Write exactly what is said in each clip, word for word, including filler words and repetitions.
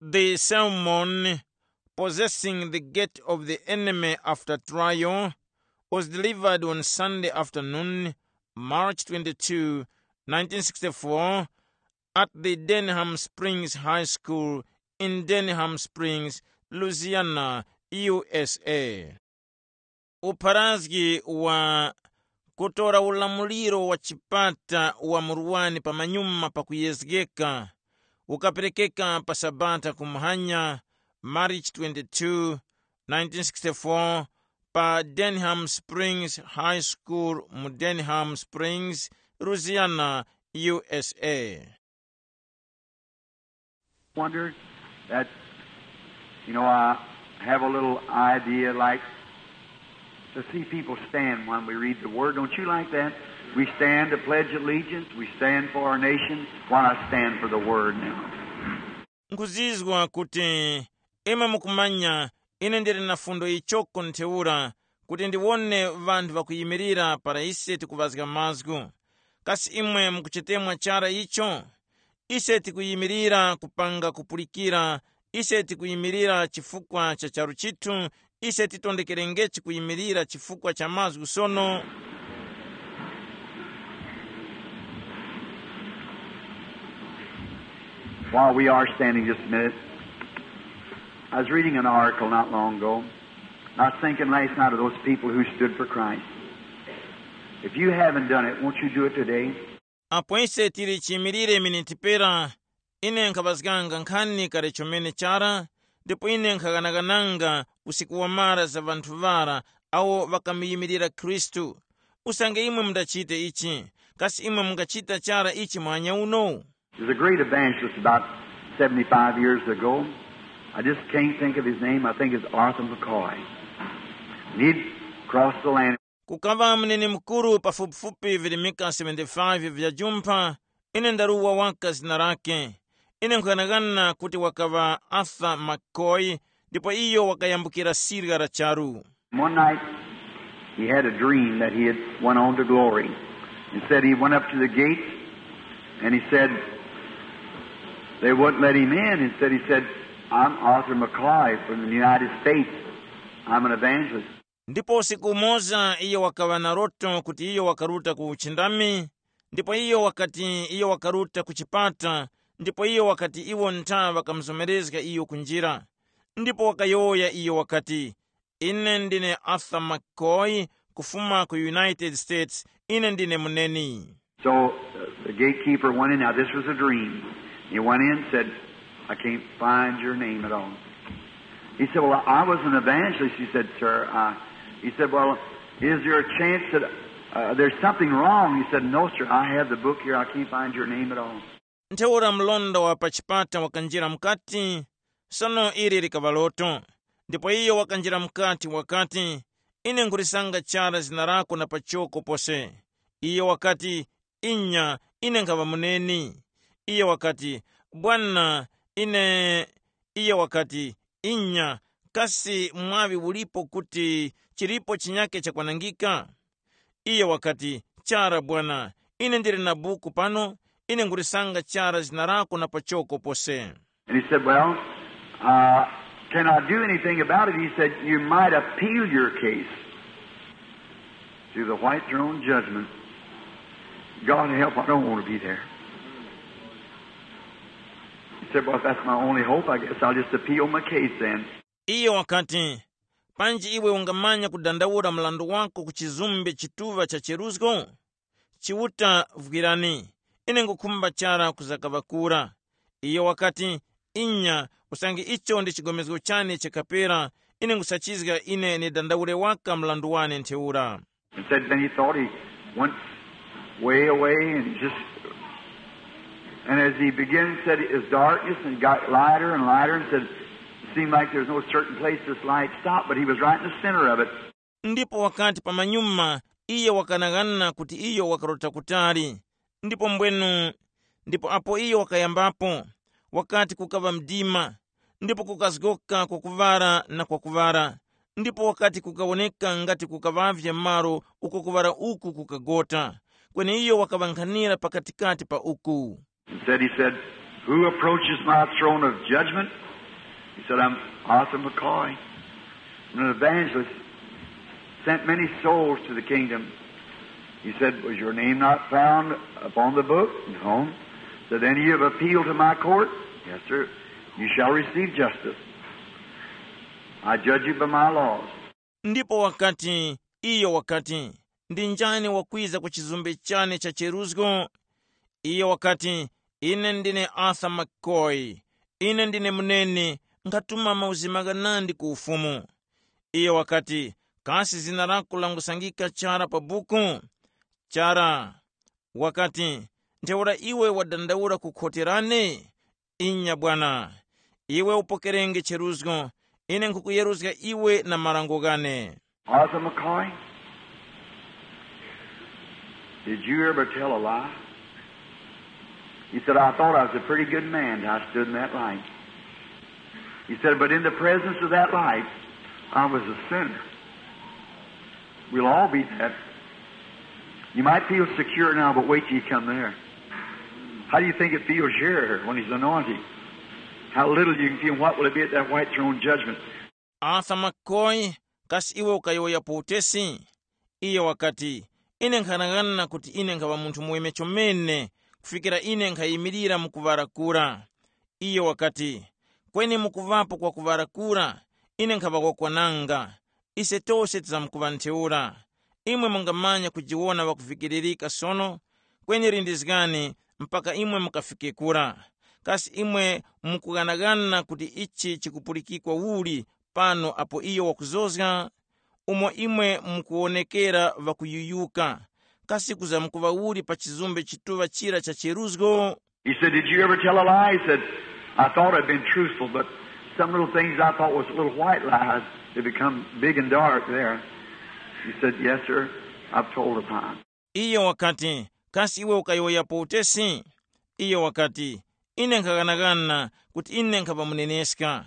The sermon, Possessing the Gate of the Enemy After Trial, was delivered on Sunday afternoon, March twenty-two, nineteen sixty-four, at the Denham Springs High School in Denham Springs, Louisiana, U S A. Upharazgi wa kutora ulamuliro wa chipata wa murwani pamanyuma pakuyezgeka ukaperekeka pa Sabata kumuhanya, March twenty-two, nineteen sixty-four, pa Denham Springs High School mu Denham Springs, Louisiana, U S A. Wonder that, you know, I have a little idea like to see people stand when we read the Word. Don't you like that? We stand to pledge allegiance. We stand for our nation. Why not stand for the Word now? Nkhuzizwa kuti imwe mukumanya ine ndili na fundo yichoko ntheura kuti ndiwone ŵanthu ŵakuyimirira para ise tikuŵazga mazgu. Kasi imwe mukuchitemwa chara icho? Ise tikuyimirira kupanga kupulikira, ise tikuyimirira chifukwa cha charu chithu, ise titondekerengechi kuyimirira chifukwa cha mazgu sono. While we are standing just a minute, I was reading an article not long ago. And I was thinking last night of those people who stood for Christ. If you haven't done it, won't you do it today? Apo ise tili chiyimirire miniti pera, ine nkhaŵazganga nkhani kale chomene chara, ndipo ine nkhaghanaghananga usiku wamara za ŵanthu ŵara awo ŵakamuyimirira Khristu. Usange imwe mundachite ichi, kasi imwe mungachita chara ichi mwanya uno? There's a great evangelist about seventy-five years ago. I just can't think of his name. I think it's Arthur McCoy. And he'd crossed the land. Kukaŵa munene mukuru pafupifupi virimika seventy-five vya jumpha, ine ndaruwa waka zina lake. Ine nkughanagana kuti wakaŵa Arthur McCoy, ndipo iyo wakayambukira sirya la charu. One night, he had a dream that he had went on to glory. He said he went up to the gate, and he said they wouldn't let him in. And said, he said, "I'm Arthur McCoy from the United States. I'm an evangelist." Ndipo usiku umoza iyo wakaŵa na loto kuti iyo wakaruta ku uchindami, ndipo iyo wakati iyo wakaruta ku chipata, ndipo iyo wakati iwo ntha ŵakamuzomerezga iyo ku njira. Ndipo wakayowoya iyo wakati, "Ine ndine Arthur McCoy, kufuma ku United States, ine ndine muneni." So uh, the gatekeeper went in. Now, this was a dream. He went in and said, "I can't find your name at all." He said, "Well, I was an evangelist." He said, "Sir, I," he said, "Well, is there a chance that uh, there's something wrong?" He said, "No, sir, I have the book here. I can't find your name at all." Ntheura mlonda wa pa chipata wakanjira mukati, sono ili likaŵa loto. Ndipo iyo wakanjira mukati wakati, "Ine nkhulisanga chara zina lako na pachoko pose." Iyo wakati, "Inya, ine nkhaŵa muneni." Iyo wakati, "Bwana, ine." Iyo wakati, "Inya, kasi mwaŵi ulipo kuti chilipo chinyake chakwanangika?" Iyo wakati, "Chara Bwana, ine ndili na buku pano, ine nkhulisanga chara zina lako na pachoko pose." And he said, "Well, uh, can I do anything about it?" He said, "You might appeal your case to the white throne judgment. God help, I don't want to be there." He said, "Well, if that's my only hope, I guess I'll just appeal my case then." Iyo wakati, "Panji iwe ungamanya kudandaula mlandu wako ku chizumbe chituŵa cha cheruzgo? Chiuta vwirani, ine ngukhumba chara kuzakaŵa kura." Iyo wakati, "Inya, usange icho ndi chigomezgo chane chakapera, ine ngusachizga ine nidandaule waka mlandu wane ntheura." And said, then he thought he went way away and he just, and as he began, said it was darkness and got lighter and lighter and said, it seemed like there's no certain place this light stopped, but he was right in the center of it. Ndipo wakati pamanyuma, iye wakanang'ana kuti iyo wakarota kutali. Ndipo mbwenu, ndipo apo iyo wakayambapo, wakati kukaŵa mdima, ndipo kukazgoka kwakuŵara na kwakuŵara, ndipo wakati kukawoneka ngati kukaŵavye malo uko kuŵara uku kukagota. Kweni iyo wakaŵankhanira pakatikati pa uku. And said, he said, who approaches my throne of judgment He said, "I'm Arthur McCoy. I'm an evangelist. Sent many souls to the kingdom." He said, "Was your name not found upon the book?" "No." "Said, then you have appealed to my court?" "Yes, sir." "You shall receive justice. I judge you by my laws." Ndipo wakati, iyo wakati, ndi njani wakwiza ku chizumbe chane cha cheruzgo? Iyo wakati, ine ndine Arthur McCoy. Ine ndine munene, nkhatuma mauzi maghanandi ku ufumu. Iyo wakati, kasi zina lako langusangika chara pa buku? Chara. Wakati, ntheura iwe wadandaula ku khoti lane? Inya bwana. Iwe upokerenge cheruzgo. Ine nkhukuyeruzga iwe na marango ghane. "Arthur McCoy, did you ever tell a lie?" He said, "I thought I was a pretty good man till I stood in that light." He said, "But in the presence of that light, I was a sinner." We'll all be that. You might feel secure now, but wait till you come there. How do you think it feels here when he's anointed? How little you can feel, what will it be at that white throne judgment? Arthur McCoy, kasi iwe ukayowoyapo utesi? Iyo wakati, ine nkhanang'ana kuti ine nkhaŵa munthu muweme chomene, kufikira ine nkhayimirira mu kuŵara kura. Iyo wakati, kweni mukuŵapo kwa kuŵara kura, ine nkhaŵa wakwananga. Ise tose tizamkuŵa ntheura. Imwe mungamanya kujiwona ŵakuvikiririka sono, kweni lindizgani mpaka imwe mukafike kura. Kasi imwe mukughanagana kuti ichi chikupulikikwa uli pano apo iyo wakuzozga? Umo imwe mukuwonekera ŵakuyuyuka, kasi kuzamkuŵa uli pa chizumbe chituŵa chira cha cheruzgo? He said, "Did you ever tell a lie?" He said, "I thought I'd been truthful, but some little things I thought was little white lies, they become big and dark there." He said, "Yes, sir, I've told a lie." Iyo wakati, kasi iwe ukayowoyapo utesi? Iyo wakati, ine nkhaghanagana kuti ine nkhapa muneneska.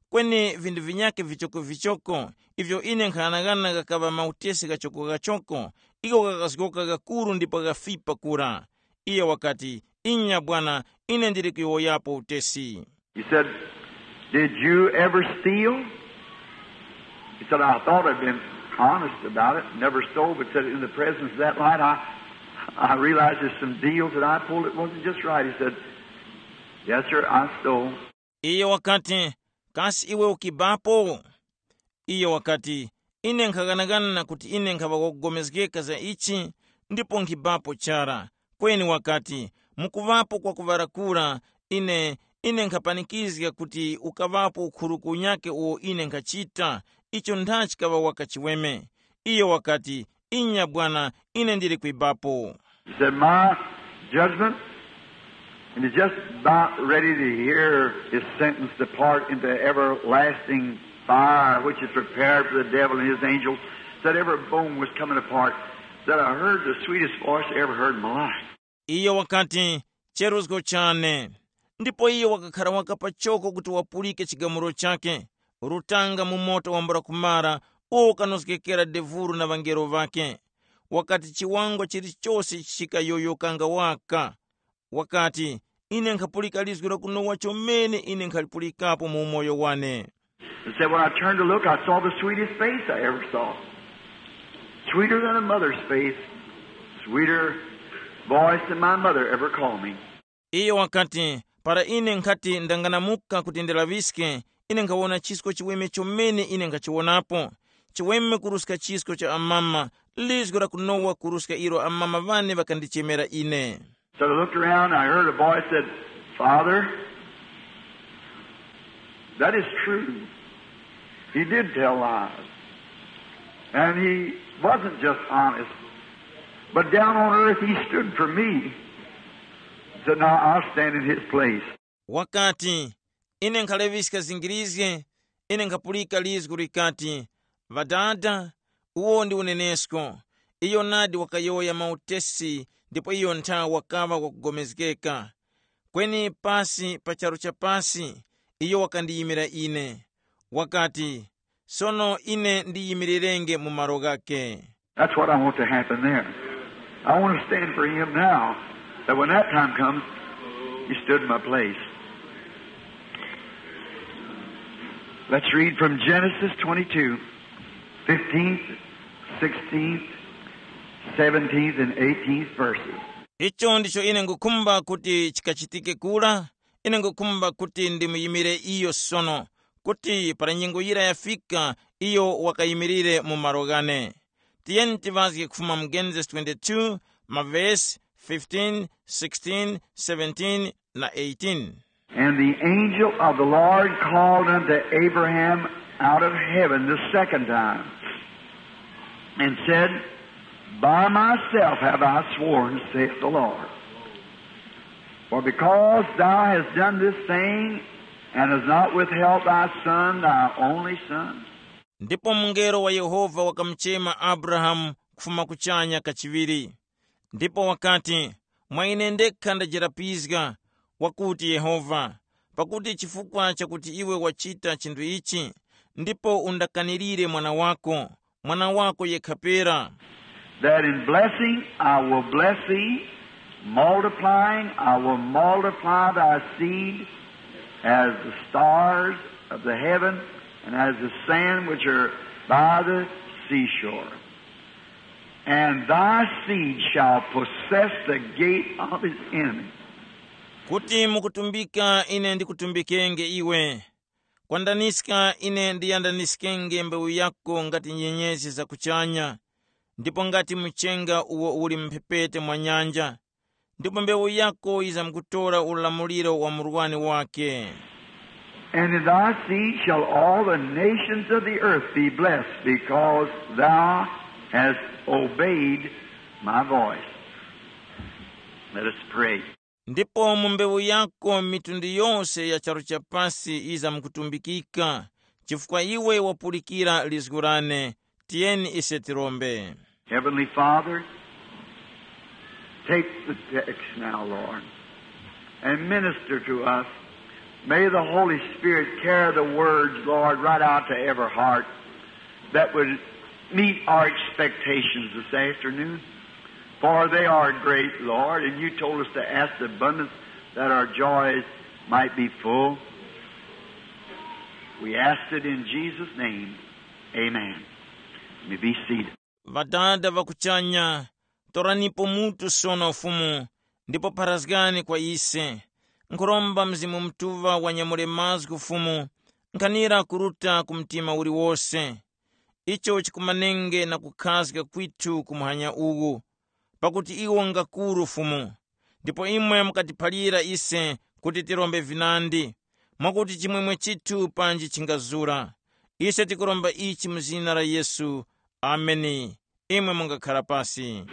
Kweni vindu vinyakhe vichokovichoko ivyo ine nkhaghanagana ghakaŵa mautesi ghachokogachoko, igho ghakazgoka ghakuru ndipo ghafipa kura. Iyo wakati, inya bwana, ine ndili kuyowoyapo utesi. He said, "Did you ever steal?" He said, "I thought I'd been honest about it, never stole, but said in the presence of that light, I, I realized there's some deals that I pulled that wasn't just right." He said, "Yes, sir, I stole." Iyo wakati, kasi iwe ukibapo? Iyo wakati, ine nkhaghanaghana kuti ine nkhaŵa wakugomezgeka za ichi, ndipo nkhibapo chara. Kweni wakati, mukuŵapo kwakuŵarakura, ine, ine nkhapanikizga kuti ukaŵapo ukhuruku unyakhe uwo ine nkhachita, icho nthachi kaŵa waka chiweme. Iyo wakati, inya bwana, ine ndili kwibapo. He said, "My judgment," and he's just about ready to hear his sentence depart into everlasting fire, which is prepared for the devil and his angels. Said every bone was coming apart. Said, "I heard the sweetest voice I ever heard in my life." Iyo wakati, cheruzgo chane. Ndipo iyo wakakhara waka pachoko kuti wapulike chigamulo chake, rutanga mu moto wambula kumara, uwo ukanozgekera devuru na ŵangelo ŵakhe. Wakati chiwangwa chilichose chikayoyokanga waka. Wakati, ine nkhapulika lizgu lakunowa chomene ine nkhalipulikapo mu umoyo wane. And said, when I turned to look, I saw the sweetest face I ever saw. Sweeter than a mother's face. Sweeter voice than my mother ever called me. Iyo wakati, para ine nkhati ndanganamuka kuti ndilaŵiske, ine nkhawona chisko chiweme chomene ine nkhachiwonapo. Chiweme kuruska chisko cha amama, lizgu lakunowa kuruska ilo amama ŵane ŵakandichemera ine. So I looked around, I heard a voice said, "Father, that is true. He did tell lies. And he wasn't just honest. But down on earth, he stood for me." Said, "Now I'll stand in his place." Wakati, ine nkhaleŵiska zingirizge, ine nkhapulika lizgu likati, Ŵadada, uwo ndi unenesko. Iyo nadi wakayowoya mautesi, ndipo iyo nthawe wakaŵa wakugomezgeka. Kweni pasi pa charu cha pasi, iyo wakandiyimira ine. Wakati, sono ine ndiyimirirenge mu malo ghakhe. That's what I want to happen there. I want to stand for him now, that when that time comes, he stood in my place. Let's read from Genesis twenty-two, fifteenth, sixteenth, seventeenth, and eighteenth verses. Icho ndicho ine ngukhumba kuti chikachitike kura. Ine ngukhumba kuti ndimuyimire iyo sono, kuti para nyengo yira yafika, iyo wakayimirire mu malo ghane. Tiyeni tivazge kufuma mu Genesis twenty-two, mavesi fifteen, sixteen, seventeen, na eighteen. And the angel of the Lord called unto Abraham out of heaven the second time, and said, "By myself have I sworn, saith the Lord, for because thou hast done this thing, and hast not withheld thy son, thy only son." Ndipo mungelo wa Yehova wakamuchema Abrahamu kufuma kuchanya kachiŵiri. Ndipo wakati, "Mwa ine ndekha ndajerapizga, wakuti Yehova, pakuti chifukwa chakuti iwe wachita chinthu ichi, ndipo undakanirire mwana wako, mwana wako yekha pera." That in blessing I will bless thee, multiplying I will multiply thy seed as the stars of the heaven and as the sand which are by the seashore. And thy seed shall possess the gate of his enemy. Kuti mukutumbika ine ndikutumbikenge iwe, kwandaniska ine ndiyandaniskenge mbewu yako ngati nyenyezi za kuchanya, ndipo ngati mchenga uwo uli mphepete mwa nyanja, ndipo mbewu yako yizamkutora ulamuliro wa murwani wake. And in thy seed shall all the nations of the earth be blessed, because thou hast obeyed my voice. Let us pray. Ndipo mu mbewu yako mitundu yose ya charu cha pasi yizamkutumbikika, chifukwa iwe wapulikira lizgu lane. Tiyeni ise tirombe. Heavenly Father, take the text now, Lord, and minister to us. May the Holy Spirit carry the words, Lord, right out to every heart that would meet our expectations this afternoon. For they are great, Lord, and you told us to ask the abundance that our joys might be full. We ask it in Jesus' name. Amen. You may be seated. Ŵadada ŵa kuchanya, toranipo mutu sono Fumu, ndipo pharazgani kwa ise. Nkhuromba Mzimu Mutuŵa wanyamule mazgu Fumu, nkhanira kuruta ku mtima uliwose. Icho chikumanenge na kukhazga kwithu ku muhanya uwu, pakuti iwo ngakuru Fumu. Ndipo imwe mukatiphalira ise kuti tirombe vinandi, mwakuti chimwemwe chithu panji chingazura. Ise tikuromba ichi mu zina la Yesu. Ameni. Imwe mungakhara pasi.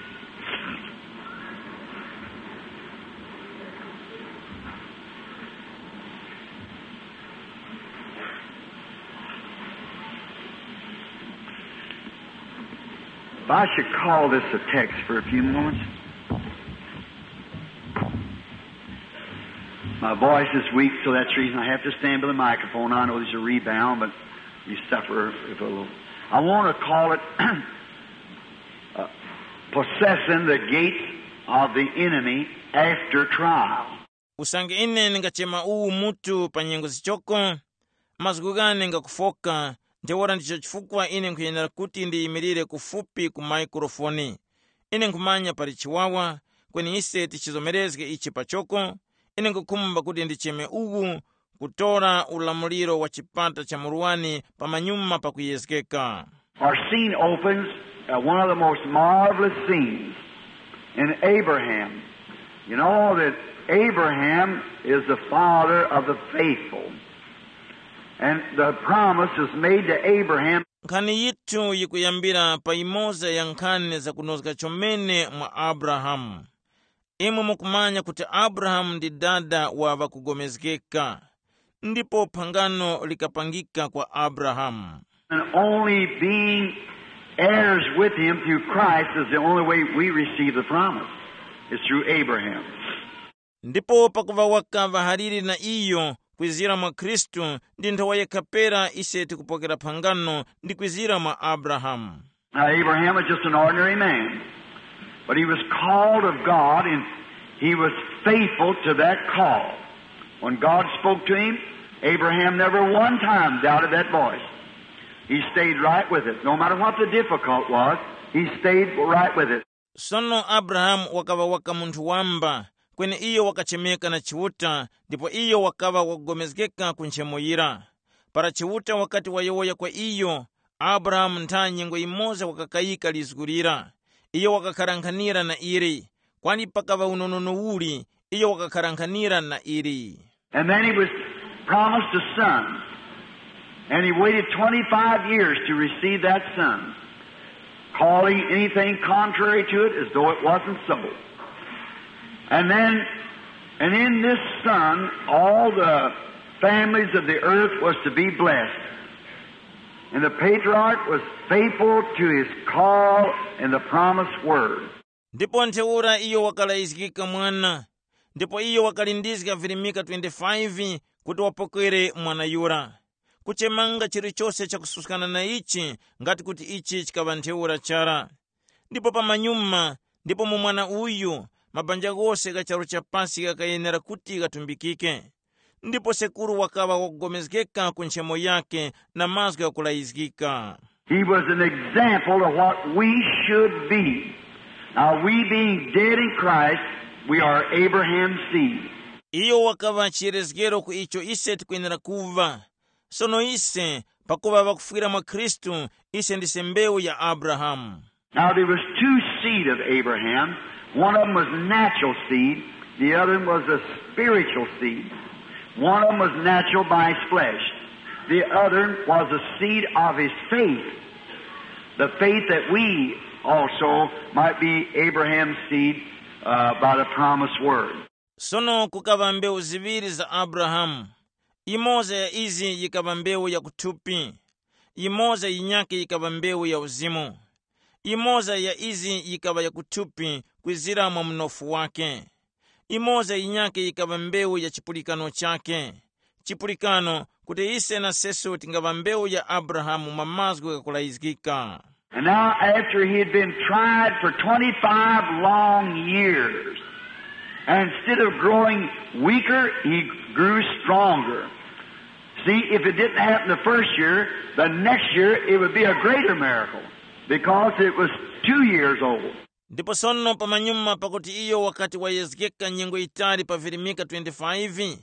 If I should call this a text for a few moments. My voice is weak, so that's the reason I have to stand by the microphone. I know there's a rebound, but you suffer if a little. I want to call it uh, possessing the gates of the enemy after trial. Usange ine ndingachema uwu mutu pa nyengo zichoko, mazgu ghane ngakufoka, ntheura ndicho chifukwa ine nkhuyenera kuti ndiyimirire kufupi ku maikrofoni. Ine nkhumanya pali chiwawa, kweni ise tichizomerezge ichi pachoko. Ine nkhukhumba kuti ndicheme uwu kutora ulamuliro wa chipata cha murwani pamanyuma pakuyezgeka. Our scene opens at one of the most marvelous scenes in Abraham. You know that Abraham is the father of the faithful. And the promise is made to Abraham. Nkhani yithu yikuyambira pa imoza ya nkhani zakunozga chomene mwa Abrahamu. Imwe mukumanya kuti Abrahamu ndi dada wa ŵakugomezgeka, ndipo phangano likapangika kwa Abrahamu. And only being heirs with him through Christ is the only way we receive the promise. It's through Abraham. Ndipo pakuva wakaŵa haliri na iyo kwizira mwa Khristu, ndi nthowa yekha pera ise tikupokera phangano ndi kwizira mwa Abrahamu. Now, Abraham was just an ordinary man, but he was called of God, and he was faithful to that call. When God spoke to him, Abraham never one time doubted that voice. He stayed right with it. No matter what the difficult was, he stayed right with it. Sono Abrahamu wakaŵa waka munthu wamba, kweni iyo wakachemeka na Chiuta, ndipo iyo wakaŵa wakugomezgeka ku nchemo yira. Para Chiuta wakati wayowoya kwa iyo, Abrahamu ntha nyengo yimoza wakakayika lizgu lira. Iyo wakakharankhanira na ili. Kwani pakaŵa unonono uli, iyo wakakharankhanira na ili. And then he was promised a son. And he waited twenty-five years to receive that son, calling anything contrary to it as though it wasn't so. And then, and in this son, all the families of the earth was to be blessed. And the patriarch was faithful to his call and the promised word. Ndipo ntheura iyo wakalayizgika mwana, ndipo iyo wakalindizga virimika twenty-five kuti wapokere mwana yura. Kuchemanga chilichose chakususkana na ichi, ngati kuti ichi chikaŵa ntheura chara. Ndipo pamanyuma, ndipo mu mwana uyu, mabanja ghose gha charu cha pasi ghakayenera kuti ghatumbikike. Ndipo sekuru wakaŵa wakugomezgeka ku nchemo yake na mazgu ghakulayizgika. He was an example of what we should be. Now, we being dead in Christ, we are Abraham's seed. Iyo wakaŵa chiyerezgero ku icho ise tikwenera kuva. Sono ise, pakuŵa ŵakufwira mwa Khristu, ise ndise mbewu ya Abrahamu. Now, there was two seed of Abraham. One of them was natural seed. The other one was a spiritual seed. One of them was natural by his flesh. The other was a seed of his faith. The faith that we also might be Abraham's seed uh, by the promised word. Sono kukaŵa mbewu ziŵiri za Abrahamu. Imoza ya izi yikaŵa mbewu ya kuthupi, imoza yinyakhe yikaŵa mbewu ya uzimu. Imoza ya izi yikaŵa ya kuthupi kwizira mwa mnofu wake. Imoza yinyakhe yikaŵa mbewu ya chipulikano chake. Chipulikano kuti ise na seso tingaŵa mbewu ya Abrahamu mwa mazgu ghakulayizgika. And now, after he had been tried for twenty-five long years, and instead of growing weaker, he grew stronger. See, if it didn't happen the first year, the next year it would be a greater miracle because it was two years old. Ndipo sono pamanyuma pakuti iyo wakati wayezgeka nyengo yitali pa virimika twenty-five,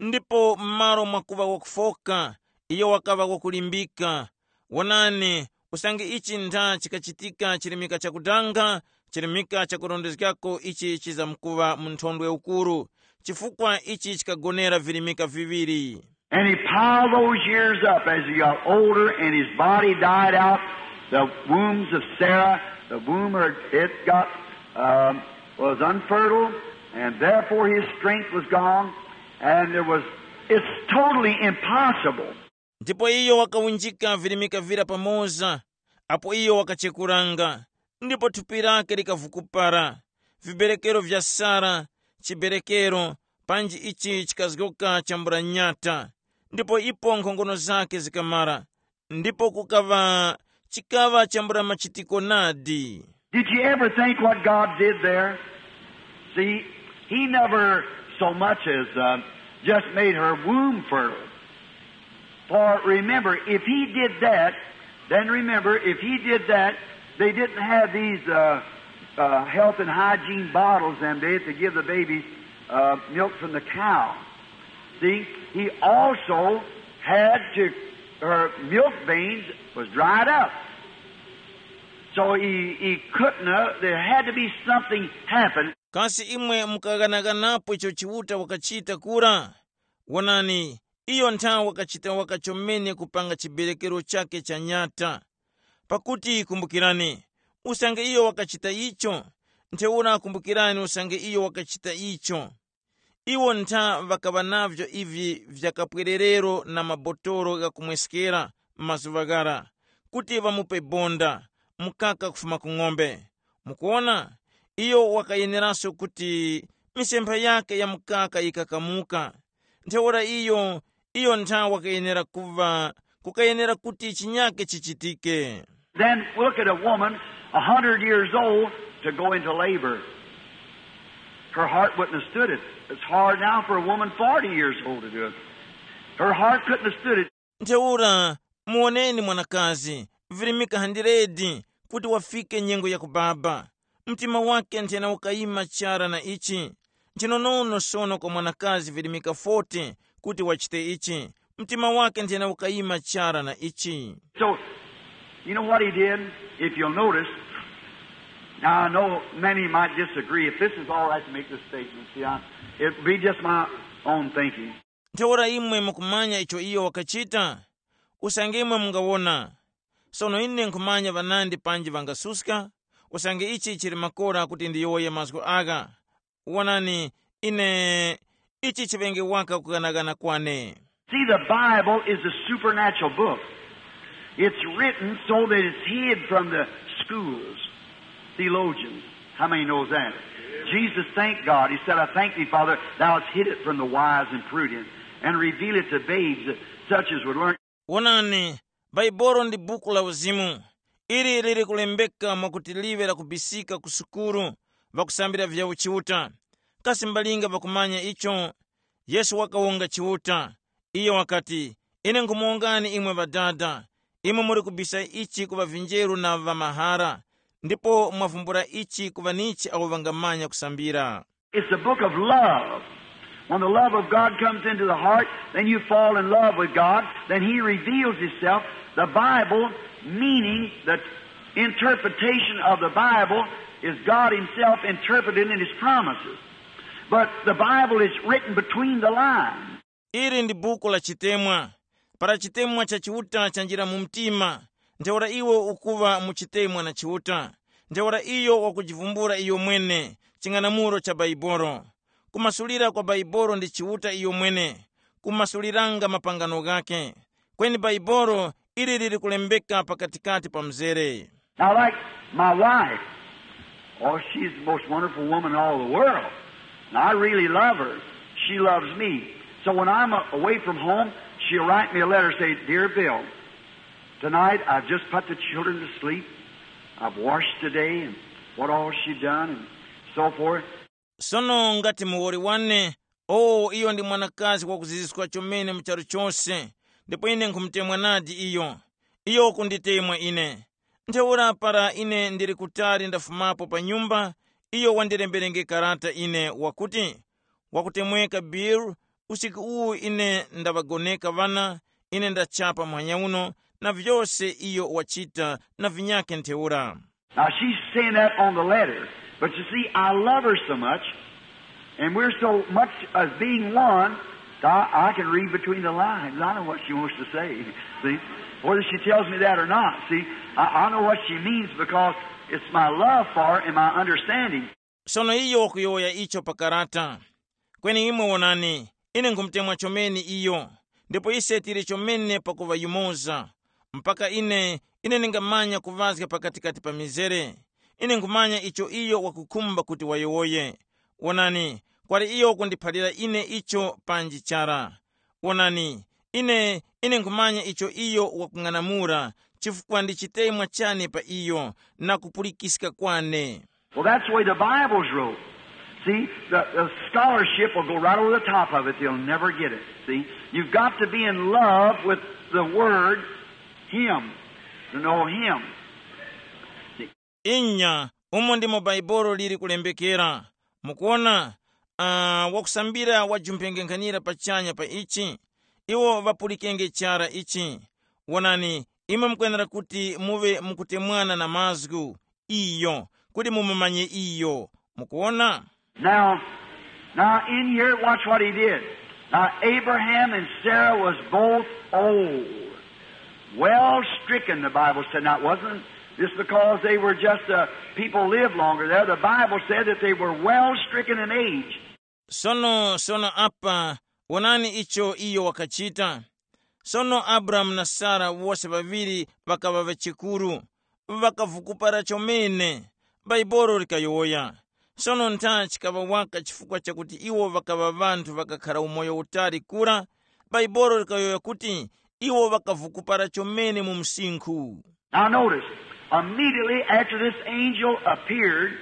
ndipo m'malo mwakuŵa wakufoka, iyo wakaŵa wakulimbika. Wonani, usange ichi ntha chikachitika chirimika chakudanga, chirimika chakurondezgako ichi chizamkuŵa mu nthondwe ukuru, chifukwa ichi chikagonera virimika viŵiri. And he piled those years up as he got older and his body died out. The wombs of Sarah, the womb, her, it got, um, was unfertile, and therefore his strength was gone, and there was, it's totally impossible. Ndipo iyo wakawunjika virimika vira pamoza, apo iyo wakachekuranga, ndipo thupi lake likavukupara, viberekero vya Sara, chiberekero, panji ichi chikazgoka chambula nyata, ndipo ipo nkhongono zake zikamara, ndipo kukaŵa, chikaŵa chambula machitiko nadi. Did you ever think what God did there? See, he never so much as uh, just made her womb fertile. For remember, if he did that, then remember, if he did that, they didn't have these uh, uh, health and hygiene bottles and they had to give the babies uh, milk from the cow. See, he also had to, her milk veins was dried up. So he, he couldn't, uh, there had to be something happen. Kasi imwe mukaghanaghanapo icho Chiuta wakachita kura? Wonani, iyo nthawe wakachita waka chomene kupanga chiberekero chake cha nyata. Pakuti kumbukirani, usange iyo wakachita icho, ntheura kumbukirani usange iyo wakachita icho. Iwo ntha ŵakaŵa navyo ivi vyakapwererero na mabotolo ghakumweskera mazuŵa ghara, kuti ŵamupe bonda, mukaka kufuma ku ng'ombe. Mukuwona, iyo wakayeneranso kuti misempha yake ya mukaka yikakamuka. Ntheura iyo, iyo ntha wakayenera kuŵa, kukayenera kuti chinyake chichitike. Then look at a woman a hundred years old to go into labor. Her heart wouldn't have stood it. It's hard now for a woman forty years old to do it. Her heart couldn't have stood it. Ntheura, muwoneni mwanakazi, virimika handiredi kuti wafike nyengo ya kubaba. Mtima wake nthena ukayima chara na ichi. Nchinonono sono kwa mwanakazi virimika forty kuti wachite ichi. Mtima wake nthena ukayima chara na ichi. So, you know what he did? If you'll notice, now I know many might disagree. If this is all right to make this statement, see, I, it'd be just my own thinking. Ntheura imwe mukumanya icho iyo wakachita? Usange imwe mungawona. Sono ine nkhumanya ŵanandi panji ŵangasuska, usange ichi chili makora kuti ndiyowoye mazgu agha. Wonani, ine ichi chiŵenge waka kughanagana kwane. See, the Bible is a supernatural book. It's written so that it's hid from the schools, theologians. How many knows that? Jesus thanked God. He said, "I thank thee, Father, thou hast hid it from the wise and prudent, and reveal it to babes, such as would learn." Wonani, Baibolo ndi buku la uzimu. Ili lili kulembeka mwakuti liŵe lakubisika ku sukulu, ŵakusambira vya uchiuta. Kasi mbalinga ŵakumanya icho? Yesu wakawonga Chiuta. Iyo wakati, "Ine nkhumuwongani imwe Ŵadada, imwe muli kubisa ichi ku ŵavinjeru na ŵamahara, ndipo mwavumbula ichi ku ŵanichi awo ŵangamanya kusambira." It's a book of love. When the love of God comes into the heart, then you fall in love with God, then He reveals Himself. The Bible, meaning the interpretation of the Bible, is God Himself interpreted in His promises. But the Bible is written between the lines. Ili ndi buku la chitemwa. Para chitemwa cha Chiuta chanjira mu mtima, ntheura iwe ukuŵa mu chitemwa na Chiuta. Ntheura iyo wakujivumbula iyo mwene, ching'anamulo cha Baibolo. Kumasulira kwa Baibolo ndi Chiuta iyo mwene, kumasuliranga mapangano ghake. Kweni Baibolo ili lili kulembeka pakatikati pa mzere. Now, like my wife, oh, she's the most wonderful woman in all the world. And I really love her. She loves me. So when I'm uh, away from home, she'll write me a letter, say, "Dear Bill, tonight I've just put the children to sleep. I've washed today," and what all she done and so forth. Sono ngati muwoli wane, o iyo ndi mwanakazi wakuziziska chomene mu charu chose, ndipo ine nkhumutemwa nadi iyo. Iyo wakunditemwa ine. Ntheura para ine ndili kutali ndafumapo pa nyumba, iyo wandilemberenge karata ine wakuti, "Wakutemweka Bill, usiku uwu ine ndaŵagoneka ŵana, ine ndachapa muhanya uno, na vyose iyo wachita na vinyakhe ntheura." Now, she's saying that on the letter, but you see, I love her so much, and we're so much as being one, that I, I can read between the lines. I know what she wants to say. See? Whether she tells me that or not, see, I, I know what she means because it's my love for her and my understanding. Sono iyo wakuyowoya icho pa karata. Kweni imwe wonani, ine nkhumutemwa chomene iyo, ndipo ise tili chomene pakuŵa yumoza. Mpaka ine, ine ndingamanya kuŵazga pakatikati pa mizere. Ine nkhumanya icho iyo wakukhumba kuti wayowoye. Wonani, kwali iyo wakundiphalira ine icho panji chara. Wonani, ine, ine nkhumanya icho iyo wakung'anamula, chifukwa ndi chitemwa chane pa iyo na kupulikiska kwane. Well, that's the way the Bible's wrote. See, the, the scholarship will go right over the top of it. They'll never get it. See, you've got to be in love with the Word, Him, to know Him. Inya, umo ndimo Baibolo lili kulembekera. Mukuona, uh, wakusambira wajumphengenkhanira pachanya pa ichi, iwo ŵapulikenge chara ichi. Wonani, imwe mukwenera kuti muŵe mukutemwana na mazgu, iyo, kuti mumumanye iyo. Mukuona? Now, now in here, watch what he did. Now Abraham and Sarah was both old, well stricken. The Bible said, now it wasn't just because they were just uh, people lived longer there. The Bible said that they were well stricken in age. Sono sono apa, wonani icho iyo wakachita. Sono Abrahamu na Sara wose ŵaŵiri ŵakaŵa ŵachikuru, ŵakavukupara chomene. Baibolo likayowoya. Sono ntha chikaŵa waka chifukwa chakuti iwo ŵakaŵa ŵanthu ŵakakhara umoyo utali kura. Baibolo likayowoya kuti iwo ŵakavukupara chomene mu msinkhu. Now notice, immediately after this angel appeared,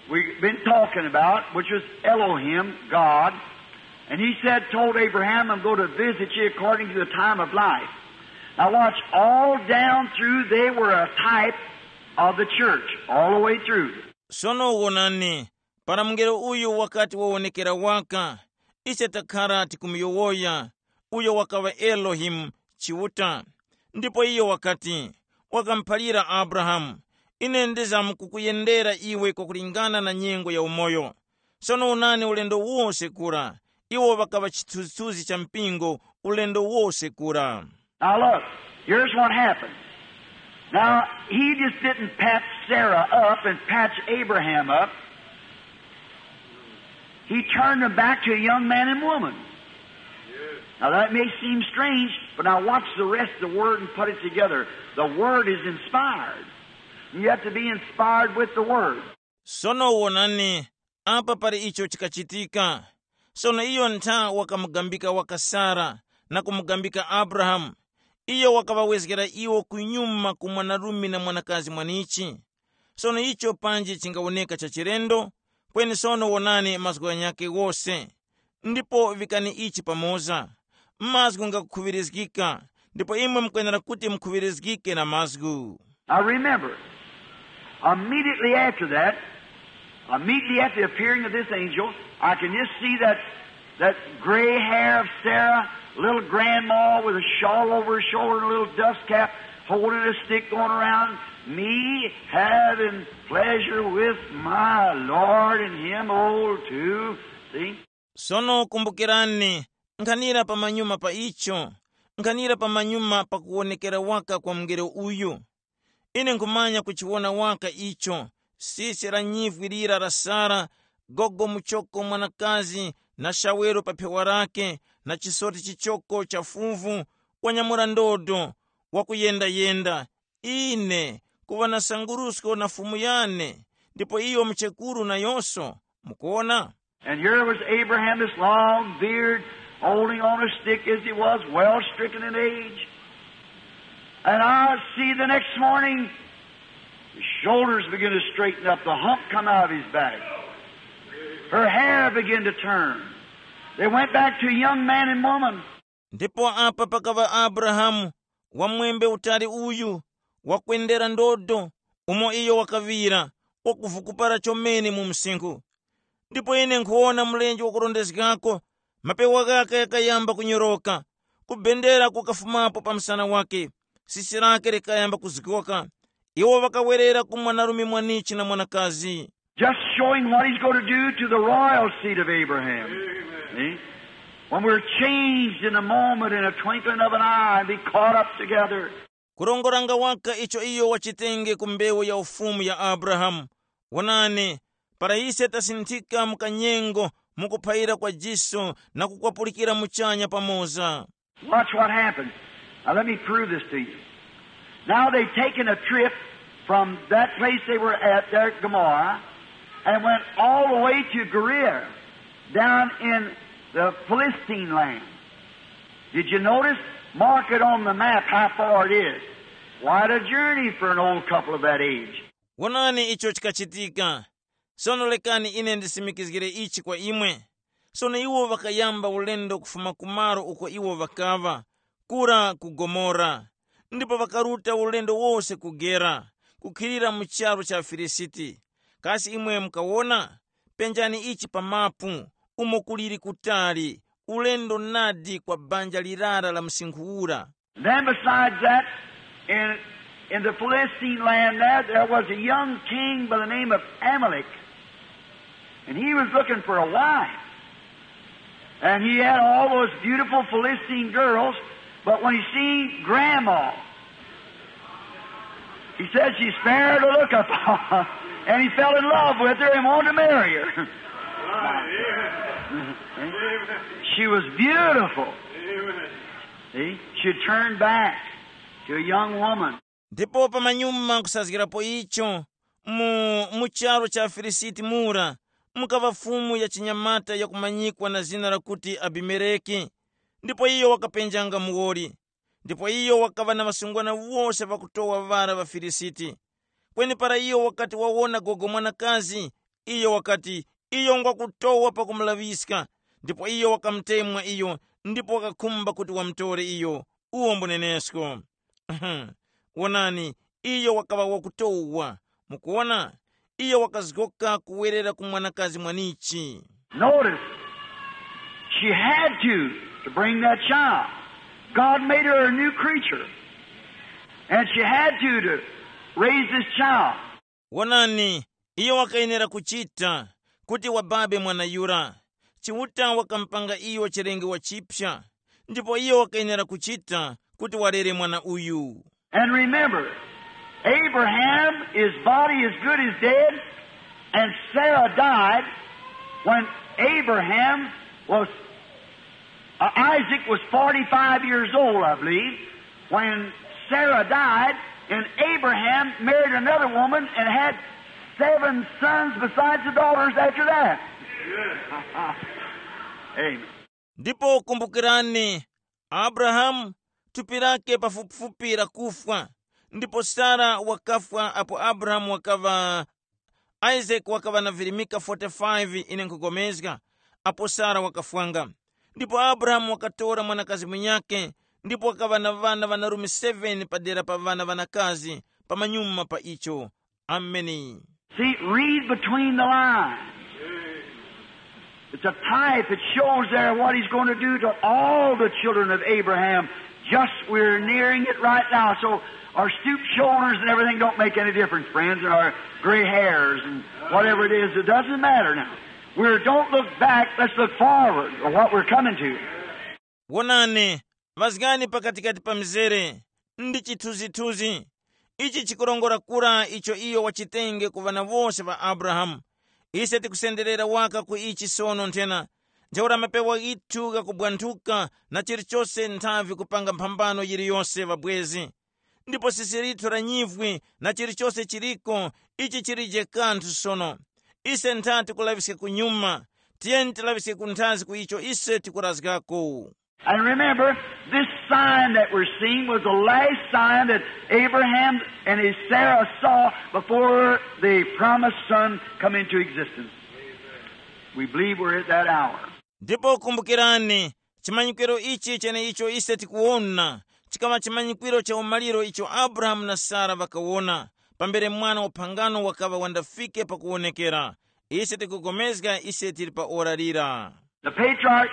we've been talking about, which was Elohim, God, And he said, told Abraham, I'm going to visit you according to the time of life. Now watch, all down through they were a type of the church, all the way through. Sono wonani, para mungelo uyu wakati wawonekera waka, ise takhara tikumuyowoya, uyo wakaŵa Elohimu Chiuta. Ndipo iyo wakati, wakamuphalira Abrahamu, ine ndizamkukuyendera iwe kwakulingana na nyengo ya umoyo. Sono wonani ulendo wose kura, iwo ŵakaŵa chithunzithunzi cha mpingo ulendo wose kura. Now look, here's what happened. Now, he just didn't patch Sarah up and patch Abraham up. He turned them back to a young man and woman. Now, that may seem strange, but now watch the rest of the word and put it together. The word is inspired. You have to be inspired with the word. Sono wonani, apa pali icho chikachitika. Sono iyo ntha wakamugambika waka Sara na kumugambika Abrahamu. Iyo wakaŵawezgera iwo kunyuma ku mwanarume na mwanakazi mwanichi. Sono icho panji chingawoneka cha chilendo, kweni sono wonani mazgu ghanyakhe ghose. Ndipo vikani ichi pamoza. Mazgu ngakukhuŵirizgika, ndipo imwe mukwenera kuti mukhuŵirizgike na mazgu. Now remember, immediately after that, immediately after the appearing of this angel, I can just see that, that gray hair of Sarah, little grandma with a shawl over her shoulder and a little dust cap, holding a stick going around, me having pleasure with my Lord and him old too. See? Sono kumbukirani, nkhanira pamanyuma pa icho, nkhanira pamanyuma pa kuwonekera waka kwa mungelo uyu. Ine nkhumanya kuchiwona waka icho, sisi la nyivwi lira la Sara, gogo muchoko mwanakazi, na shawero pa phewa lake, na chisoti chichoko cha fuvu, wanyamula ndodo, wakuyenda-yenda. Ine, kuŵa na sangurusko na Fumu yane, ndipo iyo muchekuru nayonso. Mukuona? And here was Abraham, this long beard, holding on a stick as he was, well stricken in age. And I see the next morning, his shoulders begin to straighten up, the hump come out of his back. Her hair began to turn. They went back to a young man and woman. Ndipo apa pakaŵa Abrahamu, wamwembe utali uyu, wakwendera ndodo, umo iyo wakaŵira, wakuvukupara chomene mu msinkhu. Ndipo ine nkhuwona mlenje wakurondezgako, mapewa ghakhe ghakayamba kunyoroka, kubendera kukafumapo pa msana wakhe, sisi lakhe likayamba kuzgoka. Iwo ŵakawerera ku mwanarume mwanichi na mwanakazi. Just showing what he's going to do to the royal seed of Abraham. See? When we're changed in a moment, in a twinkling of an eye, and be caught up together. Kurongoranga waka icho iyo wachitenge ku mbewu ya ufumu ya Abrahamu. Wonani, para ise tasinthika mu kanyengo, mukuphayira kwa jiso na kukwapulikira muchanya pamoza. Watch what happened. Now let me prove this to you. Now they've taken a trip from that place they were at there at Gomorrah and went all the way to Gerar, down in the Philistine land. Did you notice? Mark it on the map how far it is. Quite a journey for an old couple of that age. Wonani icho chikachitika. Sono lekani ine ndisimikizgire ichi kwa imwe. Sono iwo ŵakayamba ulendo kufuma ku malo uko iwo ŵakaŵa, kura ku Gomora. Ndipo ŵakaruta ulendo wose ku Gera, kukhilira mu charu cha Filisiti. Kasi imwe mukawona? Penjani ichi pa mapu, umo kuliri kutali, ulendo nadi kwa banja lirara la msinkhu ura. Then besides that, in, in the Philistine land there, there was a young king by the name of Amalek. And he was looking for a wife. And he had all those beautiful Philistine girls, but when he seen grandma, he said she's fair to look upon. And he fell in love with her and wanted to marry her. She was beautiful. See? She turned back to a young woman. Ndipo pamanyuma kusazgirapo icho, mu, mu charu cha Filisiti mura, mukaŵa fumu ya chinyamata yakumanyikwa na zina lakuti Abimeleki. Ndipo iyo wakapenjanga muwoli. Ndipo iyo wakaŵa na ŵasungwana wose ŵakutowa ŵara ŵa Filisiti. Kweni para iyo wakati wawona gogo mwanakazi, iyo wakati, iyo ngwakutowa pakumulaŵiska, Ndipo iyo wakamutemwa iyo, ndipo wakakhumba kuti wamutore iyo. Uwo mbunenesko. Wonani, iyo wakaŵa wakutowa. Mukuwona, iyo wakazgoka kuwerera ku mwanakazi mwanichi. Notice, she had to, to bring that child. God made her a new creature. And she had to, to raise this child. Wonani, iyo wakayenera kuchita kuti wababe mwana yura. Chiuta wakamupanga iyo chilengewa chipya, ndipo iyo wakayenera kuchita kuti walere mwana uyu. And remember, Abraham, his body as good as dead, and Sarah died when Abraham was, uh, Isaac was forty-five years old, I believe, when Sarah died, and Abraham married another woman and had seven sons besides the daughters after that. Amen. Ndipo kumbukirani, Abrahamu, thupi lake pafupifupi lakufwa, ndipo Sara wakafwa apo Abrahamu wakaŵa, Isaac wakaŵa na virimika forty-five, ine nkhugomezga, apo Sara wakafwanga. Ndipo Abrahamu wakatora mwanakazi munyakhe, ndipo wakaŵa na ŵana ŵanarume seven padera pa ŵana ŵanakazi, pamanyuma pa icho. Ameni. See, read between the lines. It's a type. It shows there what he's going to do to all the children of Abraham. Just we're nearing it right now. So our stooped shoulders and everything don't make any difference, friends, and our gray hairs and whatever it is, it doesn't matter now. We don't look back, let's look forward to what we're coming to. Wonani, ŵazgani pakatikati pa mizere ndi chithunzithunzi. Ichi chikurongora kura icho iyo wachitenge ku ŵana wose ŵa Abrahamu. Ise tikusenderera waka ku ichi sono nthena. Ntheura mapewa ghithu ghakubwanthuka na chilichose nthavi kupanga mphambano yiliyose ŵabwezi. Ndipo sisi lithu la nyivwi na chilichose chiliko, ichi chilije kanthu sono. Ise ntha tikulaŵiske kunyuma. Tiyeni tilaŵiske kunthazi ku icho ise tikurazgako. And remember, this sign that we're seeing was the last sign that Abraham and his Sarah saw before the promised son come into existence. We believe we're at that hour. Ndipo kumbukirani, chimanyikiro ichi cheneicho ise tikuwona chikaŵa chimanyikiro cha umaliro icho Abrahamu na Sara ŵakawona, pambere mwana wa phangano wakaŵa wandafike pakuwonekera. Ise tikugomezga ise tili pa ora lira. The patriarch,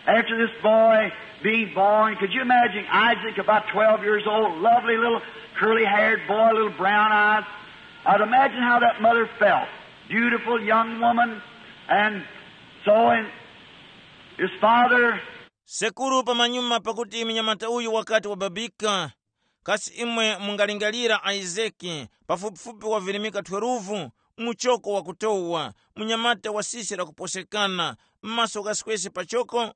after this boy being born, could you imagine Isaac, about twelve years old, lovely little curly haired boy, little brown eyes? I'd imagine how that mother felt. Beautiful young woman, and so and his father. Sekuru pamanyuma pakuti mnyamata uyu wakati wababika, kasi imwe mungalingalira Isaki, pafupifupi wa virimika twelve, muchoko wakutowa, munyamata wa sisi lakuposekana, m'maso ghasekwese pachoko?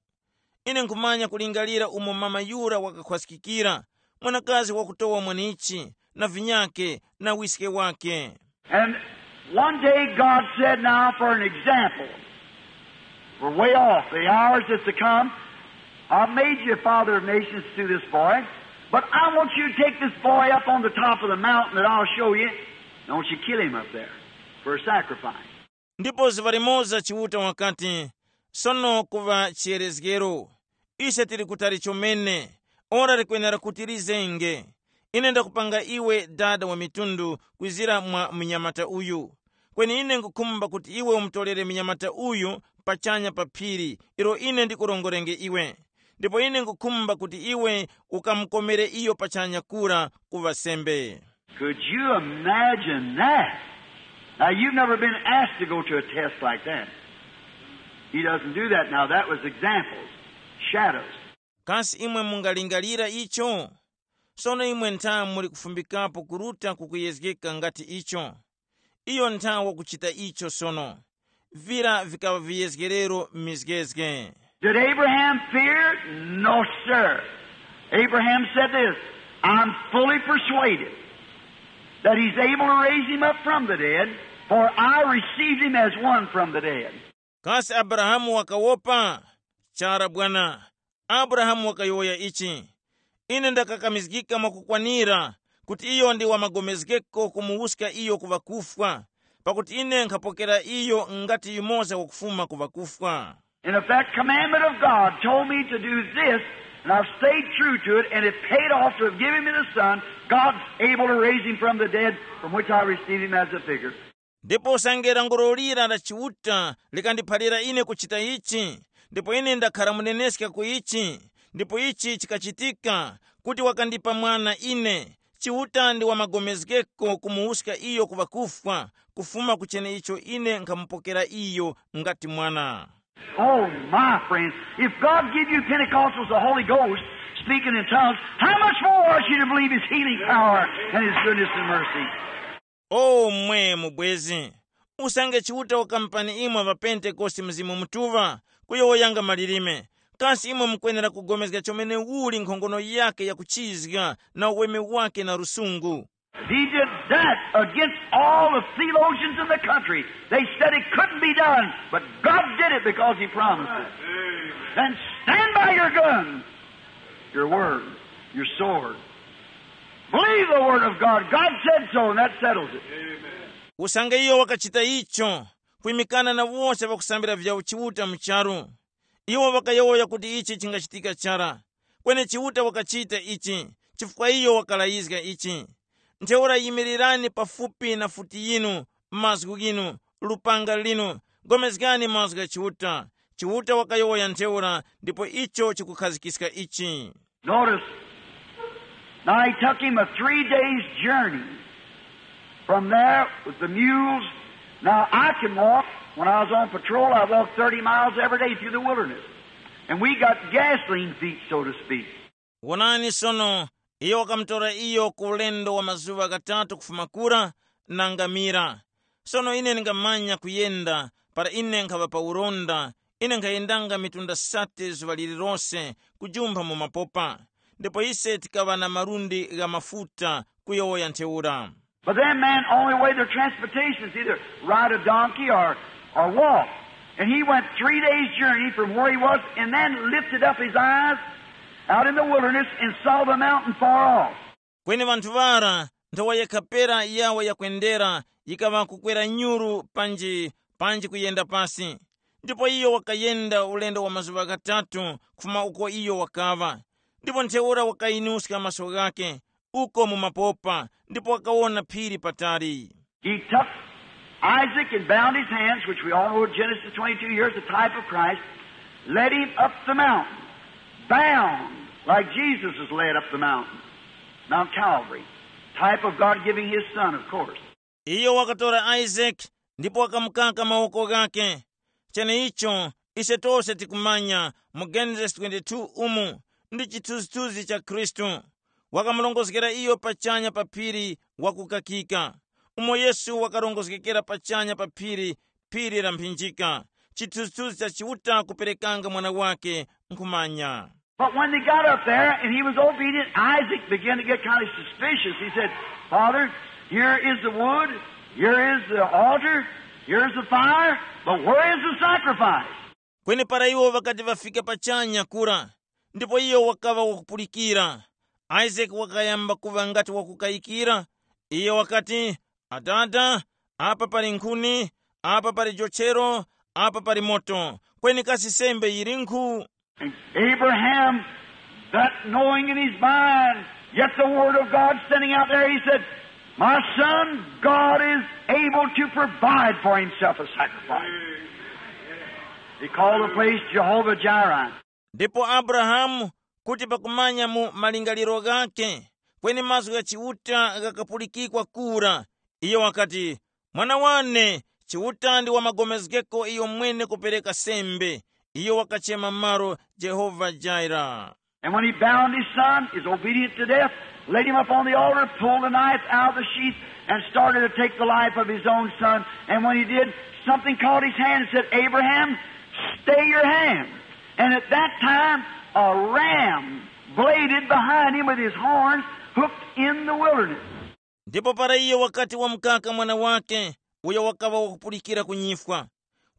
Ine nkhumanya kulingalira umo mama yura wakakhwaskikira, mwanakazi wakutowa mwenichi, na vinyake, na wiske wake. And one day God said, "Now for an example, we're way off, the hours that's to come. I've made you a father of nations through this boy, but I want you to take this boy up on the top of the mountain that I'll show you. I want you to kill him up there for a sacrifice." Ndipo zuŵa limoza Chiuta wakati, sono kuŵa chiyerezgero, ise tili kutali chomene, ora likwenera kuti lizenge. Ine ndakupanga iwe dada wa mitundu kwizira mwa mnyamata uyu. Kweni ine nkukhumba kuti iwe umutolere mnyamata uyu pachanya pa phiri ilo ine ndikurongorenge iwe. Ndipo ine nkukhumba kuti iwe ukamukomere iyo pachanya kura kuŵa sembe. Could you imagine that? Now, you've never been asked to go to a test like that. He doesn't do that now. That was examples, shadows. Kasi imwe mungalingalira icho? Sono imwe ntha muli kufumbikapo kuruta kukuyezgeka ngati icho. Iyo ntha wakuchita icho sono. Vira vikaŵa viyezgerero m'mizgezge. Did Abraham fear? No, sir. Abraham said this, "I'm fully persuaded that he's able to raise him up from the dead, for I received him as one from the dead." Kasi Abrahamu wakawopa? Chara bwana. Abrahamu wakayowoya ichi, ine ndakakamizgika mwakukwanira kuti iyo ndi wamagomezgeko kumuwuska iyo ku ŵakufwa, pakuti ine nkhapokera iyo ngati yumoza wakufuma ku ŵakufwa. And if that commandment of God told me to do this, and I've stayed true to it, and it paid off to have given me the Son, God's able to raise him from the dead, from which I received him as a figure. Ndipo usange lankhulo lira la Chiuta likandiphalira ine kuchita ichi, ndipo ine ndakhara muneneska ku ichi, ndipo ichi chikachitika, kuti wakandipa mwana ine, Chiuta ndi wamagomezgeko kumuwuska iyo ku ŵakufwa, kufuma ku cheneicho ine nkhamupokera iyo ngati mwana. Oh, my friends, if God give you Pentecostals the Holy Ghost, speaking in tongues, how much more ought you to believe his healing power and his goodness and mercy? O mwe mubwezi, usange Chiuta wakampani imwe ŵapentekoste Mzimu Mutuŵa, kuyowoyanga malilime, kasi imwe mukwenera kugomezga chomene uli nkhongono yakhe yakuchizga na uweme wake na lusungu? He did that against all the theologians in the country. They said it couldn't be done, but God did it because he promised it. Then stand by your gun, your word, your sword. Believe the word of God. God said so, and that settles it. Usange iyo wakachita icho, kwimikana na wose ŵakusambira vya uchiuta mu charu. Iwo ŵakayowoya kuti ichi chingachitika chara. Kweni Chiuta wakachita ichi, chifukwa iyo wakalayizga ichi. Ntheura yimirirani pafupi na futi yinu, mazgu ghinu, lupanga linu, gomezgani mazgu gha Chiuta. Chiuta wakayowoya ntheura, ndipo icho chikukhazikiska ichi. Notice, now he took him a three days journey from there with the mules. Now I can walk. When I was on patrol, I walked thirty miles every day through the wilderness. And we got gasoline feet, so to speak. Wonani sono, iyo wakamutora iyo ku ulendo wa mazuŵa ghatatu kufuma kura na ngamira. Sono ine ndingamanya kuyenda, para ine nkhaŵa pa uronda, ine nkhayendanga mitunda sate zuŵa lililose kujumpha mu mapopa. Ndipo ise tikaŵa na malundi gha mafuta kuyowoya ntheura. But them men only way their transportation is either ride a donkey or, or walk. And he went three days' journey from where he was and then lifted up his eyes out in the wilderness and saw the mountain far off. Kweni ŵanthu ŵara, nthowa yekha pera yawo yakwendera yikaŵa kukwera nyuru panji, panji kuyenda pasi. Ndipo iyo wakayenda ulendo wa mazuŵa ghatatu kufuma uko iyo wakaŵa. Ndipo ntheura wakayinuska maso ghakhe uko mu mapopa, ndipo wakawona phiri patali. He took Isaac and bound his hands, which we all know Genesis twenty-two here is the type of Christ, led him up the mountain, bound like Jesus was led up the mountain, Mount Calvary, type of God giving his son, of course. Iyo wakatora Isaac ndipo wakamukaka mawoko ghake. Cheneicho ise tose tikumanya mu Genesis twenty-two umu ndi chithunzithunzi cha Khristu. Wakamurongozgera iyo pachanya pa phiri wakukakika, umo Yesu wakarongozgekera pachanya pa phiri, phiri la mphinjika, chithunzithunzi cha Chiuta kuperekanga mwana wake nkhumanya. But when they got up there and he was obedient, Isaac began to get kind of suspicious. He said, "Father, here is the wood, here is the altar, here's the fire, but where is the sacrifice?" Kweni para iwo ŵakati ŵafika pachanya kura, ndipo iyo wakaŵa wakupulikira, Isaac wakayamba kuŵa ngati wakukayikira. Iyo wakati, "Atata, apa pali nkhuni, apa pali jochero, apa pali moto, kweni kasi sembe yilinkhu?" And Abraham, that knowing in his mind, yet the word of God standing out there, he said, "My son, God is able to provide for himself a sacrifice." He called the place Jehovah Jireh. Ndipo Abrahamu, kuti pakumanya mu malingaliro ghakhe, kweni mazgu gha Chiuta ghakapulikikwa kura, iyo wakati, "Mwana wane, Chiuta ndi wamagomezgeko iyo mwene kupereka sembe." Iyo wakachema malo Jehovah Jireh. And when he bound his son, is obedient to death, laid him up on the altar, pulled the knife out of the sheath, and started to take the life of his own son. And when he did, something caught his hand and said, "Abraham, stay your hand." And at that time, a ram bladed behind him with his horns, hooked in the wilderness. Ndipo para iyo wakati wamukaka mwana wake, uyo wakaŵa wakupulikira ku nyifwa,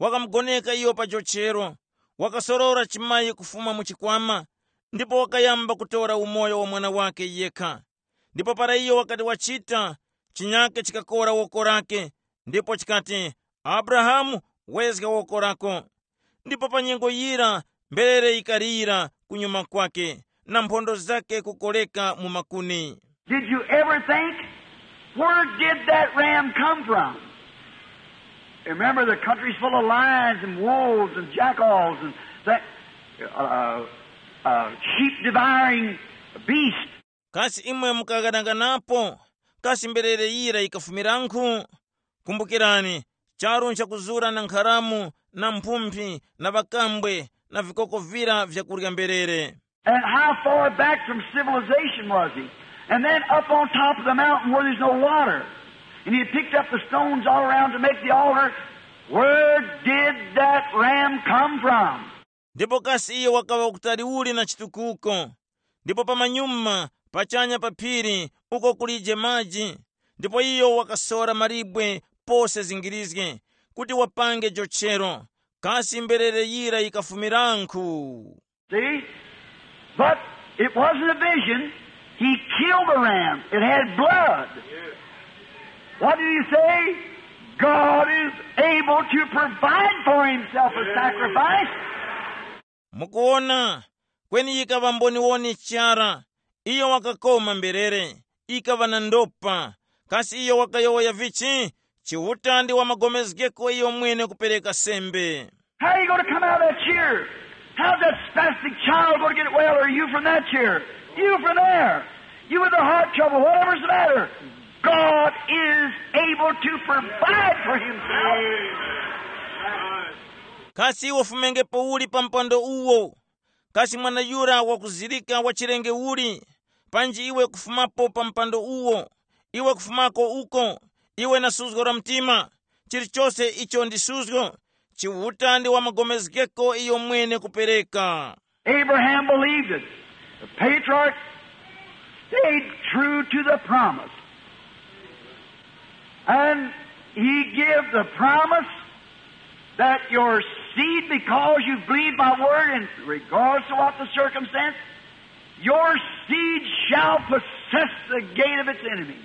wakamugoneka iyo pa jochero, wakasorora chimayi kufuma mu chikwama, ndipo wakayamba kutora umoyo wa mwana wake yekha. Ndipo para iyo wakati wachita, chinyake chikakora woko lake, ndipo chikati, "Abrahamu, wezga woko lako." Ndipo pa nyengo yira mberere yikalira kunyuma kwake, na mphondo zake kukoleka mu makuni. Did you ever think, where did that ram come from? Remember, the country's full of lions and wolves and jackals and that, uh, uh, sheep devouring beast. Kasi imwe mukaghanaghanapo? Kasi mberere yira yikafumiranku? Kumbukirani, charu nchakuzura na nkharamu na mphumphi na ŵakambwe na vikoko vira vyakurya mberere. And how far back from civilization was he? And then up on top of the mountain where there's no water. And he picked up the stones all around to make the altar. Where did that ram come from? Ndipo kasi iyo wakaŵa kutali uli na chitukuko? Ndipo pamanyuma, pachanya pa phiri, uko kulije maji. Ndipo iyo wakasora malibwe pose zingirizge, kuti wapange jochero. Kasi mberere yira yikafumiranku? See? But it wasn't a vision. He killed the ram. It had blood. What do you say? God is able to provide for himself a sacrifice. Mukuona, kweni yikaŵa mboniwoni chara. Iyo wakakoma mberere, ikaŵa na ndopa. Kasi iyo wakayowoya vichi? Chiuta ndi wamagomezgeko iyo mwene kupereka sembe. How are you going to come out of that chair? How's that spastic child going to get well? Are you from that chair? You from there? You with the heart trouble, whatever's the matter. God is able to provide for himself. Kasi iwe ufumengepo uli pa mpando uwo? Kasi mwana yura wakuzirika wa chilenge uli? Panji iwe kufumapo pa mpando uwo, iwe kufumako uko, iwe na suzgo la mtima, chilichose icho ndi suzgo, Chiuta ndi wamagomezgeko iyo mwene kupereka. Abraham believed it. The patriarch stayed true to the promise. And he gave the promise that your seed, because you believe my word, and regardless of what the circumstance, your seed shall possess the gate of its enemy.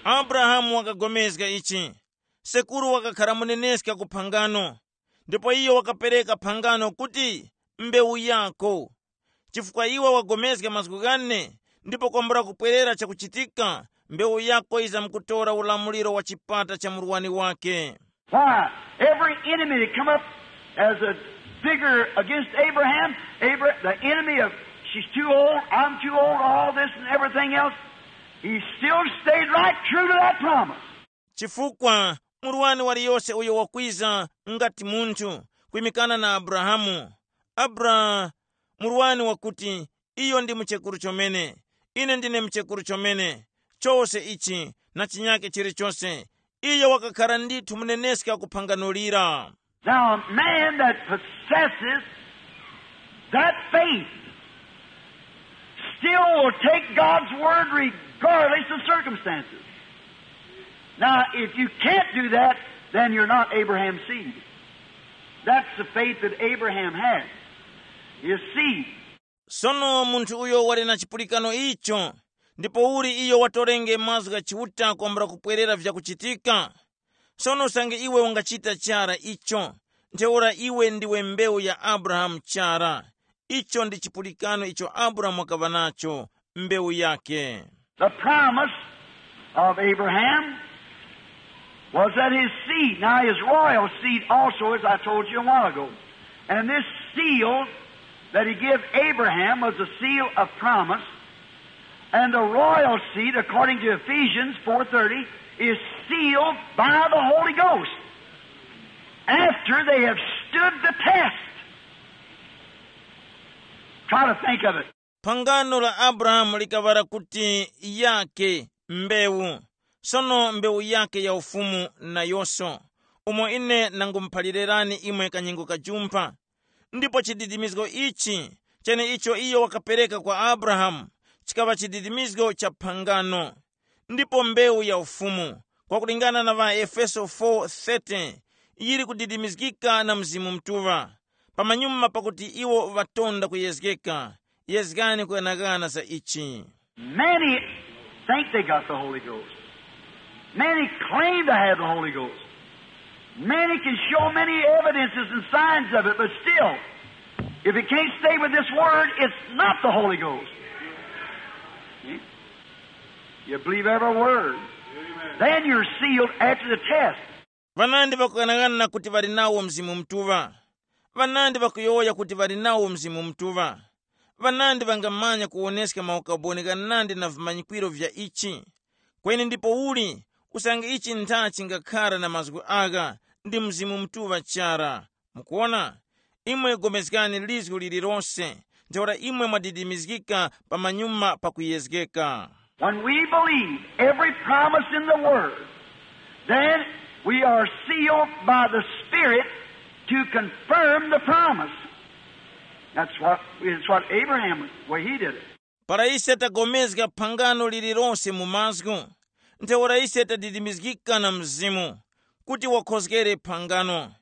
Abrahamu wakagomezga ichi. Sekuru wakakhara muneneska ku phangano, ndipo iyo wakapereka phangano kuti, mbewu yako. Chifukwa iwe wagomezga mazgu ghane, ndipo kwambula kupwerera chakuchitika, mbewu yako yizamkutora ulamuliro wa chipata cha murwani wake. Why? Every enemy that come up as a figure against Abraham, Abra- the enemy of, she's too old, I'm too old, all this and everything else, he still stayed right true to that promise. Chifukwa murwani waliyose uyo wakwiza ngati munthu kwimikana na Abrahamu, Abra, murwani wakuti, iyo ndi muchekuru chomene, ine ndine muchekuru chomene, chose ichi na chinyake chilichose, iyo wakakhara ndithu muneneska ku phangano lira. Now, a man that possesses that faith still will take God's word regardless of circumstances. Now, if you can't do that, then you're not Abraham's seed. That's the faith that Abraham had, his seed. Sono munthu uyo wali na chipulikano icho, ndipo uli iyo watorenge mazgu gha Chiuta kwambula kupwerera vyakuchitika. Sono usange iwe ungachita chara icho, ntheura iwe ndiwe mbewu ya Abrahamu chara. Icho ndi chipulikano icho Abrahamu wakaŵa nacho, mbewu yake. The promise of Abraham was that his seed, now his royal seed also, as I told you a while ago. And this seal that he gave Abraham was a seal of promise. And the royal seed, according to Ephesians four thirty, is sealed by the Holy Ghost after they have stood the test. Try to think of it. Phangano la Abrahamu likaŵa kuti yake mbewu, sono mbewu yake ya ufumu nayonso, umo ine nangumuphalirani imwe kanyengo kajumpha. Ndipo chididimizgo ichi, cheneicho iyo wakapereka kwa Abrahamu, chikaŵa chididimizgo cha phangano. Ndipo mbewu ya ufumu, kwakulingana na ŵaEfeso four thirty, yili kudidimizgika na Mzimu Mutuŵa, pamanyuma pakuti iwo ŵatonda kuyezgeka. Yezgani kughanaghana za ichi. Many think they got the Holy Ghost. Many claim to have the Holy Ghost. Many can show many evidences and signs of it, but still, if it can't stay with this word, it's not the Holy Ghost. See? You believe every word. Then you're sealed after the test. Vanandi vakughanaghana kuti ŵali nawo Mzimu Mutuŵa. Vanandi vakuyowoya kuti ŵali nawo Mzimu Mutuŵa. Vanandi vangamanya kuwoneska maukaboni ghanandi na vimanyikwiro vya ichi. Kweni ndipouli, usange ichi ntha chingakhara na mazgu agha, ndi Mzimu Mutuŵa chara. Mukuwona? Imwe gomezgani lizgu lililose, ntheura imwe mwadidimizgika pamanyuma pakuyezgeka. When we believe every promise in the Word, then we are sealed by the Spirit to confirm the promise. That's what, it's what Abraham, well, he did it. Para ise tagomezga phangano lililose mu mazgu, ntheura ise tadidimizgika na Mzimu, kuti wakhozgere phangano.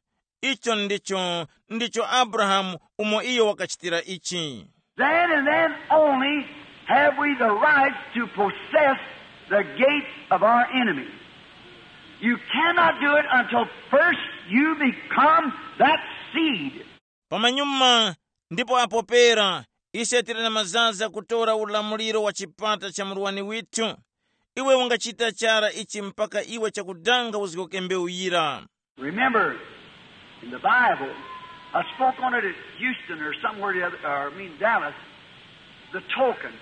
Icho ndicho, ndicho Abrahamu umo iyo wakachitira ichi. Then and then only have we the right to possess the gates of our enemy. You cannot do it until first you become that seed. Pamanyuma, ndipo apo pera, ise tili na mazaza kutora ulamuliro wa chipata cha murwani withu. Iwe ungachita chara ichi mpaka iwe chakudanga uzgoke mbewu yira. Remember, in the Bible, I spoke on it at Houston or somewhere the other, or I mean Dallas, the token.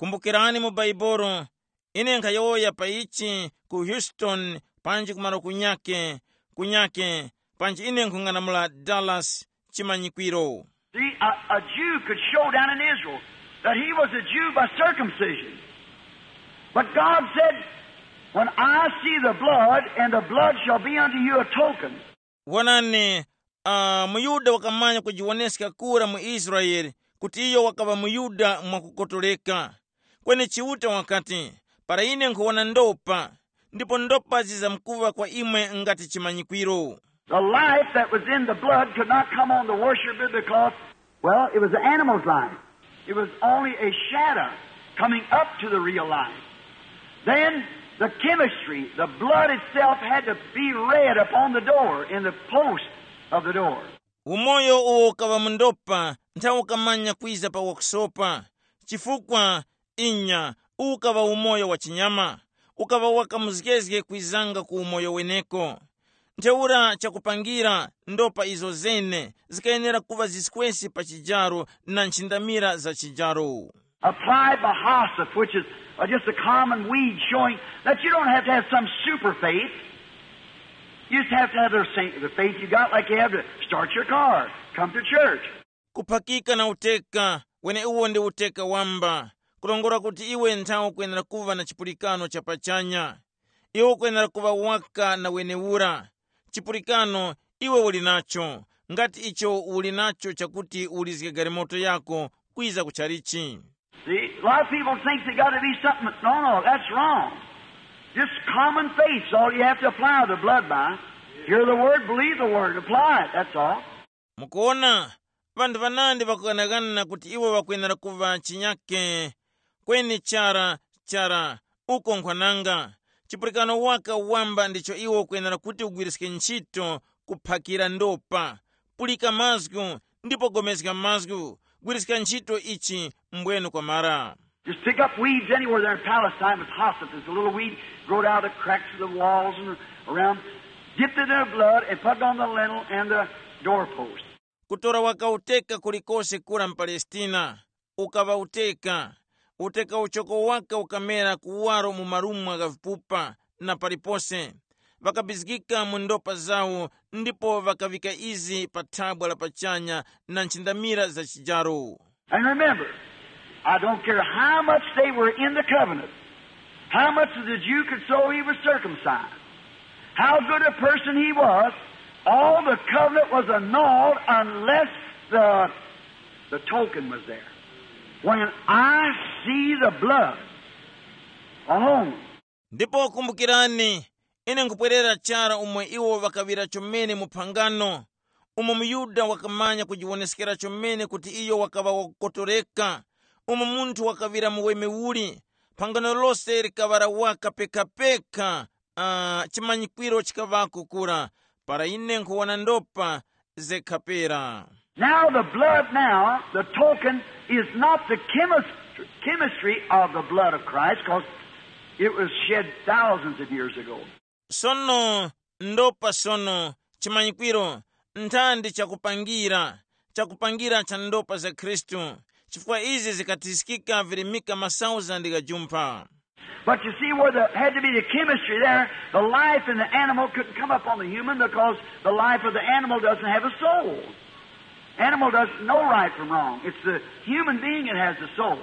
Kumbukirani mu Baibolo, ine nkhayowoya pa ichi ku Houston, panji kumaro kunyake, kunyake, panji ine nkhung'anamula Dallas chimanyikwiro. See, a, a Jew could show down in Israel that he was a Jew by circumcision. But God said, "When I see the blood, and the blood shall be unto you a token." Wonani, uh, muyuda wakamanya kujiwoneska kura mu Israele kuti iyo wakaŵa muyuda mwakukotoleka. Kweni Chiuta wakati, "Para ine nkhuwona ndopa, ndipo ndopa zizamkuŵa kwa imwe ngati chimanyikwiro." The life that was in the blood could not come on the worshipper because, well, it was the animal's life. It was only a shadow coming up to the real life. Then the chemistry, the blood itself had to be read upon the door, in the post of the door. Umoyo uwo ukaŵa mu ndopa nthawi ukamanya kwiza pa wakusopa, chifukwa inya uwu ukaŵa umoyo wa chinyama, ukaŵa wakamuzgezge kwizanga ku umoyo weneko. Ntheura chakupangira, ndopa izo zene zikayenera kuŵa ziskwesi pa chijaro na nchindamira za chijaro. Applied by hyssop, which is uh, just a common weed, showing that you don't have to have some super faith. You just have to have the, same, the faith you got, like you have to start your car, come to church. Kuphakika na uteka, wene uwo ndi uteka wamba, kulongora kuti iwe nthawe ukwenera kuva na chipulikano cha pachanya. Iwe ukwenera kuva waka na wenewura. Chipulikano iwe uli nacho, ngati icho uli nacho chakuti ulizge galimoto yako kwiza ku chalichi. See, a lot of people think they got to be something. No, no, that's wrong. Just common faith's all you have to apply the blood by. Hear the word, believe the word, apply it. That's all. Mukuona, vanthu vanandi vakughanaghana kuti iwo ŵakwenera kuva chinyake. Kweni chara, chara, uko nkhwananga. Chipulikano waka wamba ndicho iwo ukwenera kuti ugwiriske ntchito kuphakira ndopa. Pulika mazgu, ndipo gomezga mazgu, gwiriska ntchito ichi mbwenu kwamara. Just pick up weeds anywhere there in Palestine with hyssop. There's a little weed growed out of the cracks of the walls and around. Dip it in the blood and put it on the lintel and the doorpost. Kutora waka uteka kulikose kura mu Palestina, ukaŵa uteka. Uteka uchoko waka ukamera kuwaro mu marumwa gha vipupa na palipose. Ŵakabizgika mu ndopa zawo ndipo ŵakaŵika izi pa thabwa la pachanya na nchindamira za chijaro. And remember, I don't care how much they were in the covenant, how much of the Jew could show he was circumcised, how good a person he was, all the covenant was annulled unless the, the token was there. When I see the blood alone. Ndipo kumbukirani, ine nkupwerera chara umo iwo ŵakaŵira chomene mu phangano, umo muYuda wakamanya kujiwoneskera chomene kuti iyo wakaŵa wakukotoreka, umo munthu wakaŵira muweme uli, phangano lose likaŵa la waka pekapeka, uh, chimanyikwiro chikaŵako kura, para ine nkhuwona ndopa zekhapera. Now the blood now, the token, is not the chemist- chemistry of the blood of Christ, because it was shed thousands of years ago. Sono ndopa sono chimanyikwiro nthandi chakupangira chakupangira cha ndopa za Khristu, chifukwa izi zikatiskika virimika masauzandi gha jumpha. But you see where there had to be the chemistry there, the life in the animal couldn't come up on the human because the life of the animal doesn't have a soul. Animal doesn't know right from wrong. It's the human being that has the soul.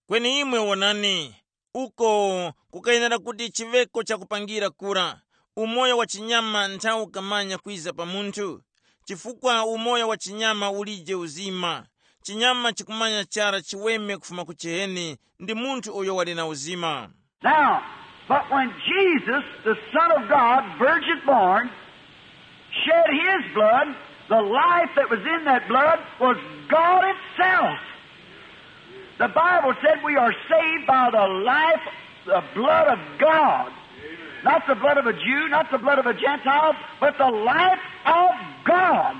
Kweni imwe wonani, uko kukayenera kuti chiŵeko chakupangira kura, umoyo wa chinyama nthawu kamanya kwiza pa munthu, chifukwa umoyo wa chinyama ulije uzima. Chinyama chikumanya chara chiweme kufuma ku chiheni ndi munthu uyo wali na uzima. Now, but when Jesus, the Son of God, virgin born, shed his blood, the life that was in that blood was God itself. The Bible said we are saved by the life, the blood of God. Not the blood of a Jew, not the blood of a Gentile, but the life of God.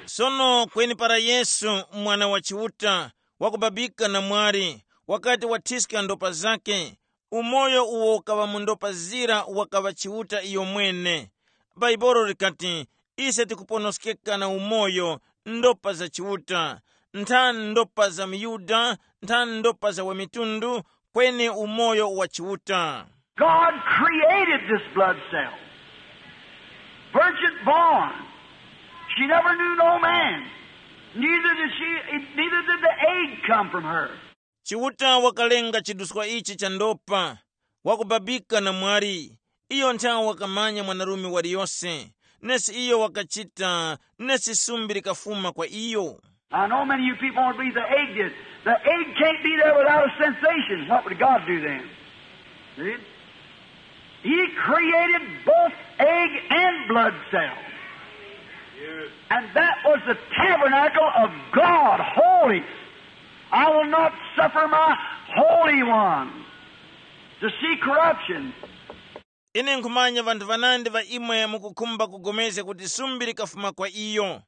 Sono kweni para Yesu, mwana wa Chiuta, wakubabika na mwari, wakati wathiska ndopa zake, umoyo uwo ukaŵa mu ndopa zira wakaŵa Chiuta iyo mwene. Baibolo likati, ise tikuponoskeka na umoyo ndopa za Chiuta, nthani ndopa za muyuda, nthani ndopa za wamitundu, kweni umoyo wa Chiuta. God created this blood cell. Virgin born. She never knew no man. Neither did she, neither did the egg come from her. Chiuta wakalenga chiduswa ichi cha ndopa, wakubabika na mwari. Iyo nthawe wakamanya mwanarume waliyose, nesi iyo wakachita, nesi sumbi likafuma kwa iyo. I know many of you people won't believe the egg did. The egg can't be there without a sensation. What would God do then? See? He created both egg and blood cell. And that was the tabernacle of God, holy. I will not suffer my holy one to see corruption. Ine nkhumanya vanthu vanandi va imwe mukukhumba kugomezga kuti sumbi likafuma kwa iyo.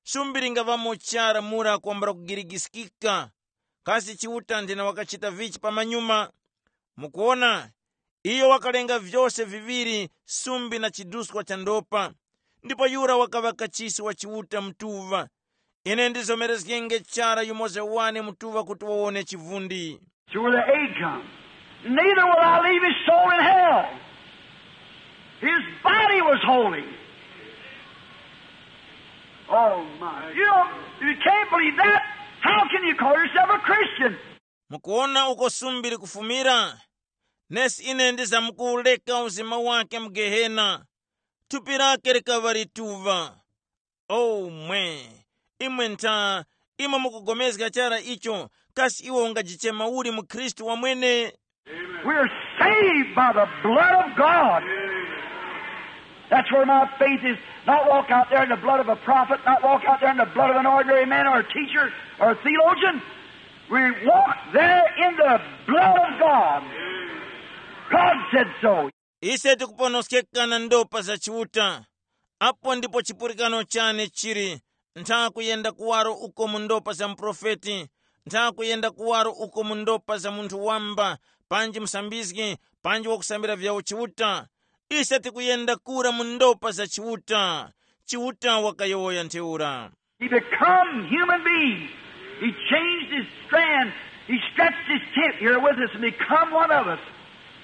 Sumbi lingaŵamo chara mura kwambula kugirigiskika. Kasi Chiuta nthena wakachita vichi pamanyuma? Mukuona, iyo wakalenga vyose viŵiri, sumbi na chiduswa cha ndopa. Ndipo yura wakaŵa kachisi wa Chiuta mtuŵa. Ine ndizomerezgenge chara yumoza wane mtuŵa kuti wawone chivundi. To where the egg comes. Neither will I leave his soul in hell. His body was holy. Oh my. You know, if you can't believe that, how can you call yourself a Christian? Mukuona uko sumbi likufumira? Nesi ine ndizamkuwureka uzima wake mu Gehena. Thupi lake likaŵa lituŵa. Oh mwe, imwe ntha, imwe mukugomezga chara icho, kasi iwe ungajichema uli mu Khristu wamwene? We're saved by the blood of God. That's where my faith is. Not walk out there in the blood of a prophet, not walk out there in the blood of an ordinary man or a teacher or a theologian. We walk there in the blood of God. God said so. Ise tikuponoskeka na ndopa za Chiuta. Apo ndipo chipulikano chane chili, ntha kuyenda kuwaro uko mu ndopa za muprofeti, ntha kuyenda kuwaro uko mu ndopa za munthu wamba, panji musambizgi, panji wakusambira vyawo Chiuta. Ise tikuyenda kura mu ndopa za Chiuta. Chiuta wakayowoya ntheura. He become human beings. He changed his strand. He stretched his tent here with us and become one of us.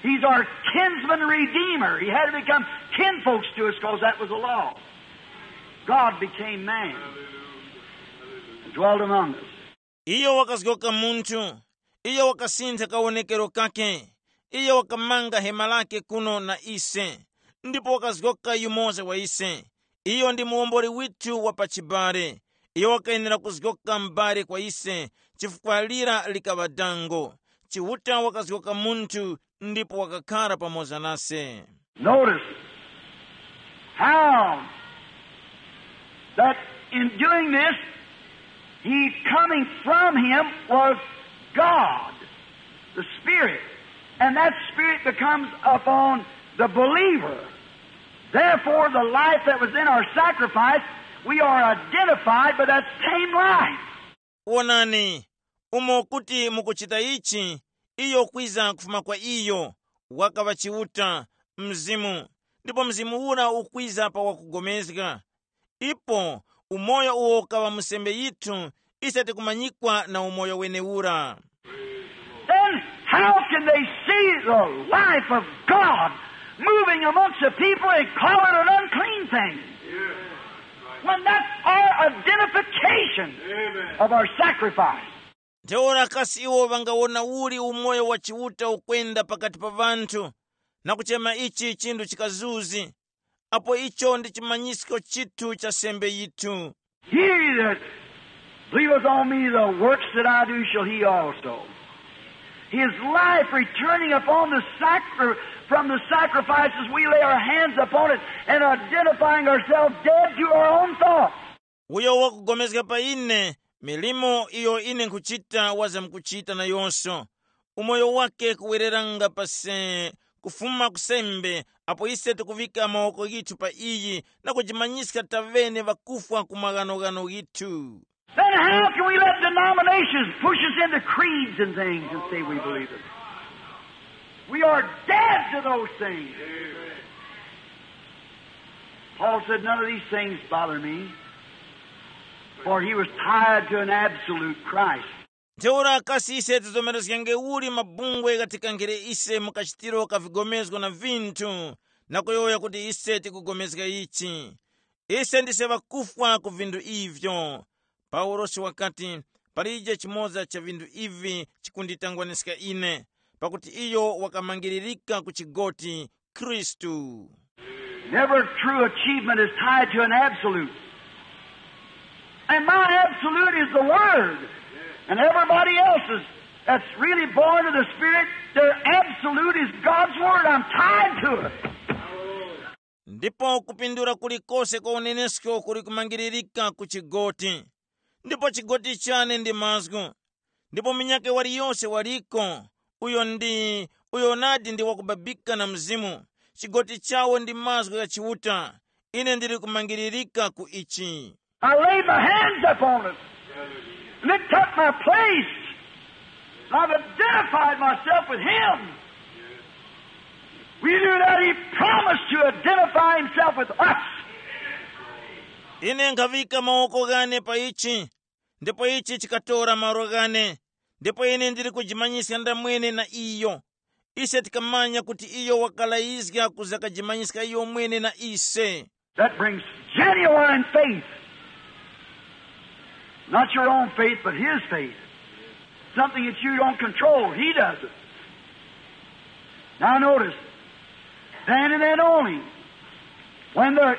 He's our kinsman redeemer. He had to become kinfolks to us because that was the law. God became man and dwelt among us. Iyo wakazgoka munthu. Iyo wakasintha kawonekero kake. Iyo wakamanga hema lake kuno na ise, ndipo wakazgoka yumoza wa ise. Iyo ndi muwomboli withu wa pachibale. Iyo wakayenera kuzgoka m'bale kwa ise, chifukwa lira likaŵa dango. Chiuta wakazgoka munthu ndipo wakakhara pamoza nase. Notice how that in doing this, he coming from him was God, the Spirit. And that Spirit becomes upon the believer. Therefore, the life that was in our sacrifice, we are identified by that same life. Wonani, umo kuti mukuchita ichi, iyo kwiza kufuma kwa iyo, wakaŵa Chiuta, Mzimu, ndipo Mzimu ura ukwiza pa wakugomezga. Ipo umoyo uwo ukaŵa mu sembe yithu, ise tikumanyikwa na umoyo wenewura. Then how can they see the life of God moving amongst the people and call it an unclean thing? When that's our identification of our sacrifice. Ntheura kasi iwo ŵangawona uli umoyo wa Chiuta ukwenda pakati pa ŵanthu, na kuchema ichi chinthu chikazuzi, apo icho ndi chimanyisko chithu cha sembe yithu? He that believeth on me, the works that I do shall he also. His life returning upon the sacri- from the sacrifices, we lay our hands upon it and identifying ourselves dead to our own thoughts. Uyo wakugomezga pa ine, milimo iyo ine nkhuchita wazamkuchita nayonso. Umoyo wake kuwereranga pa se kufuma ku sembe, apo ise tikuŵika mawoko ghithu pa iyi na kujimanyiska taŵene ŵakufwa ku maghanoghano ghithu. Then how can we let denominations push us into creeds and things and say we believe it? We are dead to those things. Paul said, "None of these things bother me," for he was tied to an absolute Christ. Ntheura kasi ise tizomerezgenge uli mabungwe ghatikangire ise mu kachitiro ka vigomezgo na vinthu, na kuyowoya kuti ise tikugomezga ichi? Ise ndise ŵakufwa ku vinthu ivyo. Paulosi wakati, palije chimoza cha vinthu ivi chikunditangwaniska ine, pakuti iyo wakamangiririka ku chigoti, Khristu. Never true achievement is tied to an absolute. And my absolute is the Word. And everybody else's that's really born of the Spirit, their absolute is God's Word. I'm tied to it. Ndipo kupindula kulikose kwa unenesko kuli kumangiririka ku chigoti, ndipo chigoti chane ndi mazgu. Ndipo munyakhe waliyose waliko, uyo ndi uyo nadi ndi wakubabika na Mzimu, chigoti chawo ndi mazgu gha Chiuta. Ine ndili kumangiririka ku ichi. I laid my hands upon it, lift up my place, and I've identified myself with him. We knew that he promised to identify himself with us. Ine nkhaŵika mawoko ghane pa ichi, ndipo ichi chikatora malo ghane, ndipo ine ndili kujimanyiska ndamwene na iyo. Ise tikamanya kuti iyo wakalayizga kuzakajimanyiska iyo mwene na ise. That brings genuine faith. Not your own faith, but his faith. Something that you don't control, he does it. Now notice, then and then only, when there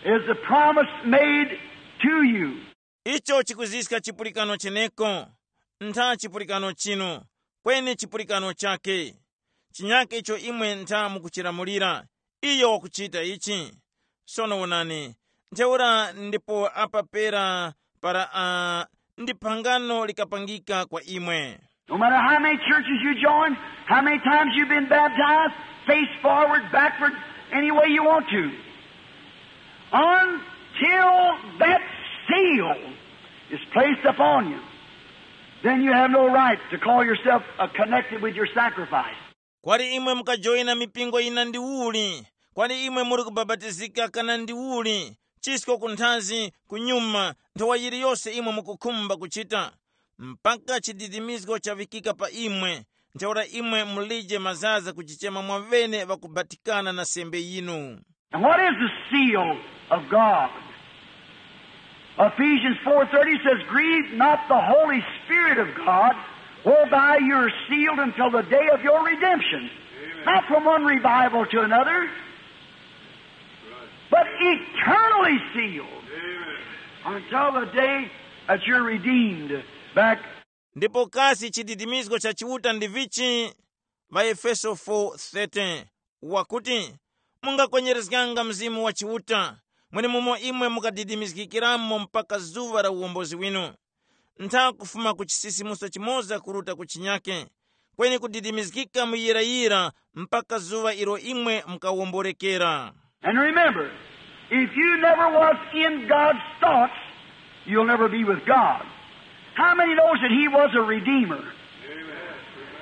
is the promise made to you. Icho chikuziska chipulikano cheneko, ntha chipulikano chinu, kweni chipulikano chake. Chinyake icho imwe ntha mukuchilamulira, iyo wakuchita ichi. Sono wonani, ntheura ndipo apa pera para uh, ndi phangano likapangika kwa imwe. No matter how many churches you join, how many times you've been baptized, face forward, backward, any way you want to. Until that seal is placed upon you, then you have no right to call yourself uh, connected with your sacrifice. Kwali imwe mukajoyina mipingo yina ndi uli, kwali imwe muli kubapatizika kana ndi uli, chisko kunthazi, kunyuma, nthowa yiliyose imwe mukukhumba kuchita, mpaka chididimizgo chavikika pa imwe, ntheura imwe mulije mazaza kuchichema mwavene ŵakubatikana na sembe yinu. And what is the seal of God? Ephesians four thirty says, "Grieve not the Holy Spirit of God, whereby you are sealed until the day of your redemption." Not from one revival to another, but eternally sealed until the day that you're redeemed back. Ndipo kasi chididimizgo cha Chiuta ndi vichi? Ŵaefeso four thirty wakuti, mungakwenyerezganga Mzimu wa Chiuta, mwenemumo imwe mukadidimizgikiramo mpaka zuŵa la uwombozi winu. Ntha kufuma ku chisisimuso chimoza kuruta ku chinyake, kweni kudidimizgika mu yirayira mpaka zuŵa ilo imwe mukawomborekera. And remember, if you never was in God's thoughts, you'll never be with God. How many knows that he was a redeemer?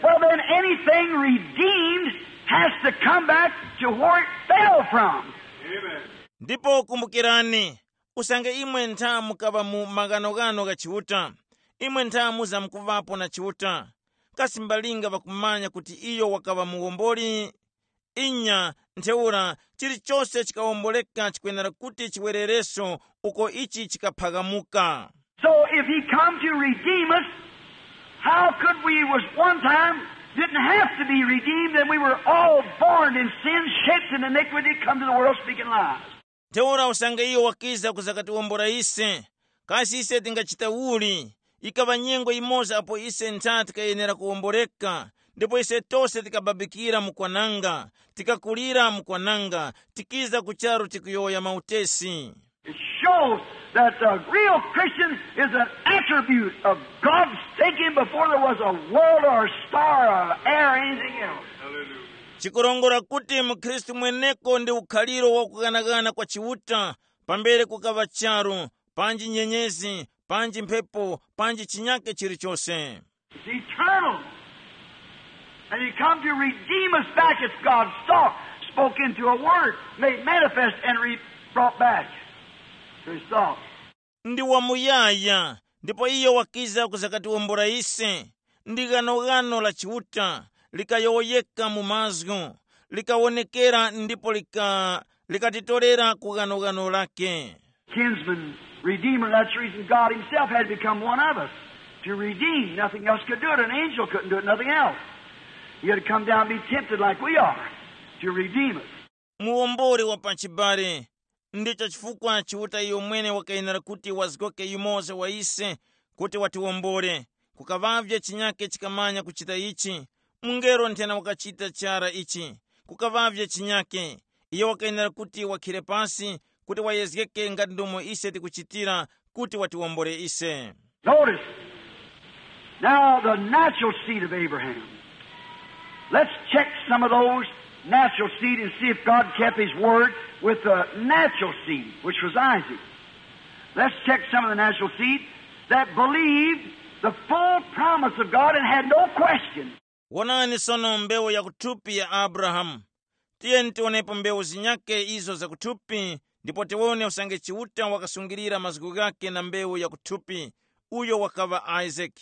Well, then anything redeemed has to come back to where it fell from. Ndipo kumbukirani, usange imwe ntha mukaŵa mu maghanoghano gha Chiuta, imwe ntha muzamkuŵapo na Chiuta. Kasi mbalinga ŵakumanya kuti iyo wakaŵa muwomboli? Inya, ntheura chilichose chikawomboleka chikwenera kuti chiwerereso uko ichi chikaphamuka. So if he come to redeem us, how could we was one time didn't have to be redeemed and we were all born in sin, shaped in iniquity, come to the world speaking lies? Ntheura usange iyo wakiza kuzakatiwombora ise, kasi ise tingachita uli? Ikaŵa nyengo yimoza apo ise ntha tikayenera kuwomboreka, ndipo ise tose tikababikira mu kwananga, tikakulira mu kwananga, tikiza ku charu tikuyowoya mautesi. It shows that the real Christian is an attribute of God's thinking before there was a world or a star or air or anything else. Chikurongora kuti mukhristu mweneko ndi ukhaliro wa kughanaghana kwa Chiuta, pambere kukaŵa charu, panji nyenyezi, panji mphepo, panji chinyake chilichose. It's eternal. And he come to redeem us back. It's God's thought spoken to a word, made manifest and re- brought back to his thought. Ndi wamuyaya, ndipo iyo wakiza kuzakatiwombora ise. Ndi ghanoghano la Chiuta, likayowoyeka mu mazgu, likawonekera ndipo lika, likatitorera ku ghanoghano lake. Kinsman, redeemer, that's the reason God himself had to become one of us to redeem. Nothing else could do it. An angel couldn't do it, nothing else. He had to come down and be tempted like we are to redeem us. Muwombori wa pachibale. Ndicho chifukwa Chiuta iyo mwene wakayenera kuti wazgoke yumoza wa ise kuti watiwombore. Kukaŵavye chinyake chikamanya kuchita ichi, mungelo nthena wakachita chara ichi. Kukaŵavye chinyake, iyo wakayenera kuti wakhire pasi kuti wayezgeke ngati ndomo ise tikuchitira kuti watiwombore ise. Notice, now the natural seed of Abraham. Let's check some of those natural seed and see if God kept his word with the natural seed, which was Isaac. Let's check some of the natural seed that believed the full promise of God and had no question. Wonani sono mbewu yakuthupi ya Abrahamu. Tiyeni tionepo mbewu zinyake izo zakuthupi, ndipo tiwone usange Chiuta wakasungilira mazgu ghake na mbewu yakuthupi, uyo wakaŵa Isaac.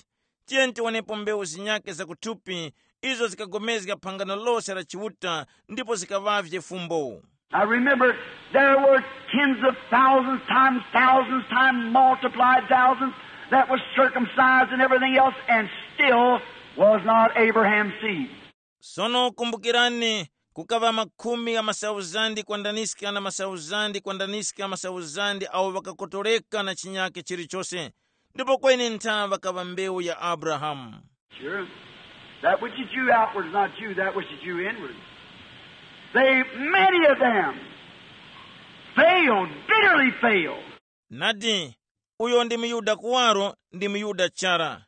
Tiyeni tiwonepo mbewu zinyake zakuthupi, izo zikagomezga phangano lose la Chiuta ndipo zikaŵavye fumbo. Now remember, there were tens of thousands times thousands times multiplied thousands that was circumcised and everything else, and still was not Abraham's seed. Sono kumbukirani, kukaŵa makhumi gha masauzandi kwandaniska na masauzandi kwandaniska masauzandi awo ŵakakotoreka na chinyake chilichose, ndipo kweni ntha ŵakaŵa mbewu ya Abrahamu. Sure. That which is you outward is not you, that which is you inward. They, many of them, failed, bitterly failed. Nadi, uyo ndi muyuda kuwaro ndi muyuda chara,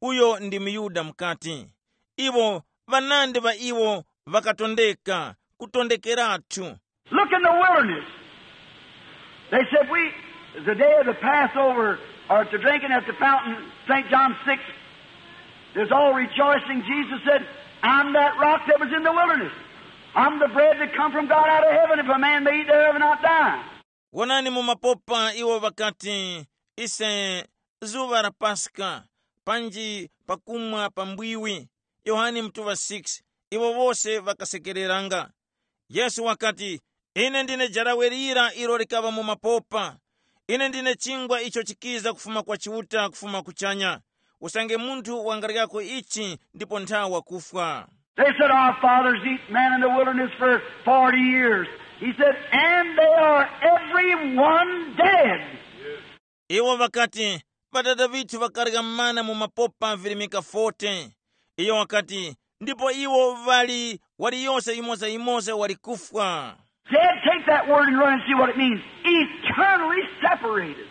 uyo ndi muyuda mukati. Iwo, ŵanandi ŵa iwo ŵakatondeka, kutondekeratu. Look in the wilderness. They said, we, the day of the Passover, or to drinking at the fountain, Saint John six, there's all rejoicing. Jesus said, I'm that rock that was in the wilderness. I'm the bread that come from God out of heaven. If a man may eat thereof and not die. Wonani mu mapopa iwo ŵakati, ise, zuŵa la Paska, panji pakumwa pa mbwiwi. Yohane mutuŵa six. Iwo wose ŵakasekereranga. Yesu wakati, ine ndine jarawe lira ilo likaŵa mu mapopa. Ine ndine chingwa icho chikiza kufuma kwa Chiuta kufuma kuchanya. Usange munthu wangaryako ichi ndipo ntha wakufwa. They said, our fathers eat manna in the wilderness for forty years. He said, and they are every one dead. Iwo ŵakati, ŵatata ŵithu ŵakarya mana mu mapopa virimika forty. Iyo wakati, ndipo iwo ŵali, waliyose yimoza-yimoza wali kufwa. Dead, take that word and run and see what it means. Eternally separated.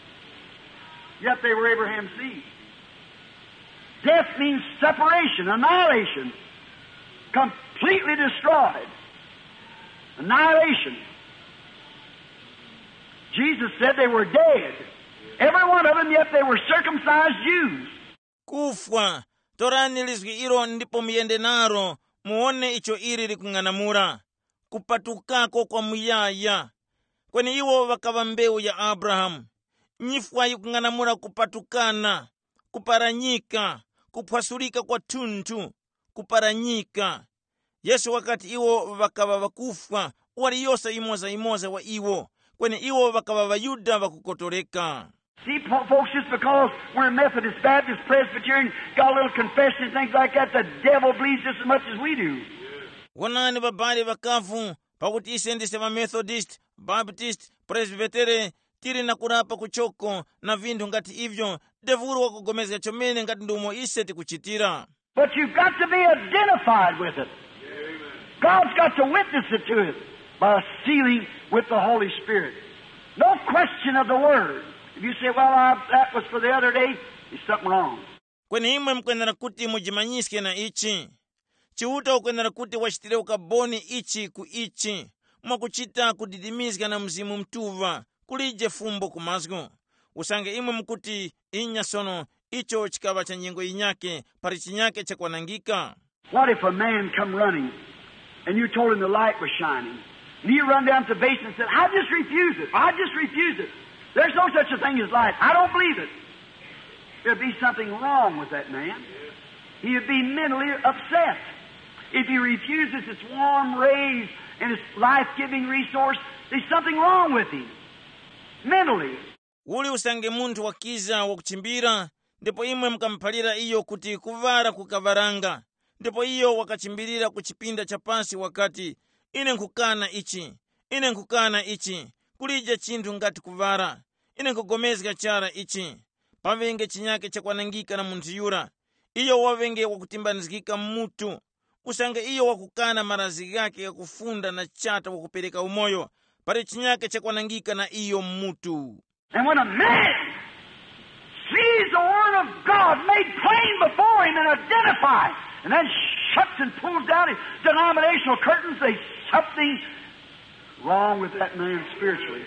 Yet they were Abraham's seed. Death means separation, annihilation. Completely destroyed. Annihilation. Jesus said they were dead. Every one of them, yet they were circumcised Jews. Kufwa. Torani lizgi ilo ndipo muyende nalo, muwone icho ili likung'anamula. Kupatukako kwa muyaya. Kweni iwo ŵakaŵa mbewu ya Abrahamu. Nyifwa yikung'anamula kupatukana, kuparanyika, kuphwasulika kwathunthu, kuparanyika. Yesu wakati iwo ŵakaŵa ŵakufwa, waliyose yimoza-yimoza wa iwo, kweni iwo ŵakaŵa ŵaYuda ŵakukotoreka. See, po- folks, just because we're Methodist, Baptist, Presbyterian, got a little confession and things like that, the devil believes just as much as we do. Wonani babali ŵakavu, pakuti ise ndise ŵamethodist, baptist, presbytere, tili na kurapa kuchoko na vinthu ngati ivyo, devulu wakugomezga chomene ngati ndumo ise tikuchitira. But you've got to be identified with it. God's got to witness it to it by sealing with the Holy Spirit. No question of the word. If you say, "Well, I, that was for the other day," there's something wrong. Kweni imwe mukwenera kuti mujimanyiske na ichi. Chiuta ukwenera kuti wachitire ukaboni ichi ku ichi, mwakuchita kudidimizga na Mzimu Mutuŵa, kulije fumbo ku mazgu. Usange imwe mukuti, "Inya sono, icho chikaŵa cha nyengo yinyake, pali chinyake chakwanangika." What if a man come running and you told him the light was shining? And he run down to the basement and said, "I just refuse it. I just refuse it. There's no such a thing as light. I don't believe it." There'd be something wrong with that man. He'd be mentally upset. If he refuses its warm rays and its life-giving resource, there's something wrong with him mentally. Uli usange munthu wakiza wakuchimbira, ndipo imwe mukamuphalira iyo kuti kuŵala kukaŵaranga, ndipo iyo wakachimbirira ku chipinda cha pasi wakati, "Ine nkhukana ichi, ine nkhukana ichi, kulije chinthu ngati kuŵala, ine nkhugomezga chara ichi." Paŵenge chinyake chakwanangika na munthu yura, iyo waŵenge wakutimbanizgika mu mutu, usange iyo wakukana marazgi ghake ghakufunda na chata wakupereka umoyo, pali chinyake chakwanangika na iyo mu mutu. And when a man sees the Word of God made plain before him and identified, and then shuts and pulls down his denominational curtains, there's something wrong with that man spiritually.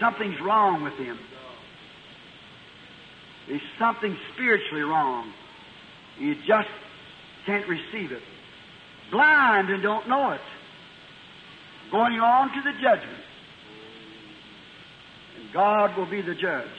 Something's wrong with him. There's something spiritually wrong. You just can't receive it. Blind and don't know it. Going on to the judgment. And God will be the judge.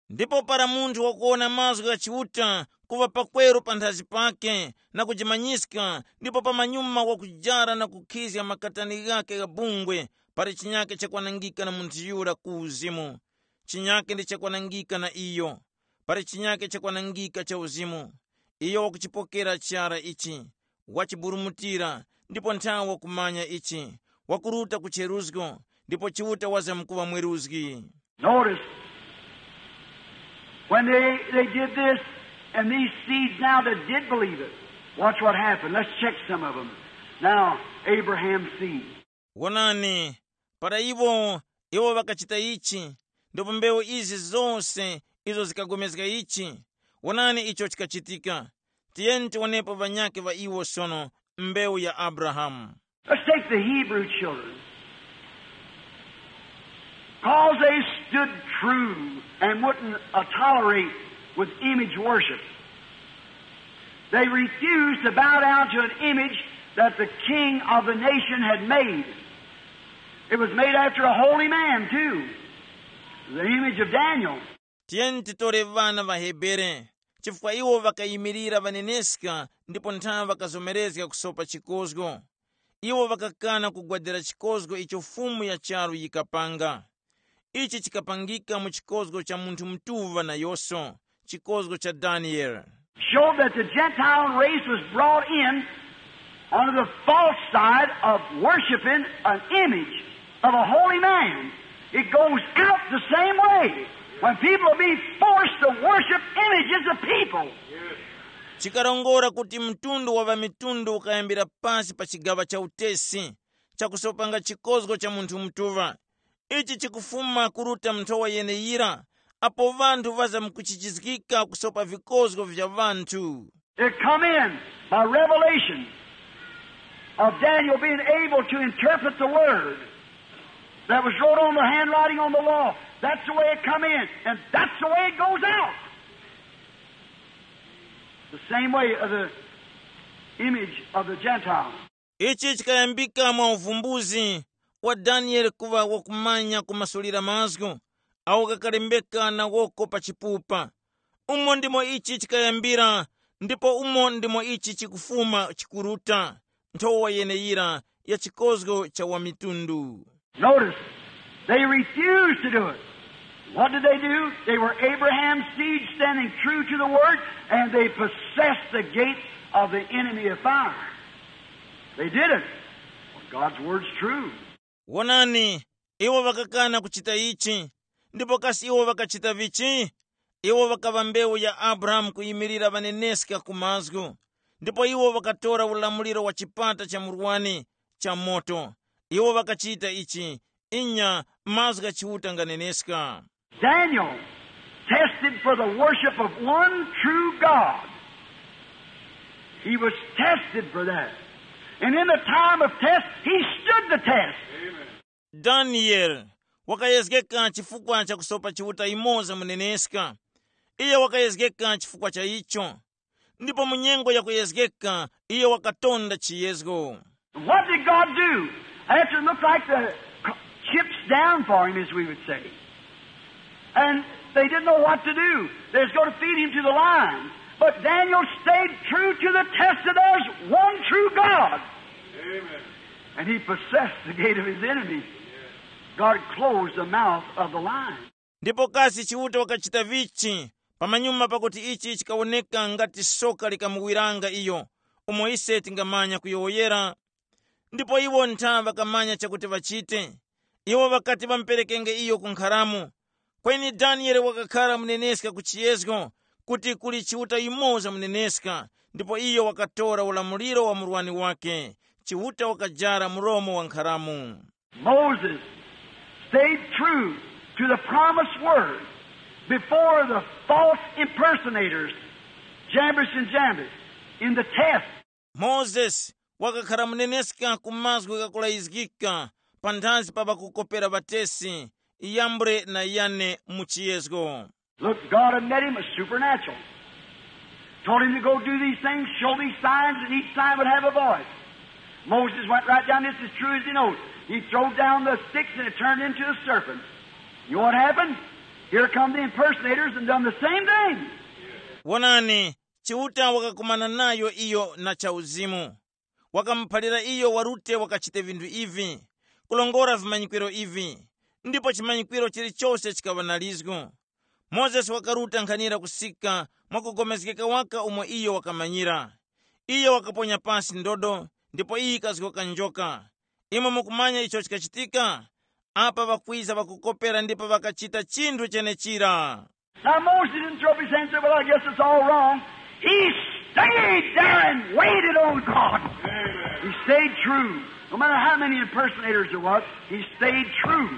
Ndipo para munthu wakuwona mazgu gha Chiuta kuŵa pakweru panthazi pake na kujimanyiska, ndipo pamanyuma wakujara na kukhizga makatani ghake gha bungwe, pali chinyake chakwanangika na munthu yura ku uzimu. Chinyake ndi chakwanangika na iyo. Pali chinyake chakwanangika cha uzimu. Iyo wakuchipokera chara ichi, wachiburumutira, ndipo nthawe wakumanya ichi, wakuruta ku cheruzgo, ndipo Chiuta wazamkuŵa mweruzgi. Notice, when they, they did this, and these seeds now that did believe it, watch what happened. Let's check some of them. Now, Abraham's seed. Wonani, para iwo, iwo ŵakachita ichi, ndipo mbewu izi zose izo zikagomezga ichi, wonani icho chikachitika. Tiyeni tiwonepo ŵanyakhe ŵa iwo sono, mbewu ya Abrahamu. Let's take the Hebrew children. Because they stood true and wouldn't uh, tolerate with image worship. They refused to bow down to an image that the king of the nation had made. It was made after a holy man, too. The image of Daniel. Tiyeni titore ŵana ŵa Hebere, chifukwa iwo ŵakayimirira ŵaneneska ndipo nthawe ŵakazomerezga kusopa chikozgo. Iwo ŵakakana kugwadira chikozgo icho Fumu ya charu yikapanga. Ichi chikapangika mu chikozgo cha munthu mutuŵa nayoso, chikozgo cha Daniele. Showed that the Gentile race was brought in under the false side of worshiping an image of a holy man. It goes out the same way when people are being forced to worship images of people. Chikarongora kuti mtundu wa ŵamitundu ukayambira pasi pa chigaŵa cha utesi chakusopanga chikozgo cha munthu mutuŵa. Ichi chikufuma kuruta mu nthowa yeneyira, apo ŵanthu ŵazamkuchichizgika kusopa vikozgo vya ŵanthu. It come in by revelation of Daniel being able to interpret the word that was wrote on the handwriting on the wall. That's the way it come in, and that's the way it goes out. The same way of the image of the Gentile. Ichi chikayambika mwa uvumbuzi wa Daniele kuŵa wakumanya kumasulira mazgu awo ghakalembeka na woko pa chipupa. Umo ndimo ichi chikayambira, ndipo umo ndimo ichi chikufuma chikuruta, nthowa yeneyira ya chikozgo cha wamitundu. Notice, they refused to do it. What did they do? They were Abraham's seed standing true to the word, and they possessed the gate of the enemy of fire. They did it. God's word's true. Wonani, iwo ŵakakana kuchita ichi. Ndipo kasi iwo ŵakachita vichi? Iwo ŵakaŵa mbewu ya Abrahamu kuyimirira ŵaneneska ku mazgu, ndipo iwo ŵakatora ulamuliro wa chipata cha murwani cha moto. Iwo ŵakachita ichi, inya, mazgu gha Chiuta nganeneska. Daniel tested for the worship of one true God. He was tested for that. And in the time of test, he stood the test. Daniel wakayezgeka chifukwa cha kusopa Chiuta yumoza muneneska. Iye wakayezgeka chifukwa cha icho. Ndipo mu nyengo ya kuyezgeka, iye wakatonda chiyezgo. And what did God do? After it looked like the chips down for him, as we would say. And they didn't know what to do. They was going to feed him to the lions. But Daniel stayed true to the test that there's one true God. Amen. And he possessed the gate of his enemy. God closed the mouth of the lion. Ndipo kasi Chiuta wakachita vichi pamanyuma pakuti ichi chikawoneka ngati soka likamuwiranga iyo, umo ise tingamanya kuyowoyera? Ndipo iwo ntha ŵakamanya chakuti ŵachite. Iwo ŵakati ŵamuperekenge iyo ku nkharamu. Kweni Daniele wakakhara muneneska ku chiyezgo, kuti kuli Chiuta yumoza muneneska, ndipo iyo wakatora ulamuliro wa murwani wake. Chiuta wakajara mulomo wa nkharamu. Moses stayed true to the promised word before the false impersonators, Jambres and Jambres, in the test. Mozesi wakakhala muneneska ku mazgu ghakulayizgika panthazi pa ŵakukopera ŵatesi, Yambre na Yane mu chiyezgo. Look, God had met him, a supernatural. Told him to go do these things, show these signs, and each sign would have a voice. Moses went right down this as true as he knows. He throwed down the sticks and it turned into a serpent. You know what happened? Here come the impersonators and done the same thing. Wonani, Chiuta wakakumana nayo iyo na chauzimu. Wakamuphalira iyo warute wakachite vinthu ivi, kulongora vimanyikwiro ivi, ndipo chimanyikwiro chilichose chikaŵa na lizgu. Mozesi wakaruta nkhanira kusika mwakupulikana waka umo iyo wakamanyira. Iyo wakaponya pasi ndodo, ndipo iyo yikazgoka njoka. Imwe mukumanya icho chikachitika? Apa ŵakwiza ŵakukopera ndipo ŵakachita chinthu chenechira. Now Moses didn't throw up his hands and say, "Well, I guess it's all wrong." He stayed there and waited on God. He stayed true. No matter how many impersonators there was, he stayed true.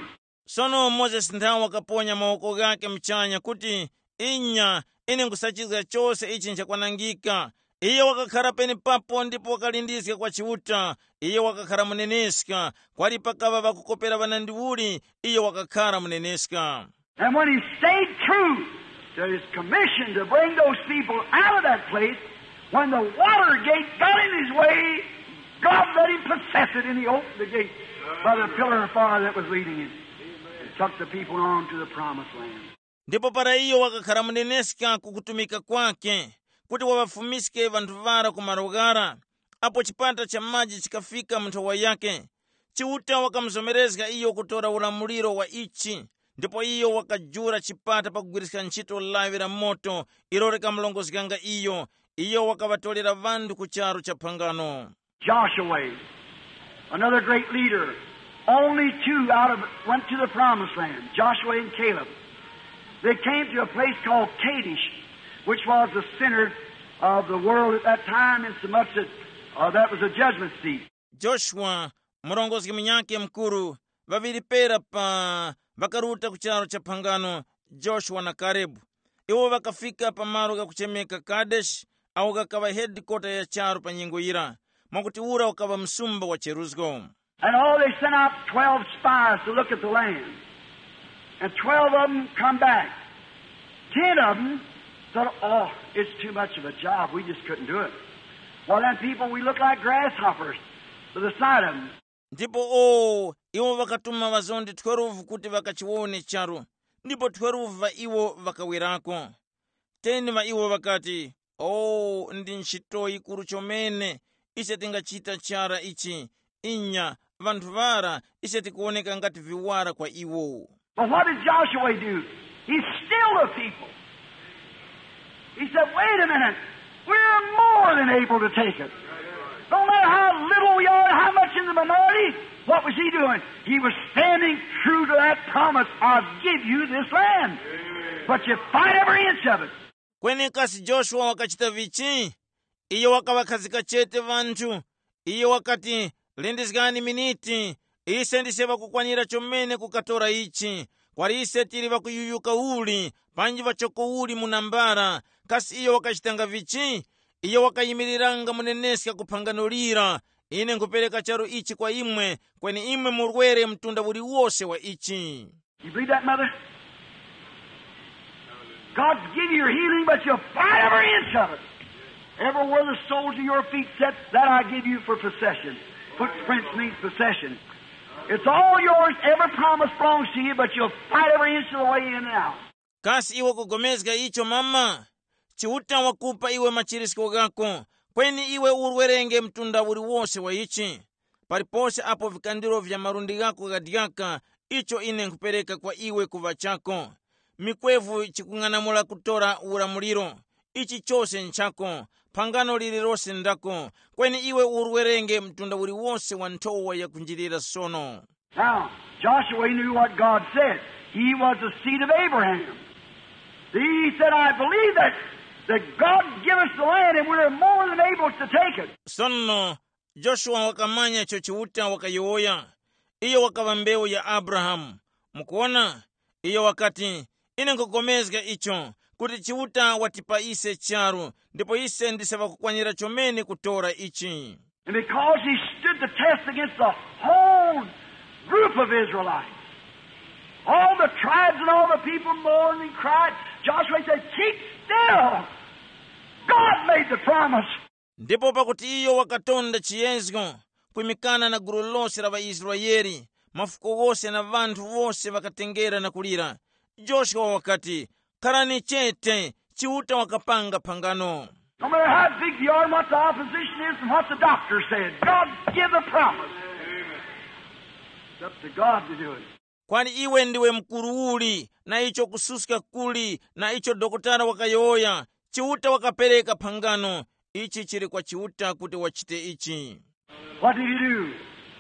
Sono Mozesi nthawe wakaponya mawoko ghake mchanya kuti, "Inya, ine nkhusachizga chose ichi nchakwanangika." Iye wakakhara penepapo ndipo wakalindizga kwa Chiuta. Iye wakakhara muneneska. Kwali pakaŵa ŵakukopera ŵanandiuli, iye wakakhara muneneska. And when he stayed true to his commission to bring those people out of that place, when the water gate got in his way, God let him possess it, and he opened the gate by the pillar of fire that was leading him and took the people on to the promised land. Ndipo para iyo wakakhara muneneska ku kutumika kwake, kuti waŵafumiske ŵanthu ŵara ku malo ghara, apo chipata cha maji chikafika mu nthowa yake, Chiuta wakamuzomerezga iyo kutora ulamuliro wa ichi, ndipo iyo wakajula chipata pakugwiriska ntchito lawi la moto ilo likamulongozganga iyo. Iyo wakaŵatorera ŵanthu ku charu cha phangano. Joshua, another great leader. Only two out of went to the promised land, Joshua and Caleb. They came to a place called Kadesh, which was the center of the world at that time, in so much that uh, that was a judgment seat. Joshua, murongozgi munyakhe mukuru, ŵaŵiri pera pa ŵakaruta ku charu cha phangano, Joshua na Karebu. Iwo ŵakafika pa malo ghakuchemeka Kadeshi, awo ghakaŵa hedikota ya charu pa nyengo yira, mwakuti ura ukaŵa msumba wa cheruzgo. And all they sent out twelve spies to look at the land. And twelve of them come back. Ten of them thought, "Oh, it's too much of a job. We just couldn't do it." Well, then, people, we look like grasshoppers to the sight of them. Ndipo o iwo ŵakatuma ŵazondi twelve kuti ŵakachiwone charu, ndipo twelve ŵa iwo ŵakawerako. Ten ŵa iwo ŵakati, "O, ndi ntchito yikuru chomene, ise tingachita chara ichi. Inya, ŵanthu ŵara ise tikuwoneka ngati viwara kwa iwo." But what did Joshua do? He stilled the people. He said, "Wait a minute. We're more than able to take it. No matter how little we are, how much in the minority," what was he doing? He was standing true to that promise, "I'll give you this land. But you fight every inch of it." Kweni kasi Joshua wakachita vichi? Iyo wakaŵakhazika chete ŵanthu. Iyo wakati, "Lindizgani miniti, ise ndise ŵakukwanira chomene kukatora ichi. Kwali ise tili ŵakuyuyuka uli, panji ŵachoko uli mu nambala." Kasi iyo wakachitanga vichi? Iyo wakayimiriranga muneneska ku phangano lira, "Ine nkhupereka charu ichi kwa imwe, kweni imwe murwere mtunda uliwose wa ichi." You believe that, Mother? God's give you your healing, but you'll fight every inch of it. Everywhere the soles of your feet set, that I give you for possession. Footprints means possession. It's all yours. Every promise belongs to you, but you'll fight every inch of the way in and out. Kasi iwe kugomezga icho mama? Chiuta wakupa iwe machirisko ghako, kweni iwe urwerenge mtunda uliwose wa ichi. Palipose apo vikandiro vya malundi ghako ghadyaka, icho ine nkhupereka kwa iwe kuŵa chako. Mikwevu chikung'anamula kutora ulamuliro. Ichi chose nchako, phangano lililose ndako, kweni iwe urwerenge mtunda uliwose wa nthowa yakunjilira sono. Now, Joshua, he knew what God said. He was the seed of Abraham. He said, "I believe that, that God give us the land and we're more than able to take it." Sono Joshua wakamanya icho Chiuta wakayowoya. Iyo wakaŵa mbewu ya Abrahamu. Mukuona? Iyo wakati, "Ine nkugomezga icho, kuti Chiuta watipa ise charu, ndipo ise ndise ŵakukwanira chomene kutora ichi." And because he stood the test against the whole group of Israelites, all the tribes and all the people mourned and cried, Joshua said, "Keep still. God made the promise." Ndipo pakuti iyo wakatonda chiyezgo, kwimikana na gulu lose la ŵaIsraele, mafuko ghose na ŵanthu wose ŵakatengera na kulira. Joshua wakati, "Kharani chete, Chiuta wakapanga phangano." No matter how big you are and what the opposition is and what the doctor said, God give the promise. It's up to God to do it. Kwani iwe ndiwe mkuru uli, na icho kususka kuli, na icho dokotala wakayowoya, Chiuta wakapereka phangano. Ichi chili kwa Chiuta kuti wachite ichi. What did he do?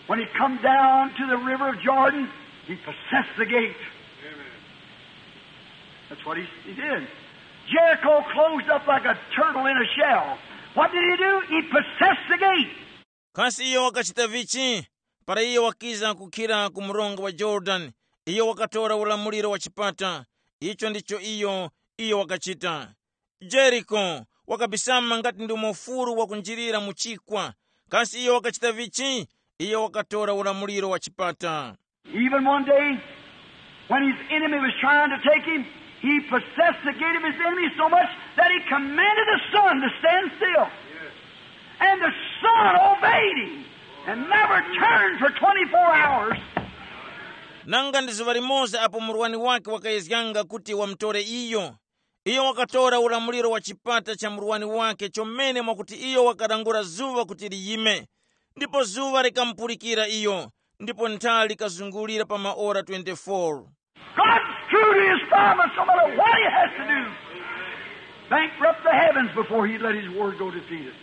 When he come down to the river of Jordan, he possessed the gate. That's what he, he did. Jericho closed up like a turtle in a shell. What did he do? He possessed the gate. Kasi iyo wakachita vichi? Para iyo wakiza kukhira ku mronga wa Jorodani, iyo wakatora ulamuliro wa chipata. Icho ndicho iyo iyo wakachita. Jeriko wakabisama ngati ndi mufuru wakunjirira mu chikwa. Kasi iyo wakachita vichi? Iyo wakatora ulamuliro wa chipata. Even one day, when his enemy was trying to take him, he possessed the gate of his enemy so much that he commanded the sun to stand still. And the sun obeyed him and never turned for twenty-four hours. Nanga ndi zuŵa limoza apo murwani wake wakayezganga kuti wamutore iyo, iyo wakatora ulamuliro wa chipata cha murwani wake chomene mwakuti iyo wakalangula zuŵa kuti liyime, ndipo zuŵa likamupulikira iyo, ndipo nthali likazungulira pa maora twenty-four. God's true to his promise no matter what he has to do. Bankrupt the heavens before he let his word go defeated.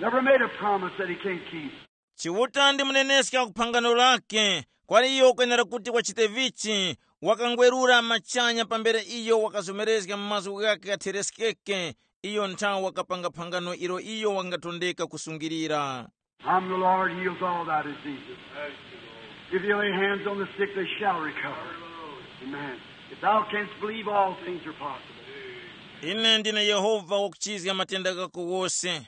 Never made a promise that he can't keep. Chiuta ndi muneneska ku phangano lake, kwali iyo ukwenera kuti wachite vichi. Wakangwerura machanya pambere iyo wakazomerezga mazgu ghake ghathereskeke, iyo nthawi wakapanga phangano ilo iyo wangatondeka kusungirira. I'm the Lord, heals all thy diseases. If you lay hands on the sick, they shall recover. Amen. If thou canst believe, all things are possible. Ine ndine Yehova wakuchizga matenda ghako wose.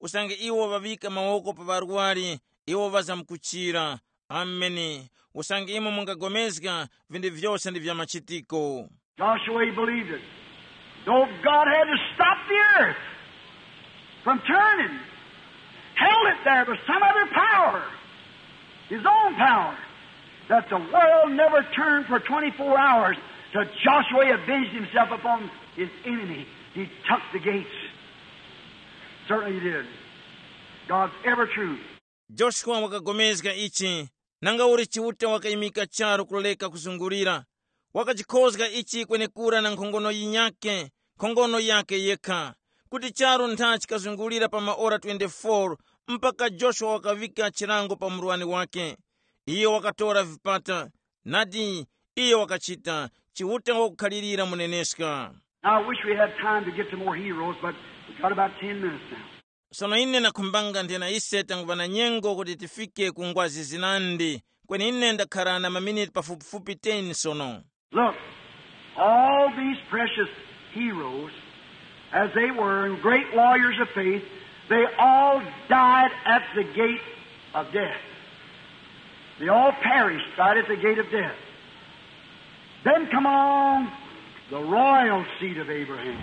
Usange iwo ŵaŵika mawoko pa ŵarwari, iwo ŵazamkuchira. Ameni. Usange imwe mungapulikana, vinthu vyose ndi vya machitiko. Joshua, he believed it. Though God had to stop the earth from turning, held it there by some other power, his own power, that the world never turned for twenty-four hours till Joshua avenged himself upon his enemy. He took the gates. Certainly he did. God's ever true. Joshua wakapulikana ichi, nanga uli Chiuta wakayimika charu kuleka kuzungulira. Wakachikhozga ichi kwenekura na nkhongono yinyakhe, nkhongono yakhe yekha, kuti charu ntha chikazungulira pa maora twenty-four, mpaka Joshua wakaŵika chilango pa murwani wakhe. Iyo wakatora vipata, nadi, iyo wakachita, Chiuta wakukhalirira muneneska. Now, I wish we had time to get to more heroes, but we got about ten minutes now. Sono ine ndakhumbanga nthena ise tanguŵa na nyengo kuti tifike ku ngwazi zinandi, kweni ine ndakhara na maminiti pafupifupi ten sono. Look, all these precious heroes, as they were, and great warriors of faith, they all died at the gate of death. They all perished right at the gate of death. Then come along the royal seed of Abraham.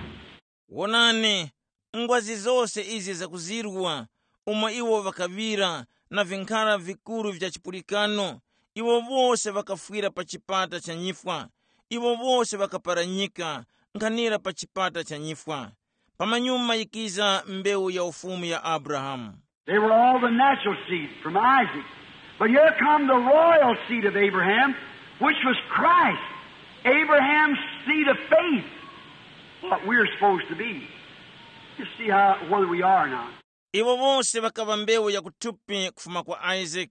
Wonani, ngwazi zose izi zakuzirwa, umo iwo ŵakaŵira na vinkhara vikuru vya chipulikano, iwo wose ŵakafwira pa chipata cha nyifwa, iwo wose ŵakaparanyika nkhanira pa chipata cha nyifwa. Pamanyuma yikiza mbewu ya ufumu ya Abrahamu. They were all the natural seed from Isaac. But here come the royal seed of Abraham, which was Christ, Abraham's seed of faith, what we're supposed to be. You see how, where we are now. Iwo wose ŵakaŵa mbewu ya kuthupi kufuma kwa Isaac,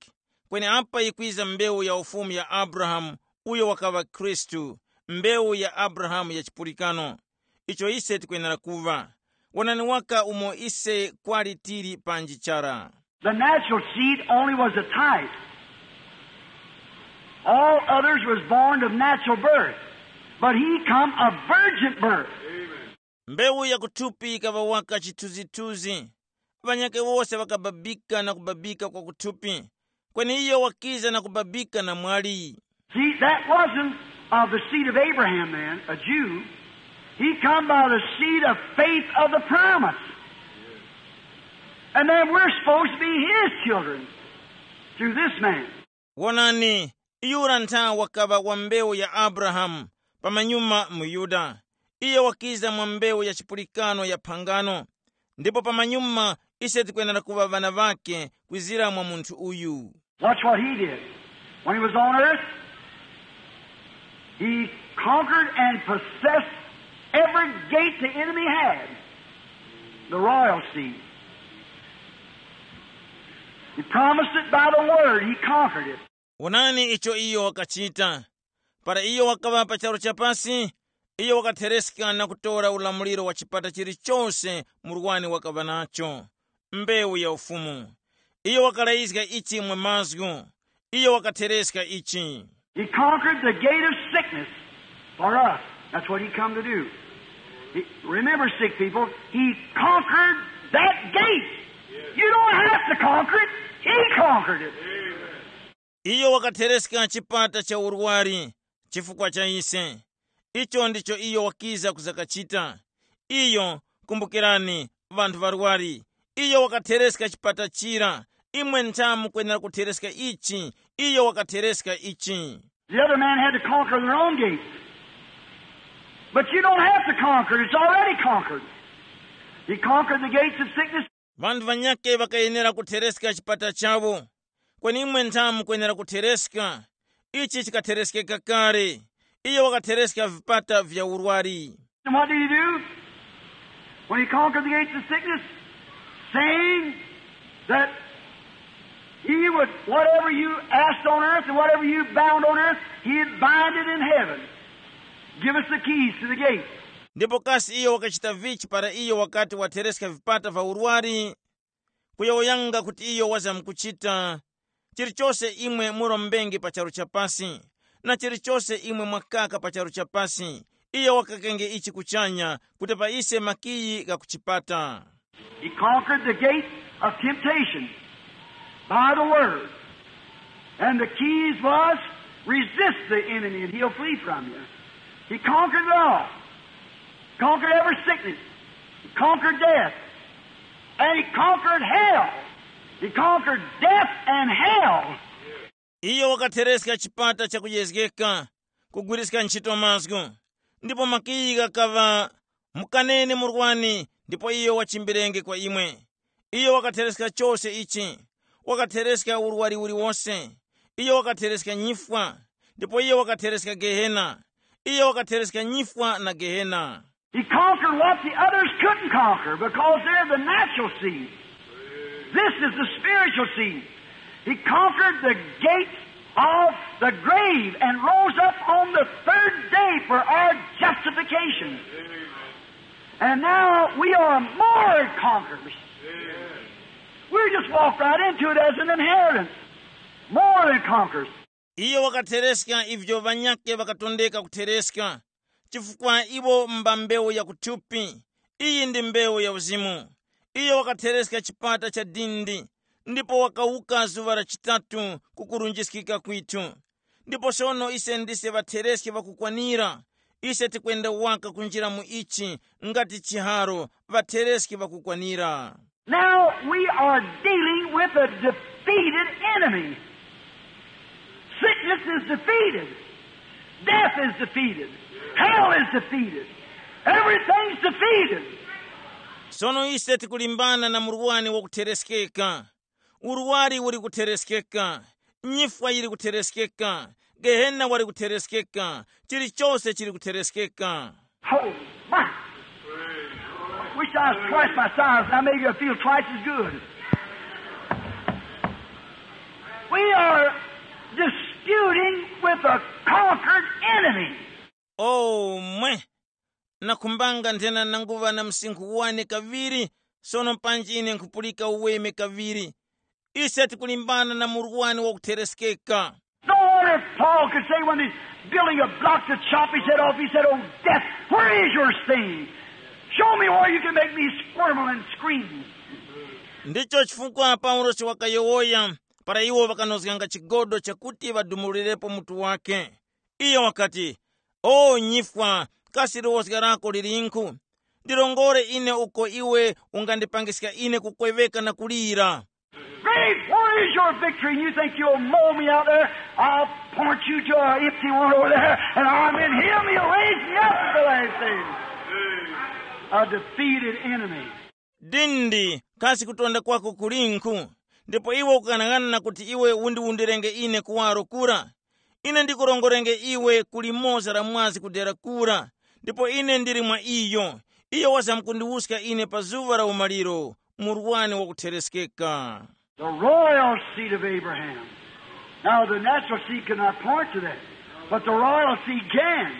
kweni apa yikwiza mbewu ya ufumu ya Abrahamu, uyo wakaŵa Khristu, mbewu ya Abrahamu ya chipulikano. Icho ise tikwenera kuŵa. Wonani waka umo ise kwali tili panji chara. The natural seed only was a type. All others was born of natural birth, but he come of virgin birth. Mbewu ya kuthupi ikaŵa waka chithunzithunzi. Ŵanyakhe wose ŵakababika na kubabika kwa kuthupi, kweni iyo wakiza na kubabika na mwali. See, that wasn't of the seed of Abraham then, a Jew. He come by the seed of faith of the promise. And then we're supposed to be his children through this man. Wonani, yura ntha wakaŵa wa mbewu ya Abrahamu, pamanyuma muYuda. Iyo wakiza mwa mbewu ya chipulikano ya phangano, ndipo pamanyuma ise tikwenera kuŵa ŵana ŵakhe kwizira mwa munthu uyu. Watch what he did. When he was on earth, he conquered and possessed every gate the enemy had. The royal seed. He promised it by the word. He conquered it. Wonani icho iyo wakachita. Para iyo wakaŵa pa charu chapasi, iyo wakathereska na kutora ulamuliro wa chipata chilichose murwani wakaŵa nacho, mbewu ya ufumu. Iyo wakalayizga ichi mwa mazgu. Iyo wakathereska ichi. He conquered the gate of sickness for us. That's what he come to do. He, remember, sick people, he conquered that gate. You don't have to conquer it. He conquered it. Iyo wakathereska chipata cha urwari chifukwa cha ise. Icho ndicho iyo wakiza kuzakachita. Iyo, kumbukirani, vanthu varwari. Iyo wakathereska chipata chira. Imwe ntha mukwenera kuthereska ichi. Iyo wakathereska ichi. The other man had to conquer their own gates. But you don't have to conquer. It's already conquered. He conquered the gates of sickness. Vanthu vanyakhe vakayenera kuthereska chipata chawo. Kweni imwe ntha mukwenera kuthereska. Ichi chikathereskeka kale. Iyo wakathereska vipata vya urwari. And what did he do? When he conquered the gates of sickness, saying that he would, whatever you asked on earth and whatever you bound on earth, he'd bind it in heaven. Give us the keys to the gate. Ndipo kasi iyo wakachita vichi para iyo wakati wathereska vipata va urwari? Kuyowoyanga kuti iyo wazamkuchita, chilichose imwe murombenge pa charu chapasi, na chilichose imwe mwakaka pa charu chapasi, Iyo wakakenge ichi kuchanya kuti pa ise makiyi gha ku chipata. He conquered the gate of temptation by the word. And the keys was, resist the enemy and he'll flee from you. He conquered it all. Conquered every sickness. He conquered death. And he conquered hell. He conquered death and hell. Iyo wakathereska chipata chakuyezgeka, kugwiriska ntchito mazgu. Ndipo makiyi ghakaŵa, mukaneni murwani, ndipo iyo wachimbirenge kwa imwe. Iyo wakathereska chose ichi. Wakathereska urwari uliwose. Iyo wakathereska nyifwa. Ndipo iyo wakathereska gehena. Iyo wakathereska nyifwa na gehena. He conquered what the others couldn't conquer because they're the natural seed. This is the spiritual seed. He conquered the gates of the grave and rose up on the third day for our justification. And now we are more than conquerors. We just walk right into it as an inheritance. More than conquerors. Iyo wakathereska ivyo ŵanyakhe ŵakatondeka kuthereska, chifukwa iwo mba mbewu ya kuthupi. Iyi ndi mbewu ya uzimu. Iyo wakathereska chipata cha dindi, ndipo wakawuka zuŵa la chitatu ku kurunjiskika kwithu. Ndipo sono ise ndise ŵathereski ŵakukwanira. Ise tikwenda waka kunjira mu ichi, ngati chiharo, ŵathereski ŵakukwanira. Now we are dealing with a defeated enemy. Sickness is defeated. Death is defeated. Hell is defeated. Everything's defeated. Sono ise tikulimbana na murwani wakuthereskeka. Urwari uri kuthereskeka. Nyifwa yiri kuthereskeka. Gehena wari kuthereskeka. Chilichose chiri kuthereskeka. Oh, my. Wish I was twice my size. Now maybe I feel twice as good. We are disputing with a conquered enemy. Oh mwe. Nakhumbanga nthena nanguŵa na msinkhu wane kaŵiri. Sono panji ine nkhupulika uweme kaŵiri. Ise tikulimbana na murwani wakuthereskeka. No wonder Paul could say when he's building a block to chop his head off, he said, "Oh, death, where is your sting? Show me where you can make me squirm and scream." Ndicho chifukwa Paulosi wakayowoya para iwo ŵakanozganga chigodo chakuti ŵadumulirepo mutu wake. Iyo wakati, "O nyifwa, kasi liwozga lako lilinkhu? Ndilongore ine uko iwe ungandipangiska ine kukweŵeka na kulira." Grave, where is your victory? And you think you'll mow me out there? I'll point you to an empty one over there, and I'm in him. He'll raise me up at the last day. A defeated enemy. Dindi, kasi kutonda kwako kulinkhu? Ndipo iwe ukang'anang'ana kuti iwe undiwundirenge ine kuwaro kura? Ine ndikurongorenge iwe ku limoza la mwazi kudera kura, ndipo ine ndili mwa iyo. Iyo wazamkundiwuska ine pa zuŵa la umaliro, murwani wakuthereskeka. The royal seed of Abraham. Now, the natural seed cannot point to that, but the royal seed can.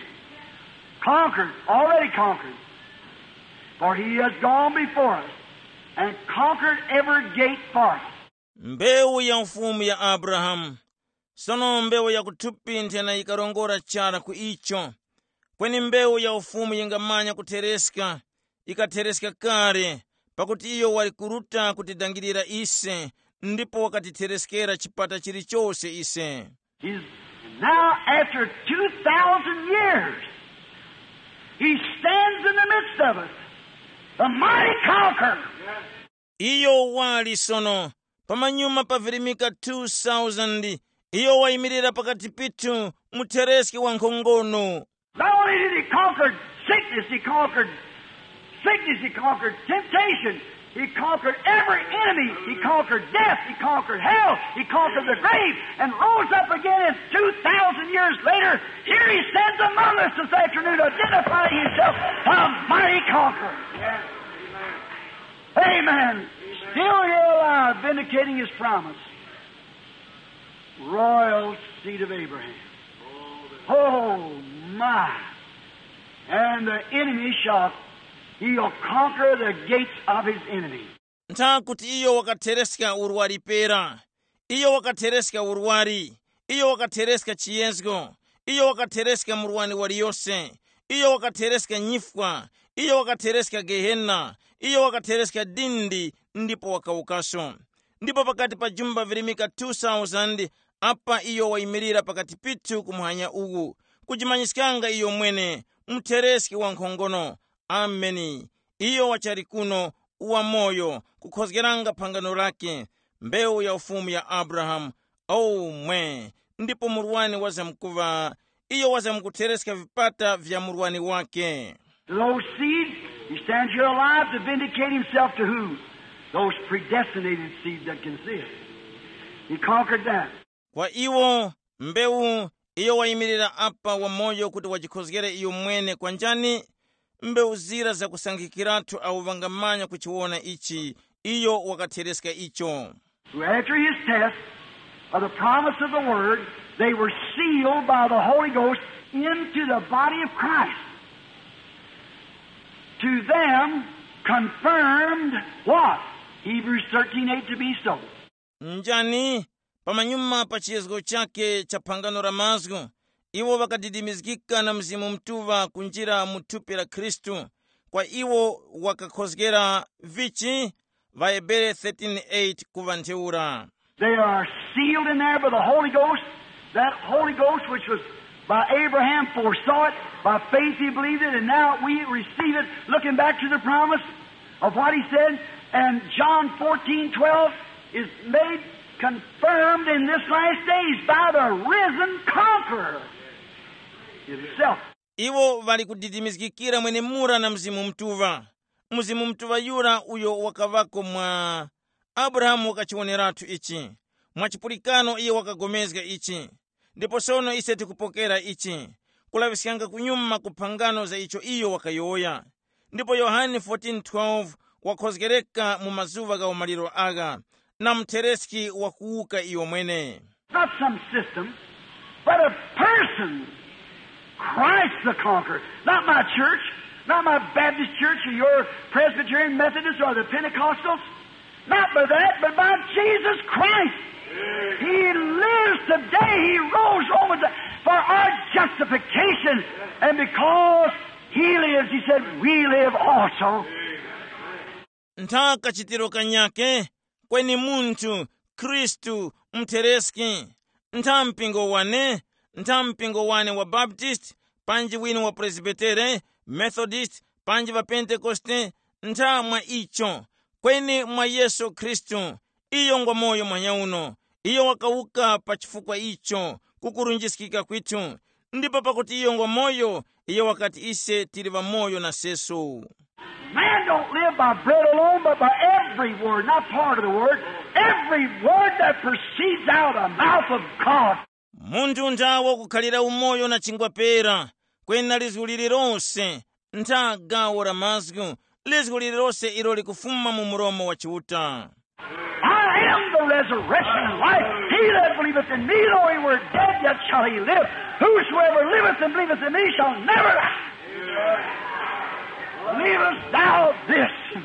Conquered, already conquered. For he has gone before us and conquered every gate for us. Mbewu ya ufumu ya Abrahamu. Sono mbewu ya kuthupi nthena yikarongora chara ku icho. Kweni mbewu ya ufumu yingamanya kuthereska, ikathereska kale, pakuti iyo wali kuruta kutidangirira ise, ndipo wakatithereskera chipata chilichose ise. He's now, after two thousand years, he stands in the midst of us, the mighty conqueror. Iyo wali sono, pamanyuma pa virimika two thousand, iyo wayimirira pakati pithu, muthereski wa nkhongono. Not only did he conquer sickness, he conquered sickness, he conquered temptation, he conquered every enemy, he conquered death, he conquered hell, he conquered the grave, and rose up again. And two thousand years later, here he stands among us this afternoon, identifying himself a mighty conqueror. Amen. Still here alive, vindicating his promise. Royal seed of Abraham. Oh, my. And the enemy shall, he'll conquer the gates of his enemy. Ntha kuti iyo wakathereska urwari pera. Iyo wakathereska urwari. Iyo wakathereska chiyezgo. Iyo wakathereska murwani waliyose. Iyo wakathereska nyifwa, iyo wakathereska gehena, iyo wakathereska dindi, ndipo wakawukaso. Ndipo pakati pa jumba virimika two thousand, apa iyo wayimirira pakati pithu ku muhanya uwu, kujimanyiskanga iyo mwene, muthereski wa nkhongono. Ameni. Iyo wachali kuno, wamoyo, kukhozgeranga phangano lake, mbewu ya ufumu ya Abrahamu. Omwe, ndipo murwani wazamkuŵa, iyo wazamkuthereska vipata vya murwani wake. To those seeds, he stands here alive to vindicate himself to who? Those predestinated seeds that can see it. He conquered that. Kwa iwo, mbewu, iyo wayimirira apa wamoyo kuti wajikhozgere iyo mwene kwa njani? Mbewu zira zakusankhikiratu awo ŵangamanya kuchiwona ichi, iyo wakathereska icho. Who after his test of the promise of the word, they were sealed by the Holy Ghost into the body of Christ. To them confirmed what? Hebrews thirteen eight to be so. Njani? Pamanyuma pa chiyezgo chake cha phangano la mazgu, iwo ŵakadidimizgika na Mzimu Mutuŵa kunjira mu thupi la Khristu. Kwa iwo wakakhozgera vichi? Ŵahebere thirteen eight kuŵa ntheura. They are sealed in there by the Holy Ghost. That Holy Ghost which was by Abraham foresaw it, by faith he believed it, and now we receive it, looking back to the promise of what he said. And John fourteen twelve is made confirmed in this last days by the risen conqueror himself. Iwo ŵali kudidimizgikira mwenemura na Mzimu Mutuŵa. Mzimu Mutuŵa yura uyo wakaŵako mwa Abrahamu wakachiwoneratu ichi. Mwa chipulikano iyo wakagomezga ichi. Ndipo sono ise tikupokera ichi, kulaŵiskanga kunyuma ku phangano za icho iyo wakayowoya. Ndipo Yohane fourteen twelve wakhozgereka mu mazuŵa gha umaliro agha, na muthereski wakuwuka iyo mwene. Not some system, but a person. Christ the conqueror. Not my church, not my Baptist church or your Presbyterian, Methodist or the Pentecostals. Not by that, but by Jesus Christ. He lives today. He rose Romans for our justification. And because he lives, he said, we live also. Ntha kachitiro kanyake, kweni munthu, Khristu, mthereski, ntha mpingo wane, ntha mpingo wane wa Baptist, panji winu wa Presbytere, Methodist, panji wa Pentekoste, ntha mwa icho, kweni mwa Yesu Khristu, iyo ngwa moyo manyauno, iyo wakawuka pa chifukwa icho, kukurunjiskika kwithu, ndipo pakuti iyo ngwa moyo, iyo wakati ise tili ŵamoyo na sesu. Man don't live by bread alone, but by every word, not part of the word, every word that proceeds out of the mouth of God. Munthu ntha wakukhalira umoyo na chingwa pera, kwena lizgu lililonse, ntha gawo la mazgu, lizgu lililonse ilo likufuma mu mulomo wa Chiuta. I am the resurrection and life. He that believeth in me, though he were dead, yet shall he live. Whosoever liveth and believeth in me shall never die. Believest thou this?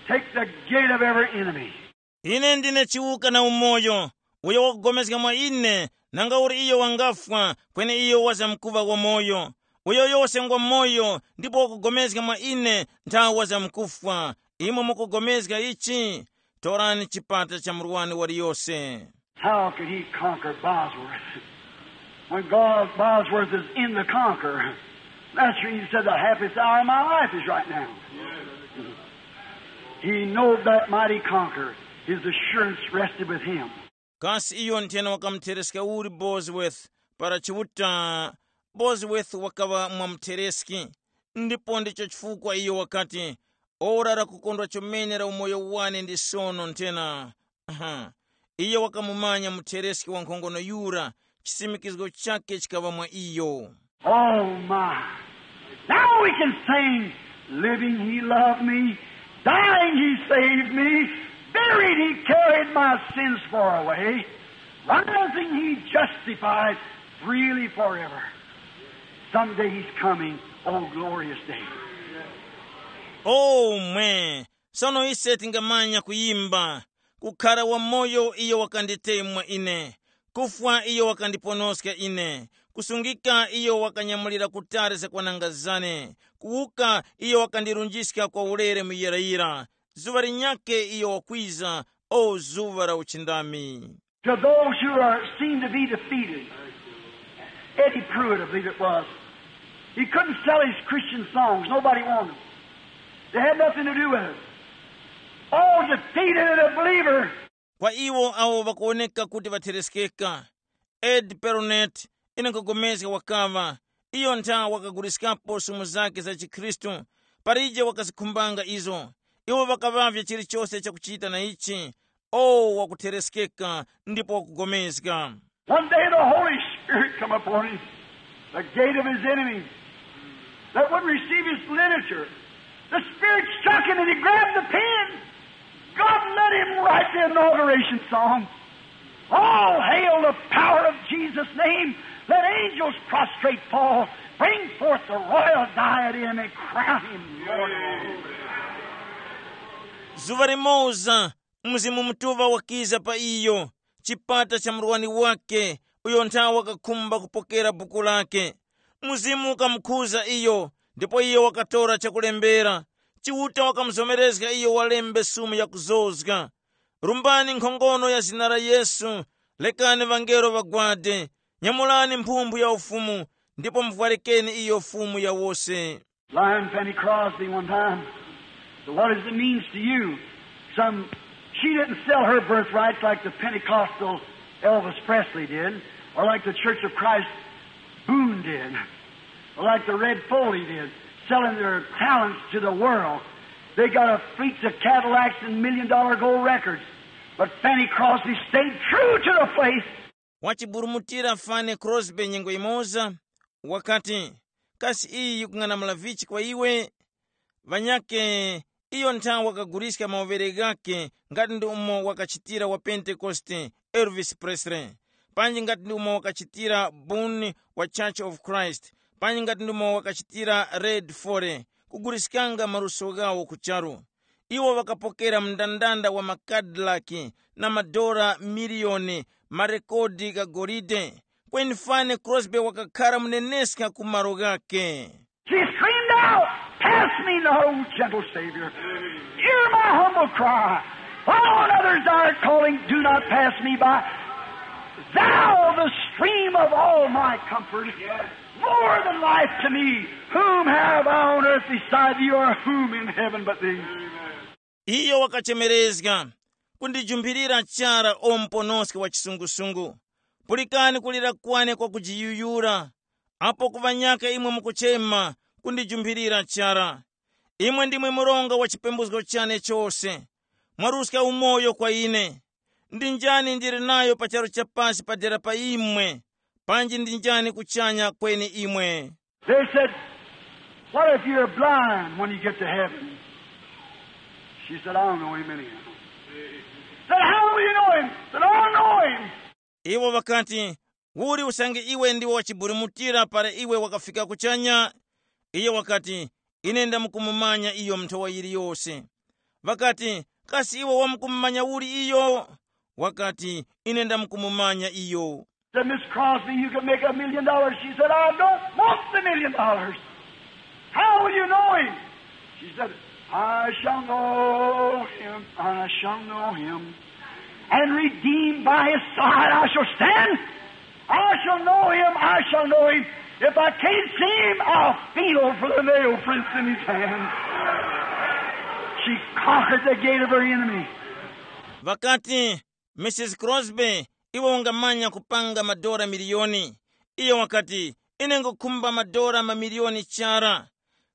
Take the gate of every enemy. Ine ndine chiwuka na umoyo. Uyo wakugomezga mwa ine, nanga uli iyo wangafwa, kweni iyo wazamkuŵa wamoyo. Uyo yose ngwa moyo, ndipo wakugomezga mwa ine, ntha wazamkufwa. Imwe mukugomezga ichi? Torani chipata cha murwani waliyose. How could he conquer Bosworth? When God, Bosworth is in the conquer. That's the reason he said, the happiest hour of my life is right now. He knowed that mighty conqueror. His assurance rested with him. Kasi iyo nthena wakamuthereska uli Bosworth para Chiuta? Bosworth wakaŵa mwamuthereski, ndipo ndicho chifukwa iyo wakati, ora la kukondwa chomene la umoyo wane ndi sono nthena. Aha. Iyo wakamumanya muthereski wankhongono yura, chisimikizgo chake chikaŵa mwa iyo. Oh my. Now we can sing, living he loved me, dying he saved me, buried he carried my sins far away, rising he justified freely forever. Someday he's coming, oh glorious day. Omwe, sono ise tingamanya kuyimba, kukhara wamoyo iyo wakanditemwa ine, kufwa iyo wakandiponoska ine, Kusungika iyo wakanyamulira kutali zakwananga zane. Kuwuka iyo wakandirunjiska kwa ulere muyirayira. Zuŵa linyakhe iyo wakwiza, o zuŵa la uchindami. To those who are seem to be defeated, Eddie Pruitt, I believe it was, he couldn't sell his Christian songs. Nobody wanted them. They had nothing to do with it. Oh, defeated a believer. Kwa iwo awo ŵakuwoneka kuti ŵathereskeka, Ed Peronet, ine nkhupulikana wakaŵa, iyo ntha wakaguliskapo sumu zakhe za chikhristu, palije wakazikhumbanga izo. Iwo ŵakaŵavya chilichose chakuchita na ichi, o wakuthereskeka ndipo wakugomezga. One day the Holy Spirit come upon him, the gate of his enemy, that wouldn't receive his literature. The Spirit struck him and he grabbed the pen. God let him write the inauguration song. All hail the power of Jesus' name. Let angels prostrate fall. Bring forth the royal diadem and crown him Lord. Zuŵa limoza, Mzimu Mutuŵa wakiza pa iyo, chipata cha murwani wake, uyo nthawe wakakhumba kupokera buku lake. Mzimu ukamukhuza iyo, ndipo iyo wakatora chakulembera. Chiuta wakamuzomerezga iyo walembe sumu yakuzozga. Rumbani nkhongono ya zina la Yesu, lekani ŵangelo ŵagwade, nyamulani mphumphu ya ufumu, ndipo muvwarikeni iyo fumu ya wose. Blind Fanny Crosby one time. So what does it mean to you? Some, she didn't sell her birthrights like the Pentecostal Elvis Presley did, or like the Church of Christ Boone did, or like the Red Foley did, selling their talents to the world. They got a fleets of Cadillacs and million dollar gold records. But Fanny Crosby stayed true to the faith. Wachiburumutira Fanny Crosby nyengo imoza, wakati, kasi iyi yikung'anamula vichi kwa iwe? Ŵanyakhe, iyo nthawe wakaguliska mawovere ghakhe ngati ndi umo wakachitira wa Pentekoste, Elvis Presley, panji ngati ndi umo wakachitira Boone wa Church of Christ, panji ngati ndi umo wakachitira Red Foley, kuguliskanga maluso ghawo ku charu. Iwo ŵakapokera mndandanda wa makadilaki na madora miliyoni, marekodi gha golide. Kweni Fanny Crosby wakakhara muneneska ku malo ghakhe. She screamed out, "Pass me not, O gentle Savior. Hear my humble cry. While on others thou art calling, do not pass me by. Thou, the stream of all my comfort, more than life to me, whom have I on earth beside thee, or whom in heaven but thee?" Iyo wakachemerezga, kundijumpirira chara o muponoski wa chisungusungu. Pulikani kulira kwane kwa kujiyuyura, apo ku ŵanyaka imwe mukuchema kundijumpirira chara. Imwe ndimwe mronga wa chipembuzgo chane chose. Mwaruska umoyo kwa ine. Ndi njani ndili nayo pa charu cha pasi padera pa imwe? Panji ndi njani kuchanya kweni imwe? They said, "What if you're blind when you get to heaven?" She said, "I don't know him anyhow." Said, "How will you know him?" Said, "I don't know him." Iwo ŵakati, uli usange iwe ndiwe wachiburumutira para iwe wakafika kuchanya? Iyo wakati, ine ndamukumumanya iyo nthowa yiliyose. Ŵakati, kasi iwe wamukumumanya uli iyo? Wakati, ine ndamukumumanya iyo. Said, "Miss Crosby, you can make a million dollars." She said, "I don't want the million dollars. How will you know him?" She said, "I shall know him, I shall know him. And redeemed by his side I shall stand. I shall know him, I shall know him. If I can't see him, I'll feel for the nail prints in his hand." She conquered the gate of her enemy. Ŵakati, Misisi Crosby, iwe ungamanya kupanga madora miliyoni. Iyo wakati, ine ngukhumba madora mamiliyoni chara.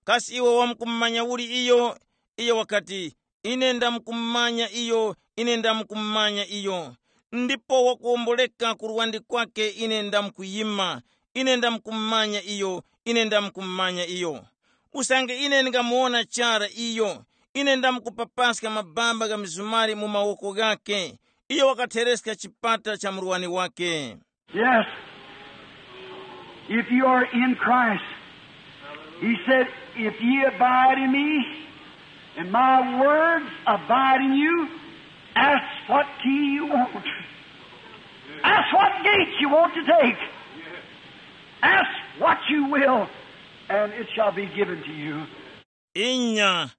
Kasi iwe wamkumanya uli iyo? Iyo wakati, ine ndamkumanya iyo, ine ndamkumanya iyo. Ndipo wakuwomboleka ku luwandi kwake ine ndamkuyima, ine ndamkumanya iyo, ine ndamkumanya iyo. Usange ine ndingamuwona chara iyo, ine ndamkupapaska mabamba gha mizumari mu mawoko ghakhe. Iyo wakathereska chipata cha murwani wake. Yes. If you are in Christ, he said, if ye abide in me, and my words abide in you, ask what key you want. Ask what gate you want to take. Ask what you will, and it shall be given to you. Inya,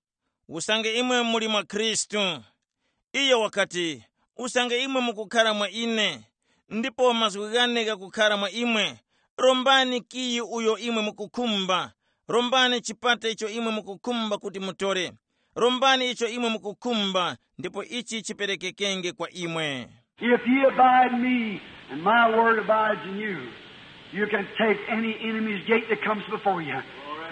usange imwe muli mwa Khristu. Iyo wakati, usange imwe mukukhara mwa ine, ndipo mazgu ghane ghakukhara mwa imwe, rombani kiyi uyo imwe mukukhumba. Rombani chipata icho imwe mukukhumba kuti mutore. Rombani icho imwe mukukhumba, ndipo ichi chiperekekenge kwa imwe. If ye abide in me, and my word abides in you, you can take any enemy's gate that comes before you.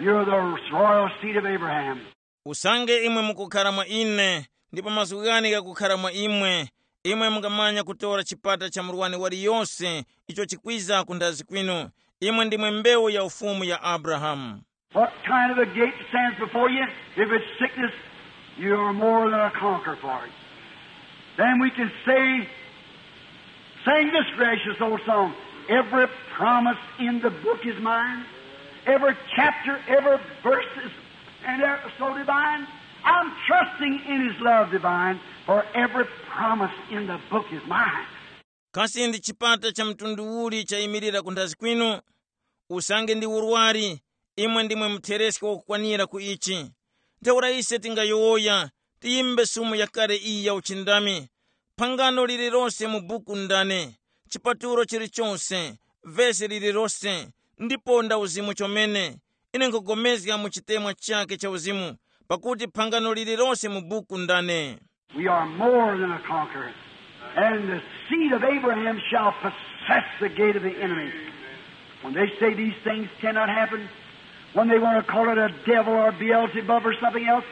You're the royal seed of Abraham. Usange imwe mukukhara mwa ine, ndipo mazgu ghane ghakukhara mwa imwe, imwe mungamanya kutora chipata cha murwani waliyose icho chikwiza ku nthazi kwinu. Imwe ndimwe mbewu ya ufumu ya Abrahamu. What kind of a gate stands before you? If it's sickness, you are more than a conqueror for it. Then we can say, sing this gracious old song. Every promise in the book is mine. Every chapter, every verse is, and ever so divine. I'm trusting in his love divine, for every promise in the book is mine. Kasi ndi chipata cha mtundu uli chayimirira ku nthazi kwinu? Usange ndi urwari, imwe ndimwe muthereske wakukwanira ku ichi. Ntheura ise tingayowoya, tiyimbe sumu yakale iyi ya uchindami. Phangano lililose mu buku ndane, chipatulo chilichose, vesi lililose, ndipo nda uzimu chomene. Ine nkhugomezga mu chitemwa chake cha uzimu, pakuti phangano lililose mu buku ndane. We are more than a conqueror, and the seed of Abraham shall possess the gate of the enemy. When they say these things cannot happen, when they want to call it a devil or Beelzebub or something else,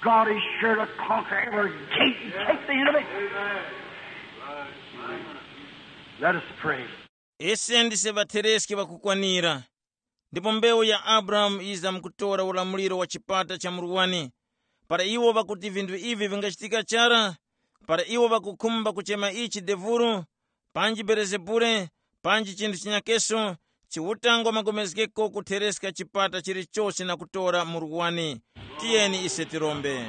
God is sure to conquer every gate and take the enemy. Let us pray. Ise ndise ŵatereski ŵakukwanira, ndipo mbewu ya Abrahamu yizamkutora ulamuliro wa chipata cha murwani. Para iwo ŵakuti vinthu ivi vingachitika chara, para iwo ŵakukhumba kuchema ichi devuru, panji Belezebule, panji chinthu chinyakeso, Chiuta ngwa magomezgeko kuthereska chipata chilichose na kutora murwani. Tiyeni ise tirombe.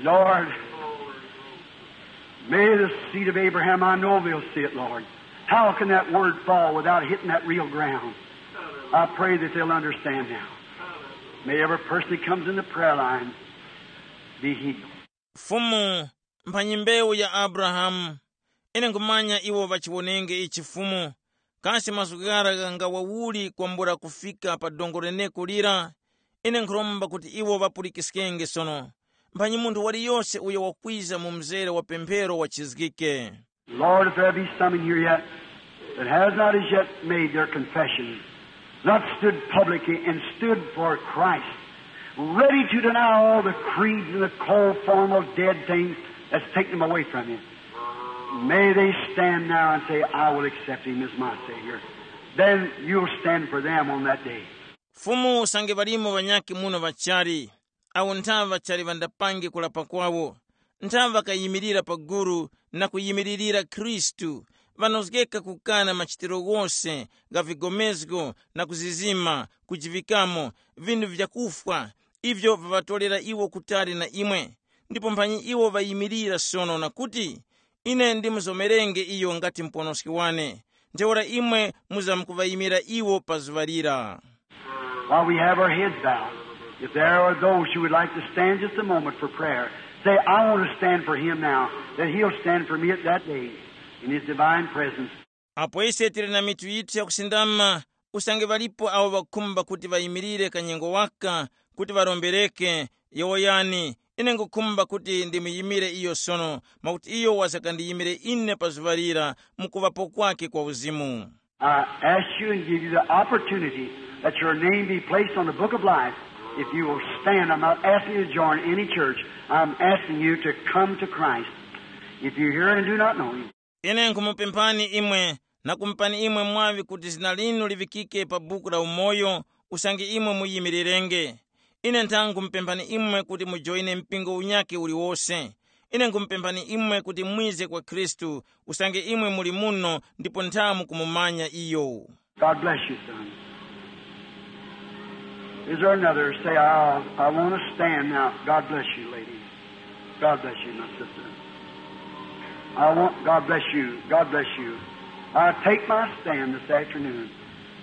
Lord, may the seed of Abraham, I know they'll see it, Lord. How can that word fall without hitting that real ground? I pray that they'll understand now. May every person that comes in the prayer line be healed. Fumu, mphanyi mbewu ya Abrahamu, ine nkhumanya iwo ŵachiwonenge ichi Fumu. Kasi mazgu ghara ghangawawuli kwambula kufika pa dongo leneko lira? Ine nkhuromba kuti iwo ŵapulikiskenge sono. Mphanyi munthu waliyose uyo wakwiza mu mzere wa pemphero wachizgike. Lord, if there be some in here yet that has not as yet made their confession, not stood publicly and stood for Christ, ready to deny all the creeds and the cold formal dead things that's taken them away from you, may they stand now and say, I will accept him as my Savior. Then you'll stand for them on that day. Fumu usange ŵalimo ŵanyakhe muno ŵachali, awo nthaŵa chali ŵandapange kulapa kwawo, nthaŵa ŵakayimirira pa gulu na kuyimiririra Khristu, ŵanozgeka kukana machitiro ghose gha vigomezgo na kuzizima, kujivikamo, vinthu vyakufwa, ivyo viŵatorera iwo kutali na imwe. Ndipo mphanyi iwo ŵayimirira sono na kuti, ine ndimuzomerenge iyo ngati muponoski wane, ntheura imwe muzamkuŵayimira iwo pa zuŵa lira. While we have our heads bowed, if there are those who would like to stand just a moment for prayer, say, I want to stand for him now, that he'll stand for me at that day in his divine presence. Apo ise tili na mitu yithu yakusindama, usange ŵalipo awo ŵakukhumba kuti ŵayimirire kanyengo waka kuti ŵarombereke, yowoyani, ine nkhukhumba kuti ndimuyimire iyo sono, mwakuti iyo wazakandiyimire ine pa zuŵa lira mu kuŵapo kwake kwa uzimu. I ask you and give you the opportunity that your name be placed on the book of life. If you will stand, I'm not asking you to join any church. I'm asking you to come to Christ. If you hear and do not know him. Ine nkhumupemphani imwe, na kumupani imwe mwaŵi kuti zina linu liŵikike pa buku la umoyo, usange imwe muyimirirenge. Ine nthangu nkhumupemphani imwe kuti mujoyine mpingo unyakhe uliwose. Ine nkhumupemphani imwe kuti mwize kwa Khristu, usange imwe muli muno ndipo nthamu kumumanya iyo. God bless you, son. Is there another? Say, I, I want to stand now. God bless you, lady. God bless you, my sister. I want, God bless you. God bless you. I take my stand this afternoon.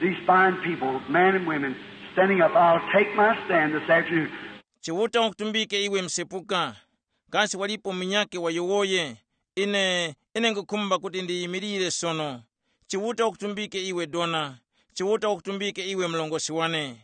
These fine people, men and women, standing up, I'll take my stand this afternoon. Chiuta wakutumbike iwe msepuka, kasi walipo munyakhe wayowoye? Ine, ine nkhukhumba kuti ndiyimirire sono. Chiuta wakutumbike iwe dona, Chiuta wakutumbike iwe mlongosi wane.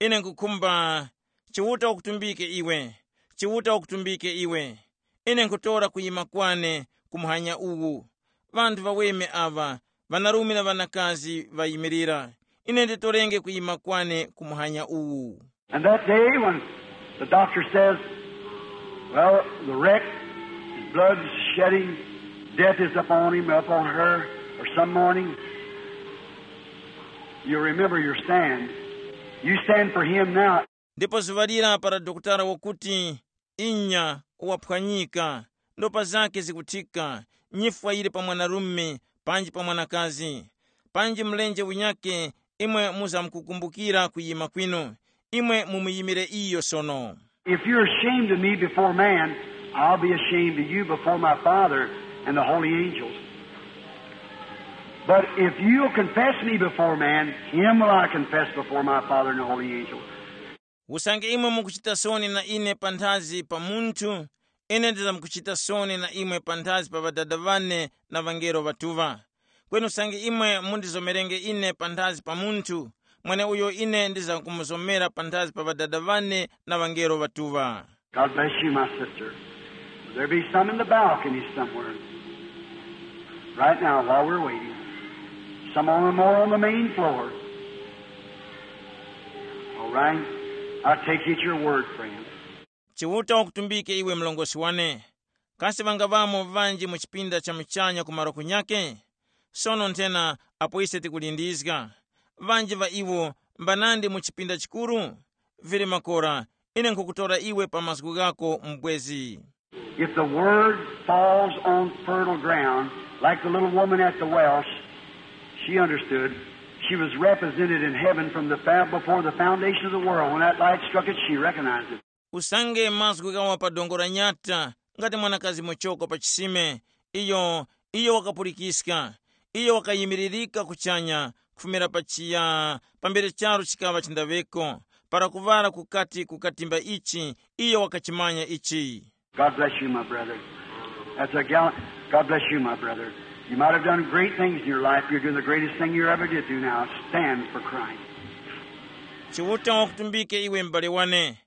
Ine nkhukhumba, Chiuta wakutumbike iwe, Chiuta wakutumbike iwe. Ine nkhutora kuyima kwane ku muhanya uwu. Ŵanthu ŵaweme aŵa, ŵanarume na ŵanakazi ŵayimirira. Ine nditorenge kuyima kwane ku muhanya uwu. And that day when the doctor says, "Well, the wreck, his blood's shedding, death is upon him, upon her, or some morning," you remember your stand. You stand for him now. Ndipo zuŵa lira para dokotala wakuti, "Inya, waphwanyika, ndopa zake zikuthika, nyifwa yili pa mwanarume panji pa mwanakazi, panji mlenje unyakhe, imwe muzamkukumbukira kuyima kwinu, imwe mumuyimire iyo sono." If you're ashamed of me before man, I'll be ashamed of you before my Father and the holy angels. But if you'll confess me before man, him will I confess before my Father and the holy angels. Usange imwe mukuchita soni na ine panthazi pa munthu, ine ndizamkuchita soni na imwe panthazi pa Ŵadada ŵane na ŵangelo ŵatuŵa. Kweni usange imwe mundizomerenge ine panthazi pa munthu, mweneuyo ine ndizamkumuzomera panthazi pa Ŵadada ŵane na ŵangelo ŵatuŵa. God bless you, my sister. There be some in the balcony somewhere. Right now, while we're waiting. Some on, more on the main floor. All right. I take you at your word, friend. Chiuta wakutumbike iwe mlongosi wane. Kasi ŵangaŵamo ŵanji mu chipinda cha muchanya ku malo kunyake? Sono nthena apo ise tikulindizga. Ŵanji ŵa iwo mbanandi mu chipinda chikuru? Vili makora, ine nkhukutora iwe pa mazgu ghako mubwezi. If the word falls on fertile ground, like the little woman at the well, she understood. She was represented in heaven from the fa-, before the foundation of the world. When that light struck it, she recognized it. Usange mazgu ghawa pa dongo la nyata, ngati mwanakazi muchoko pa chisime, iyo, iyo wakapulikiska, iyo wakayimiririka kuchanya, kufumira pa chiya, pambere charu chikaŵa chindaŵeko, para kuŵala kukati kukatimba ichi, iyo wakachimanya ichi. God bless you, my brother. That's a gallant. God bless you, my brother. You might have done great things in your life. You're doing the greatest thing you ever did do now. Stand for Christ. Chiuta wakutumbike iwe m'bale wane.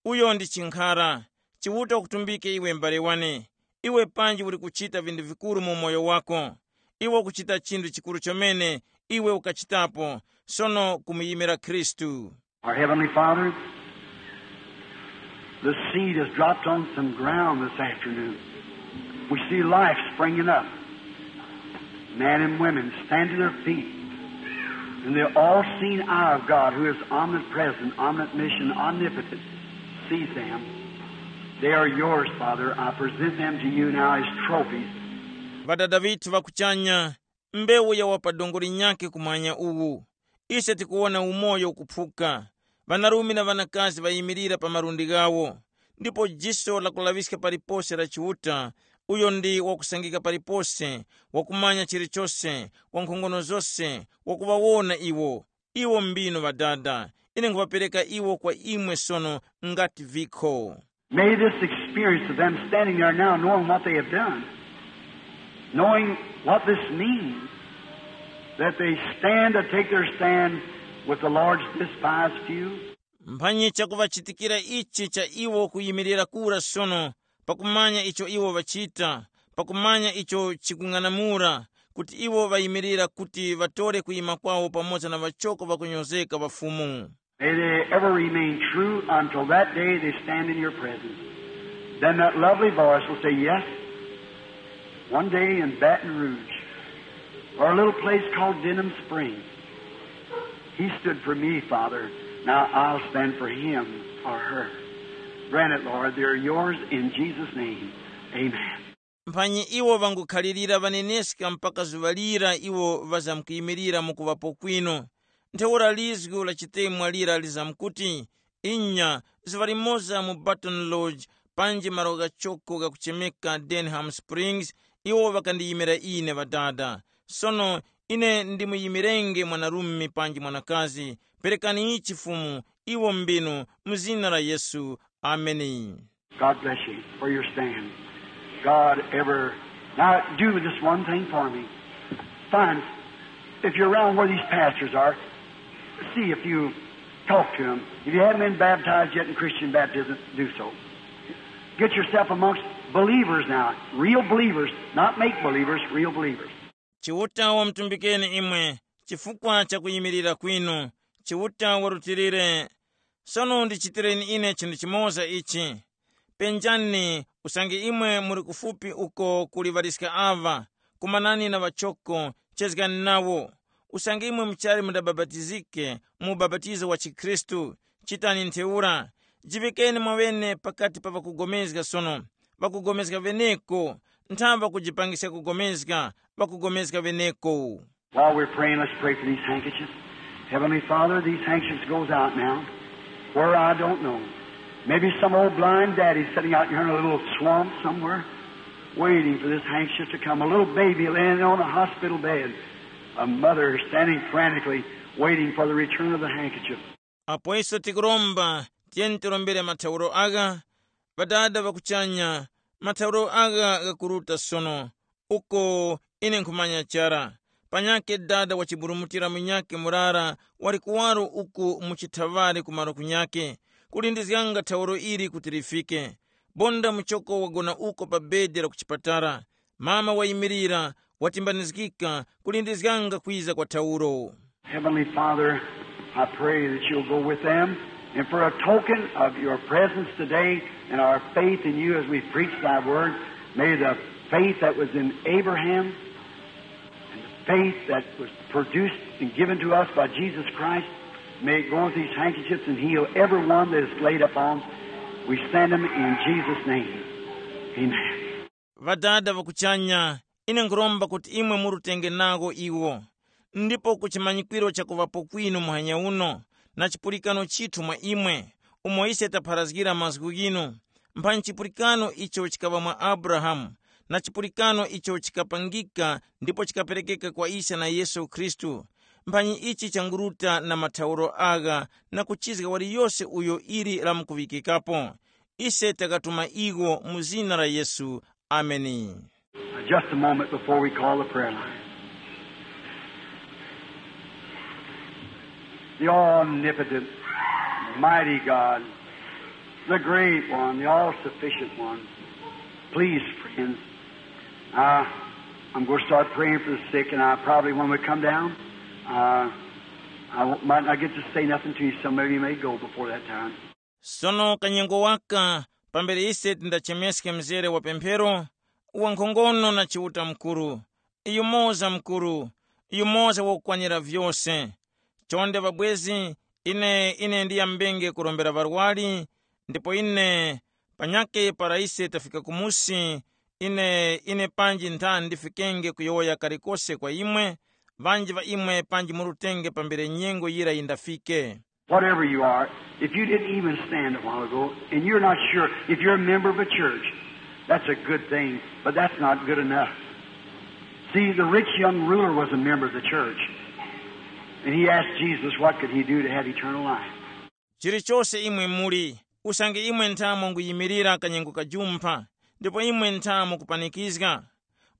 Uyo ndi chinkhara. Chiuta wakutumbike iwe m'bale wane. Iwe panji uli kuchita vinthu vikuru mu umoyo wako. Iwe ukuchita chinthu chikuru chomene. Iwe ukachitapo. Sono kumuyimira Khristu. Our Heavenly Father, the seed has dropped on some ground this afternoon. We see life springing up. Men and women stand to their feet. And the all-seeing eye of God, who is omnipresent, omniscient, omnipotent, sees them. They are yours, Father. I present them to you now as trophies. Ŵadada ŵithu ŵa kuchanya, mbewu yawa pa dongo linyakhe kumwanya uwu. Ise tikuwona umoyo ukuphuka. Ŵanarume na ŵanakazi ŵayimirira pa malundi ghawo, ndipo jiso lakulaŵiska palipose la Chiuta, uyo ndi wakusangika palipose, wakumanya chilichose, wankhongono zose, wakuŵawona iwo. Iwo mbinu Ŵadada, ine nkhuŵapereka iwo kwa imwe sono ngati vikho. May this experience of them standing there now, knowing what they have done, knowing what this means, that they stand to take their stand with the Lord's despised few. Mphanyi chakuŵachitikira ichi cha iwo kuyimirira kura sono, pakumanya icho iwo ŵachita, pakumanya icho chikung'anamula, kuti iwo ŵayimirira kuti ŵatore kuyima kwawo pamoza na ŵachoko ŵakunyozeka ŵa Fumu. May they ever remain true until that day they stand in your presence. Then that lovely voice will say, "Yes, one day in Baton Rouge, or a little place called Denham Springs, he stood for me, Father. Now I'll stand for him or her." Grant it, Lord. They're yours in Jesus' name. Amen. Mphanyi iwo ŵangukhalirira ŵaneneska mpaka zuŵa lira iwo ŵazamkuyimirira mu kuŵapo kwinu. Ntheura lizgu la chitemwa lira lizamkuti, inya, zuŵa limoza mu Baton Lodge, panji malo ghachoko ghakuchemeka Denham Springs, iwo ŵakandiyimira ine Ŵadada. Sono Ine ndimuyimirenge mwanarume panji mwanakazi. Perekani ichi Fumu, iwo mbinu, mu zina la Yesu. Ameni. God bless you for your stand. God ever. Now, do this one thing for me. Find, if you're around where these pastors are, see if you talk to them. If you haven't been baptized yet in Christian baptism, do so. Get yourself amongst believers now, real believers, not make believers, real believers. Chiuta wamutumbikeni imwe chifukwa cha kuyimirira kwinu. Chiuta warutilire. Sono ndichitireni ine chinthu chimoza ichi. Penjani, usange imwe muli kufupi uko kuli ŵaliska aŵa, kumanani na ŵachoko, chezgani nawo. Usange imwe muchali mudabapatizike mu ubapatizo wa chikhristu, chitani ntheura. Jiŵikeni mwaŵene pakati pa ŵakugomezga sono, ŵakugomezga ŵeneko, ntha ŵakujipangiska kugomezga, ŵakugomezga ŵeneko. While we're praying, let's pray for these handkerchiefs. Heavenly Father, these handkerchiefs goes out now. Where, I don't know. Maybe some old blind daddy sitting out here in a little swamp somewhere, waiting for this handkerchief to come. A little baby laying on a hospital bed. A mother standing frantically waiting for the return of the handkerchief. Apo iso tikuromba, tiyeni tirombere mathauro agha. Ŵadada ŵa kuchanya, mathauro agha ghakuruta sono. Uko ine nkhumanya chara. Panyakhe dada wachiburumutira munyakhe murara wali kuwaro uku mu chithaŵari kumaro kunyakhe, kulindizganga thauro ili kuti lifike. Bonda muchoko wagona uko pa bedi la kuchipatala. Mama wayimirira, watimbanizgika, kulindizganga kwiza kwa thauro. Heavenly Father, I pray that you'll go with them, and for a token of your presence today and our faith in you as we preach thy word, may the faith that was in Abraham and the faith that was produced and given to us by Jesus Christ, may it go with these handkerchiefs and heal everyone that is laid upon. We send them in Jesus' name. Amen. Ŵadada ŵa kuchanya, ine nkhuromba kuti imwe murutenge nawo iwo, ndipo ku chimanyikwiro chakuŵapo kwinu muhanya uno, na chipulikano chithu mwa imwe, umo ise tapharazgira mazgu ghinu, mphanyi chipulikano icho chikaŵa mwa Abrahamu, na chipulikano icho chikapangika ndipo chikaperekeka kwa ise na Yesu Khristu, mphanyi ichi changuruta na mathauro agha na kuchizga waliyose uyo ili lamkuŵikikapo. Ise takatuma iwo mu zina la Yesu. Ameni. Just a moment before we call the prayer line. The omnipotent, mighty God, the great one, the all-sufficient one. Please, friends, uh, I'm going to start praying for the sick, and I probably, when we come down, uh, I won't- might not get to say nothing to you. Some of you may go before that time. Sono kanyengo waka, pambere ise tindachemeske mzere wa pemphero, wankhongono na Chiuta Mukuru, yumoza Mukuru, yumoza wakukwanira vyose. Chonde ŵabwezi, ine ine ndiyambenge kurombera ŵarwari, ndipo ine panyakhe para ise tafika kumusi, ine ine panji ntha ndifikenge kuyowoya kalikose kwa imwe, ŵanji ŵa imwe panji murutenge pambere nyengo yira yindafike. Whatever you are, if you didn't even stand a while ago and you're not sure if you're a member of a church, that's a good thing, but that's not good enough. See, the rich young ruler was a member of the church, and he asked Jesus what could he do to have eternal life. Chilichose imwe muli, usange imwe nthamo nguyimirira kanyengo kajumpha, ndipo imwe nthamo kupanikizga,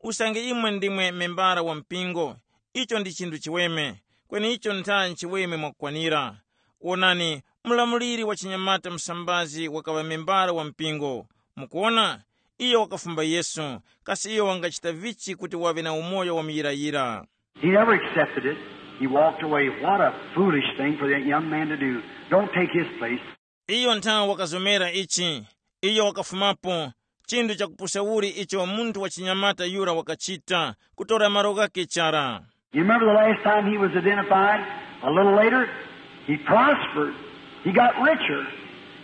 usange imwe ndimwe membara wa mpingo, icho ndi chinthu chiweme, kweni icho ntha nchiweme mwakukwanira. Wonani, mlamuliri wa chinyamata msambazi wakaŵa membara wa mpingo. Mukuwona, iyo wakafumba Yesu, kasi iyo wangachita vichi kuti waŵe na umoyo wa muyirayira? He never accepted it. He walked away. What a foolish thing for that young man to do. Don't take his place. Iyo ntha wakazomera ichi. Iyo wakafumapo. Chinthu chakupusa uli icho munthu wa chinyamata yura wakachita, kutora malo ghake chara. You remember the last time he was identified? A little later, he prospered. He got richer.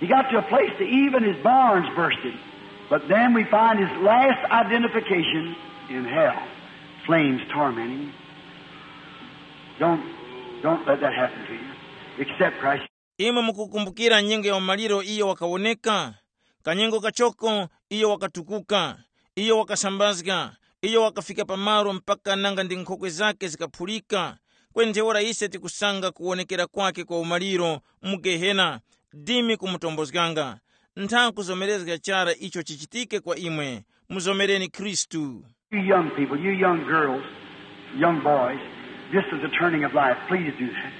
He got to a place that even his barns bursted. But then we find his last identification in hell. Flames tormenting him. Don't, don't let that happen to you. Accept Christ. Imwe mukukumbukira nyengo ya umaliro iyo wakawoneka? Kanyengo kachoko iyo wakatukuka, iyo wakasambazga, Iyo wakafika pamalo mpaka nanga ndi nkhokwe zakhe zikaphulika. Kweni ntheura ise tikusanga kuwonekera kwakhe kwa umaliro mu Gehena, dimi kumutombozganga. Ntha kuzomerezga chara icho chichitike kwa imwe. Muzomereni Khristu. You young people, you young girls, young boys, this is the turning of life. Please do that.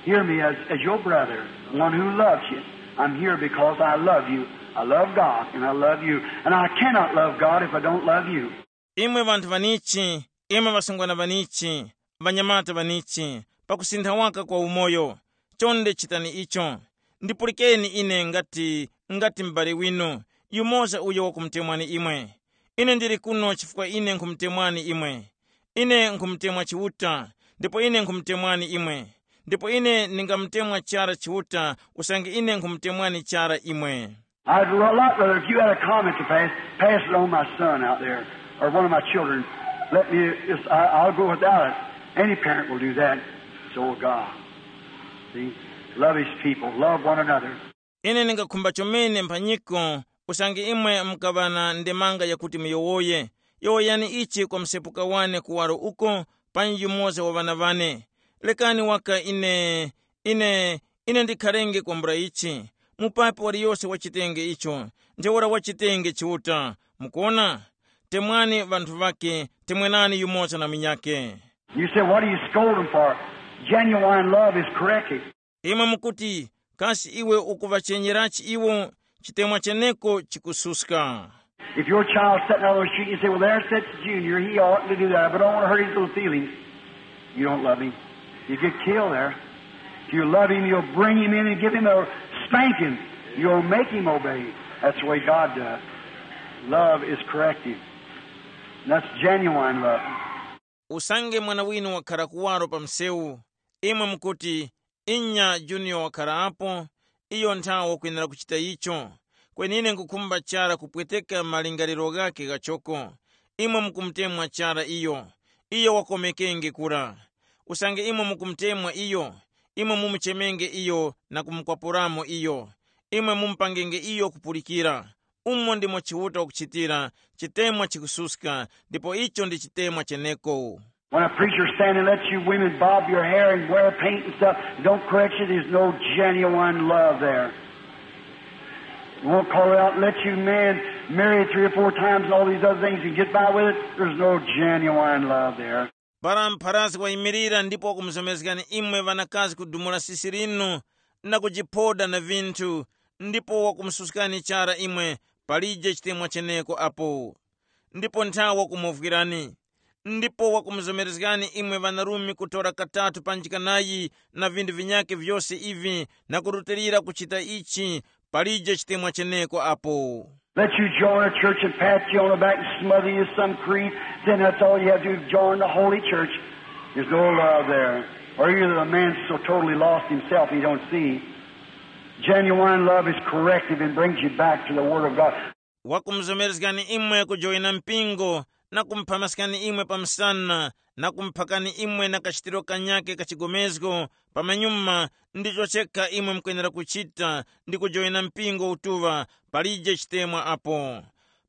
Hear me as, as your brother, one who loves you. I'm here because I love you. I love God, and I love you. And I cannot love God if I don't love you. Imwe ŵanthu ŵanichi, imwe ŵasungwana ŵanichi, ŵanyamata ŵanichi, pakusintha waka kwa umoyo, chonde chitani icho. Ndipulikeni ine ngati, ngati m'bale winu, yumoza uyo wakumutemwani imwe. Ine ndili kuno chifukwa ine nkhumutemwani imwe. Ine nkhumutemwa Chiuta, ndipo ine nkhumutemwani imwe. Ndipo ine ndingamutemwa chara Chiuta, usange ine nkhumutemwani chara imwe. I'd a lot rather if you had a comment to pass, pass it on my son out there, or one of my children. Let me, it's, I, I'll go without it. Any parent will do that. So will God. See? Love his people. Love one another. Ine ndingakhumba chomene mphanyiko, usange imwe mukaŵa na ndemanga yakuti muyowoye, yowoyani ichi kwa msepuka wane kuwaro uko, panji yumoza wa ŵana wane. Lekani waka ine, ine, ine ndikharenge kwambula ichi. Mupapi waliyose wachitenge icho, ntheura wachitenge Chiuta. Mukuona? Temwani ŵanthu ŵake, temwenani yumoza na munyakhe. You say, what are you scolding for? Genuine love is corrective. Imwe mukuti, kasi iwe ukuŵachenyerachi iwo? Chitemwa cheneko chikususka. If your child's sitting out on the street, you say, well, there sits Junior, he oughtn't to do that, but I don't want to hurt his little feelings. You don't love him. You get killed there. If you love him, you'll bring him in and give him a spanking. You'll make him obey. That's the way God does. Love is corrective. And that's genuine love. Usange mwana winu wakhara kuwaro pa msewu, imwe mukuti, inya Junior wakhara apo, iyo nthawe wakwenera kuchita icho. Kweni ine nkhukhumba chara kupweteka malingaliro ghakhe ghachoko. Imwe mukumutemwa chara iyo, iyo wakomekenge kura. Usange imwe mukumutemwa iyo, imwe mumuchemenge iyo na kumukwapuramo iyo. Imwe mumupangenge iyo kupulikira. Umo ndimo Chiuta wakuchitira, chitemwa chikususka, ndipo icho ndi chitemwa cheneko. When a preacher stand and lets you women bob your hair and wear paint and stuff, don't correct you, there's no genuine love there. Won't call it out and let you men marry three or four times and all these other things and get by with it, there's no genuine love there. Para mpharasi wayimirira ndipo wakumuzomezgani imwe ŵanakazi kudumula sisi linu na kujiphoda na vinthu, ndipo wakumususkani chara imwe, palije chitemwa cheneko apo. Ndipo nthawe wakumuvwirani, ndipo wakumuzomerezgani imwe ŵanarume kutora katatu pa njikanayi na vinthu vinyakhe vyose ivi na kurutilira kuchita ichi, palije chitemwa cheneko apo. Let you join a church and pat you on the back and smother you some creed, then that's all you have to do, join the holy church. There's no love there. Or either the man's so totally lost himself he don't see. Genuine love is corrective and brings you back to the Word of God. Wakumuzomerezgani imwe kujoyina mpingo na kumuphamasgani imwe pa msana na kumuphakani imwe na kachitiro kanyakhe ka chigomezgo, pamanyuma ndicho chekha imwe mukwenera kuchita ndi kujoyina mpingo utuŵa, palije chitemwa apo.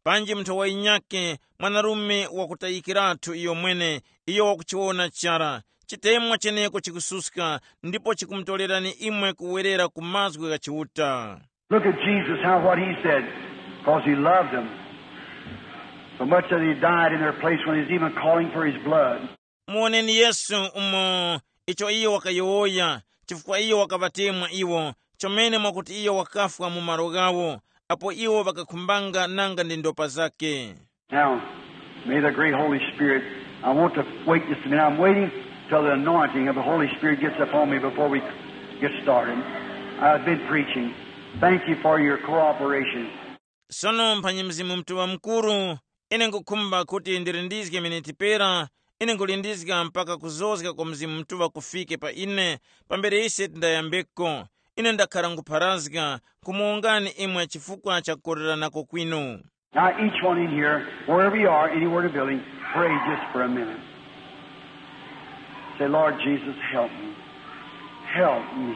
Panji munthu wayinyakhe mwanarume wakutayikiratu iyo mwene, iyo wakuchiwona chara. Chitemwa cheneko chikususka ndipo chikumutorerani imwe kuwerera ku mazgu gha Chiuta. Look at Jesus, how what he said, because he loved them. So much that he died in their place when he's even calling for his blood. Muwoneni Yesu umo icho iyo wakayowoya, chifukwa iyo wakaŵatemwa iwo, chomene mwakuti iyo wakafwa mu malo ghawo, apo iwo ŵakakhumbanga nanga ndi ndopa zakhe. Now, may the great Holy Spirit, I want to wait just a minute. I'm waiting till the anointing of the Holy Spirit gets upon me before we get started. I've been preaching. Thank you for your cooperation. Sono mphanyi Mzimu Mutuŵa Mukuru, ine nkhukhumba kuti ndirindizge miniti pera, ine nkhulindizga mpaka kuzozga kwa Mzimu Mutuŵa kufike pa ine, pambere ise tindayambeko. Ine ndakhara nkhupharazga, nkhumuwongani imwe chifukwa cha kukoreranako kwinu. Now, each one in here, wherever you are, anywhere in the building, pray just for a minute. Say, Lord Jesus, help me. Help me.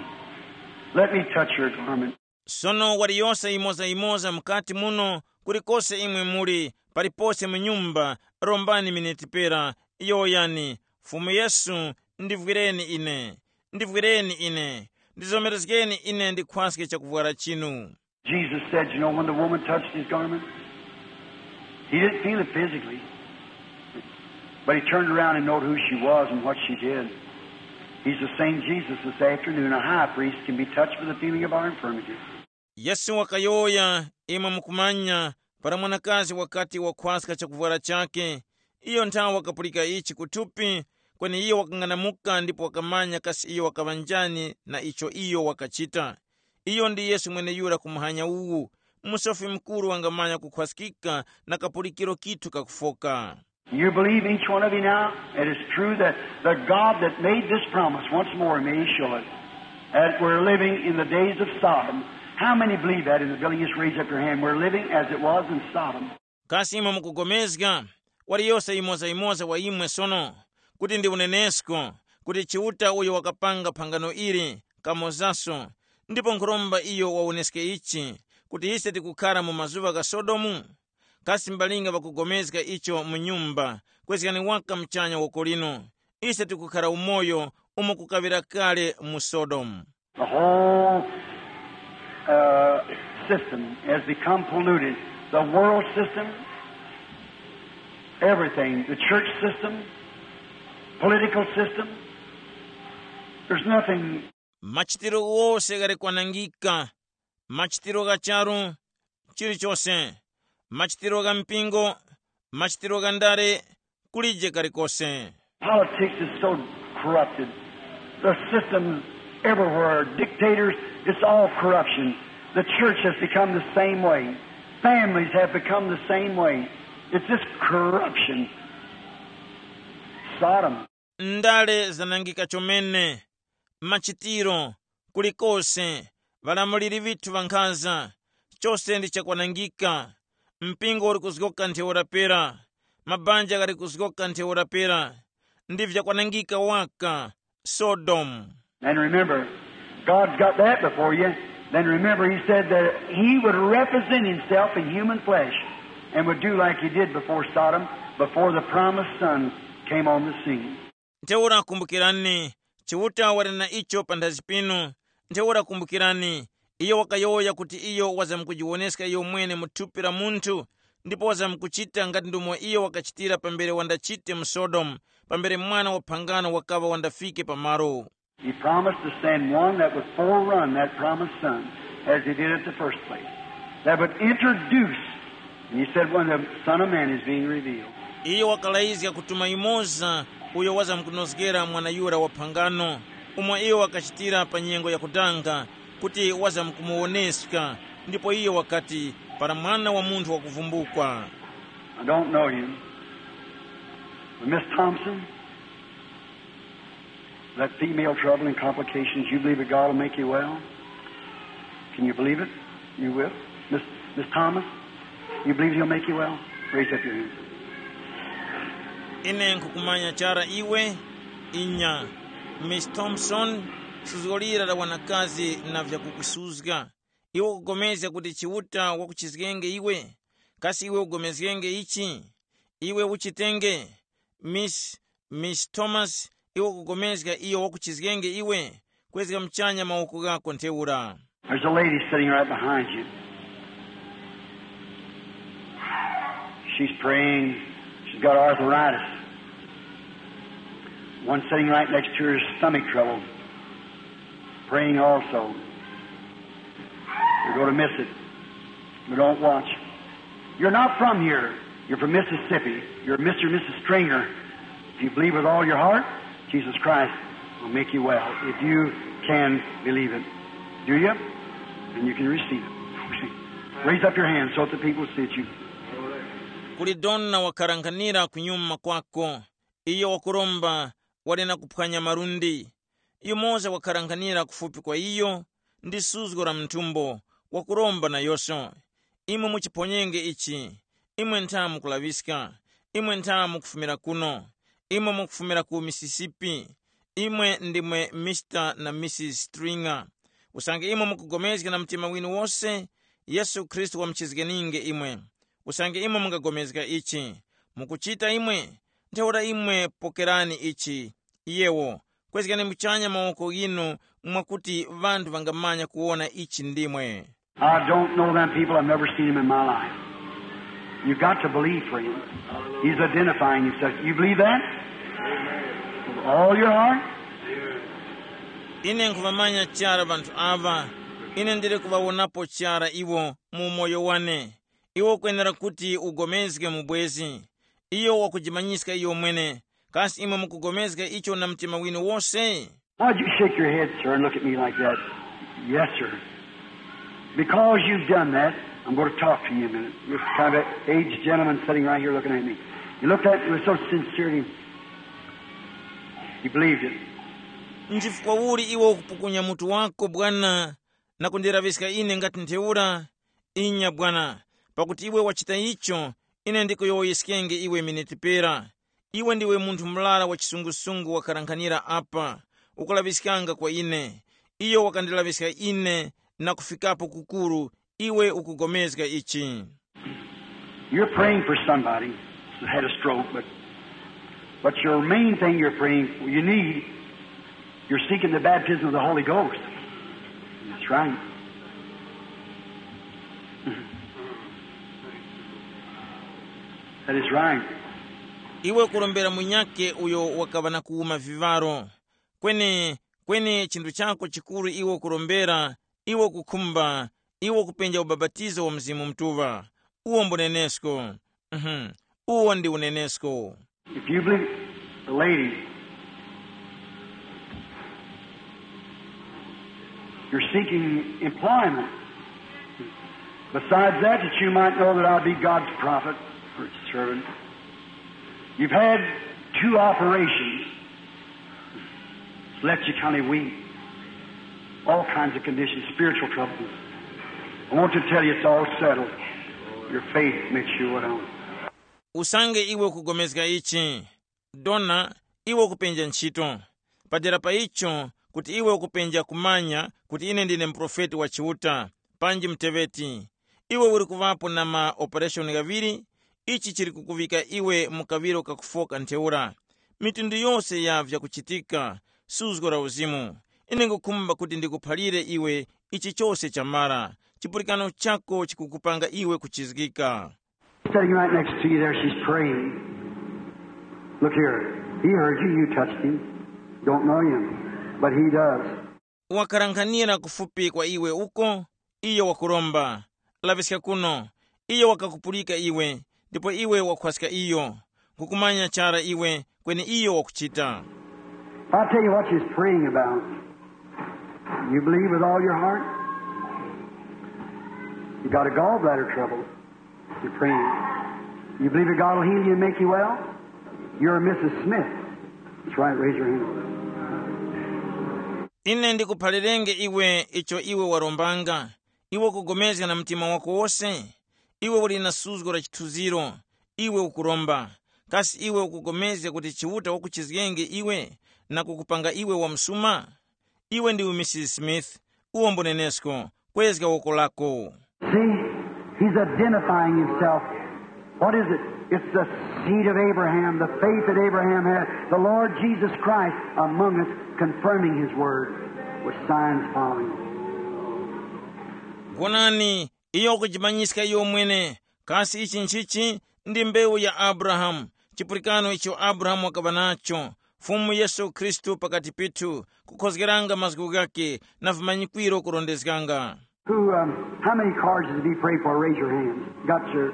Let me touch your garment. Sono waliyose yimoza-yimoza mukati muno, kulikose imwe muli, palipose mu nyumba, rombani miniti pera, yowoyani, Fumu Yesu, ndivwireni ine, ndivwireni ine, ndizomerezgeni ine ndikhwaske chakuvwara chinu. Jesus said, you know, when the woman touched his garment, he didn't feel it physically, but he turned around and knowed who she was and what she did. He's the same Jesus this afternoon. A high priest can be touched with the feeling of our infirmity. Yesu wakayowoya, imwe mukumanya, para mwanakazi wakati wakhwaska chakuvwara chake, iyo nthawe wakapulika ichi kuthupi, kweni iyo wakang'anamuka ndipo wakamanya kasi iyo wakaŵa njani na icho iyo wakachita. Iyo ndi Yesu mweneyura ku muhanya uwu, musofi mukuru wangamanya kukhwaskika na kapulikiro kithu kakufoka. You believe, each one of you now, it is true that the God that made this promise, once more, may he show it, that we're living in the days of Sodom. How many believe that in the building? Just raise up your hand. We're living as it was in Sodom. Kasi imwe mukugomezga? Waliyose yimoza-yimoza wa imwe sono, kuti ndi unenesko, kuti Chiuta uyo wakapanga phangano ili, kamozaso, ndipo nkhuromba iyo wawoneske ichi, kuti ise tikukhara mu mazuŵa gha Sodomu? Kasi mbalinga ŵakugomezga icho mu nyumba, kwezgani waka muchanya woko lino, ise tikukhara umoyo umo kukaŵira kale mu Sodomu. The whole uh, system has become polluted. The world system, everything, the church system, political system, there's nothing. Machitiro ghose ghali kwanangika, machitiro gha charu, chilichose, machitiro gha mpingo, machitiro gha ndale, kulije kalikose. Politics is so corrupted. The system everywhere, dictators, it's all corruption. The church has become the same way. Families have become the same way. It's just corruption. Sodom. Ndale zanangika chomene, machitiro, kulikose, ŵalamuliri ŵithu ŵankhaza, chose ndi chakwanangika. Mpingo uli kuzgoka ntheura pera, mabanja ghali kuzgoka ntheura pera, ndi vyakwanangika waka, Sodomu. And remember, God's got that before you. Then remember, he said that he would represent himself in human flesh and would do like he did before Sodom, before the promised son came on the scene. Ntheura kumbukirani, Chiuta wali na icho panthazi pinu. Ntheura kumbukirani, iyo wakayowoya kuti iyo wazamkujiwoneska iyo mwene mu thupi la munthu, ndipo wazamkuchita ngati ndomwe iyo wakachitira pambere wandachite mu Sodomu, pambere mwana wa phangano wakaŵa wandafike pamalo. He promised to send one that would forerun that promised son, as he did at the first place, that would introduce, and he said, when the Son of Man is being revealed. Iyo wakalayizga kutuma yumoza uyo wazamkunozgera mwana yura wa phangano, umo iyo wakachitira pa nyengo yakudanga, kuti wazamkumuwoneska, ndipo iyo wakati, para Mwana wa Munthu wakuvumbukwa. I don't know you. But Miss Thompson, that female trouble and complications, you believe that God will make you well? Can you believe it? You will? Miss, Miss Thomas, you believe he'll make you well? Raise up your hand. Ine nkukumanya chara iwe, inya. Miss Thompson, suzgo lira la wanakazi na vyakukusuzga. Iwe ukupulikana kuti Chiuta wakuchizgenge iwe? Kasi iwe ugomezgenge ichi? Iwe uchitenge. Miss, Miss Thomas, iwe ukugomezga iyo wakuchizgenge iwe? Kwezga muchanya mawoko ghako ntheura. There's a lady sitting right behind you. She's praying. She's got arthritis. One sitting right next to her has stomach trouble. Praying also. You're going to miss it. But don't watch. You're not from here. You're from Mississippi. You're Mister and Missus Stringer. If you believe with all your heart, Jesus Christ will make you well. If you can believe it. Do you? Then you can receive it. Raise up your hand so that the people see it you. Kuli dona wakharanghanira kunyuma kwako, iyo wakuromba, wali na kuphwanya malundi. Yumoza wakharanghanira kufupi kwa iyo, ndi suzgo la mthumbo, wakuromba nayoso. Imwe muchiphonyenge ichi. Imwe ntha mukulaŵiska. Imwe ntha mukufumira kuno. Imwe mukufumira ku Mississippi. Imwe ndimwe Mister na Missus Stringer. Usange imwe mukugomezga na mtima winu wose, Yesu Khristu wamuchizgeninge imwe. Usange imwe mungagomezga ichi, Mukuchita imwe? Ntheura imwe pokerani ichi. Yewo, kwezgani muchanya mawoko ghinu mwakuti ŵanthu ŵangamanya kuwona ichi ndimwe. I don't know them people. I've never seen them in my life. You've got to believe, friend. He's identifying himself. You believe that? With all your heart? Ine nkhuvamanya chara ŵanthu aŵa. Ine ndili kuŵawonapo chara iwo mu umoyo wane. Iwe ukwenera kuti ugomezge mu bwezi. Iyo wakujimanyiska iyo mwene. Kasi imwe mukugomezga icho na mtima winu wose? Why'd you shake your head, sir, and look at me like that? Yes, sir. Because you've done that, I'm going to talk to you a minute. This kind of aged gentleman sitting right here looking at me. He looked at me with so sincerity. He believed it. Nchifukwa uli iwe ukupukunya mutu wako bwana, na kundiraŵiska ine ngati ntheura? Inya bwana, pakuti iwe wachita icho, ine ndikuyowoyeskenge iwe miniti pera. Iwe ndiwe munthu murara wa chisungusungu wakarankhanira apa, ukulaŵiskanga kwa ine. Iyo wakandilaŵiska ine na kufikapo kukuru, iwe ukugomezga ichi. You're praying for somebody who had a stroke, but, but your main thing you're praying for, you need, you're seeking the baptism of the Holy Ghost. That's right. That is right. Iwe kurombera munyake uyo wakaŵa na kuwuma vivaro. Kweni, kweni chinthu chako chikuru iwe kurombera, iwe kukhumba, iwe kupenja ubapatizo wa Mzimu Mutuŵa. Uwo mbunenesko. Mhm. Uwo ndi unenesko. If you believe, the lady, you're seeking employment. Besides that, that you might know that I be God's prophet or servant. You've had two operations. It's left you kind of weak. All kinds of conditions, spiritual troubles. I want to tell you it's all settled. Your faith makes you what on. Usange iwe ukugomezga ichi, dona, iwe ukupenja ntchito. Padera pa icho, kuti iwe ukupenja kumanya kuti ine ndine muprofeti wa Chiuta, panji muteŵeti. Iwe uli kuŵapo na ma operation ghaŵiri. Ichi chili kukuŵika iwe mu kaŵiro kakufoka ntheura. Mitundu yose ya vyakuchitika, suzgo la uzimu. Ine ngukhumba kuti ndikuphalire iwe ichi chose chamara. Chipulikano chako chikukupanga iwe kuchizgika. Sitting right next to you there, she's praying. Look here. He heard you, you touched him. Don't know him, but he does. Wakarankhanira kufupi kwa iwe uko, iyo wakuromba. Laŵiska kuno, iyo wakakupulika iwe, ndipo iwe wakhwaska iyo. Nkukumanya chara iwe, kweni iyo wakuchita. I'll tell you what she's praying about. You believe with all your heart? You got a gallbladder trouble. You're praying. You believe that God will heal you and make you well? You're Missus Smith. That's right, raise your hand. Ine ndikuphalirenge iwe icho iwe warombanga. Iwe ukugomezga na mtima wako wose. Iwe uli na suzgo la chithunziro. Iwe ukuromba. Kasi iwe ukugomezga kuti Chiuta wakuchizgenge iwe na kukupanga iwe wamsuma? Iwe ndiwe Missus Smith. Uwo mbunenesko. Kwezga woko lako. See, he's identifying himself. What is it? It's the seed of Abraham, the faith that Abraham had, the Lord Jesus Christ among us, confirming his word with signs following. Wonani, iyo wakujimanyiska iyo mwene. Kasi ichi nchichi? Ndi mbewu ya Abrahamu, chipulikano icho Abrahamu wakaŵa nacho, Fumu Yesu Khristu pakati pithu, kukhozgeranga mazgu ghake na vimanyikwiro kurondezganga. Who, um, how many cards is to be prayed for? Raise your hands. Got your,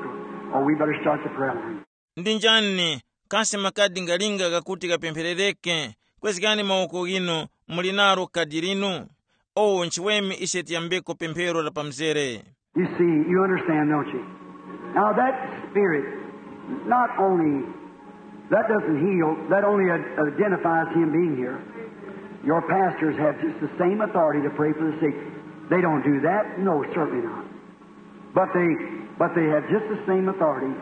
oh, we better start the prayer line. Ndi njani? Kasi makadi ngalinga ghakuti ghapempherereke? Kwezgani mawoko ghinu. Muli nalo kadi linu? O, nchiweme ise tiyambeko pemphero la pamzere. You see, you understand, don't you? Now that spirit, not only, that doesn't heal, that only ad-, identifies him being here. Your pastors have just the same authority to pray for the sick. They don't do that? No, certainly not. But they, but they have just the same authority.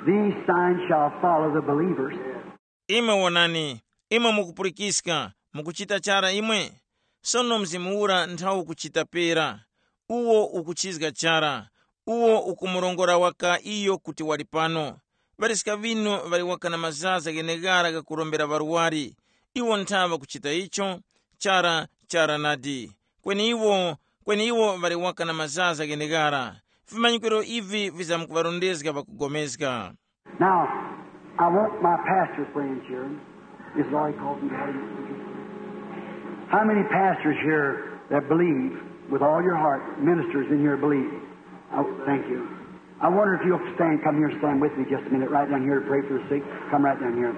These signs shall follow the believers. Imwe wonani, imwe mukupulikiska, mukuchita chara imwe? Sono mzimu ura nthawu ukuchita pera. Uwo ukuchizga chara. Uwo ukumurongora waka iyo kuti wali pano. Ŵaliska ŵinu ŵali waka na mazaza gheneghara ghakurombera ŵarwari. Iwo nthaŵa kuchita icho? Chara, chara nadi. Kweni iwo, kweni iwo ŵali waka na mazaza gheneghara. Vimanyikiro ivi vizamkuŵarondezga ŵakugomezga. Now, I want my pastor friends here. Is Lori called me? How many pastors here that believe with all your heart, ministers in here believe? Oh, thank you. I wonder if you'll stand, come here and stand with me just a minute, right down here to pray for the sick. Come right down here.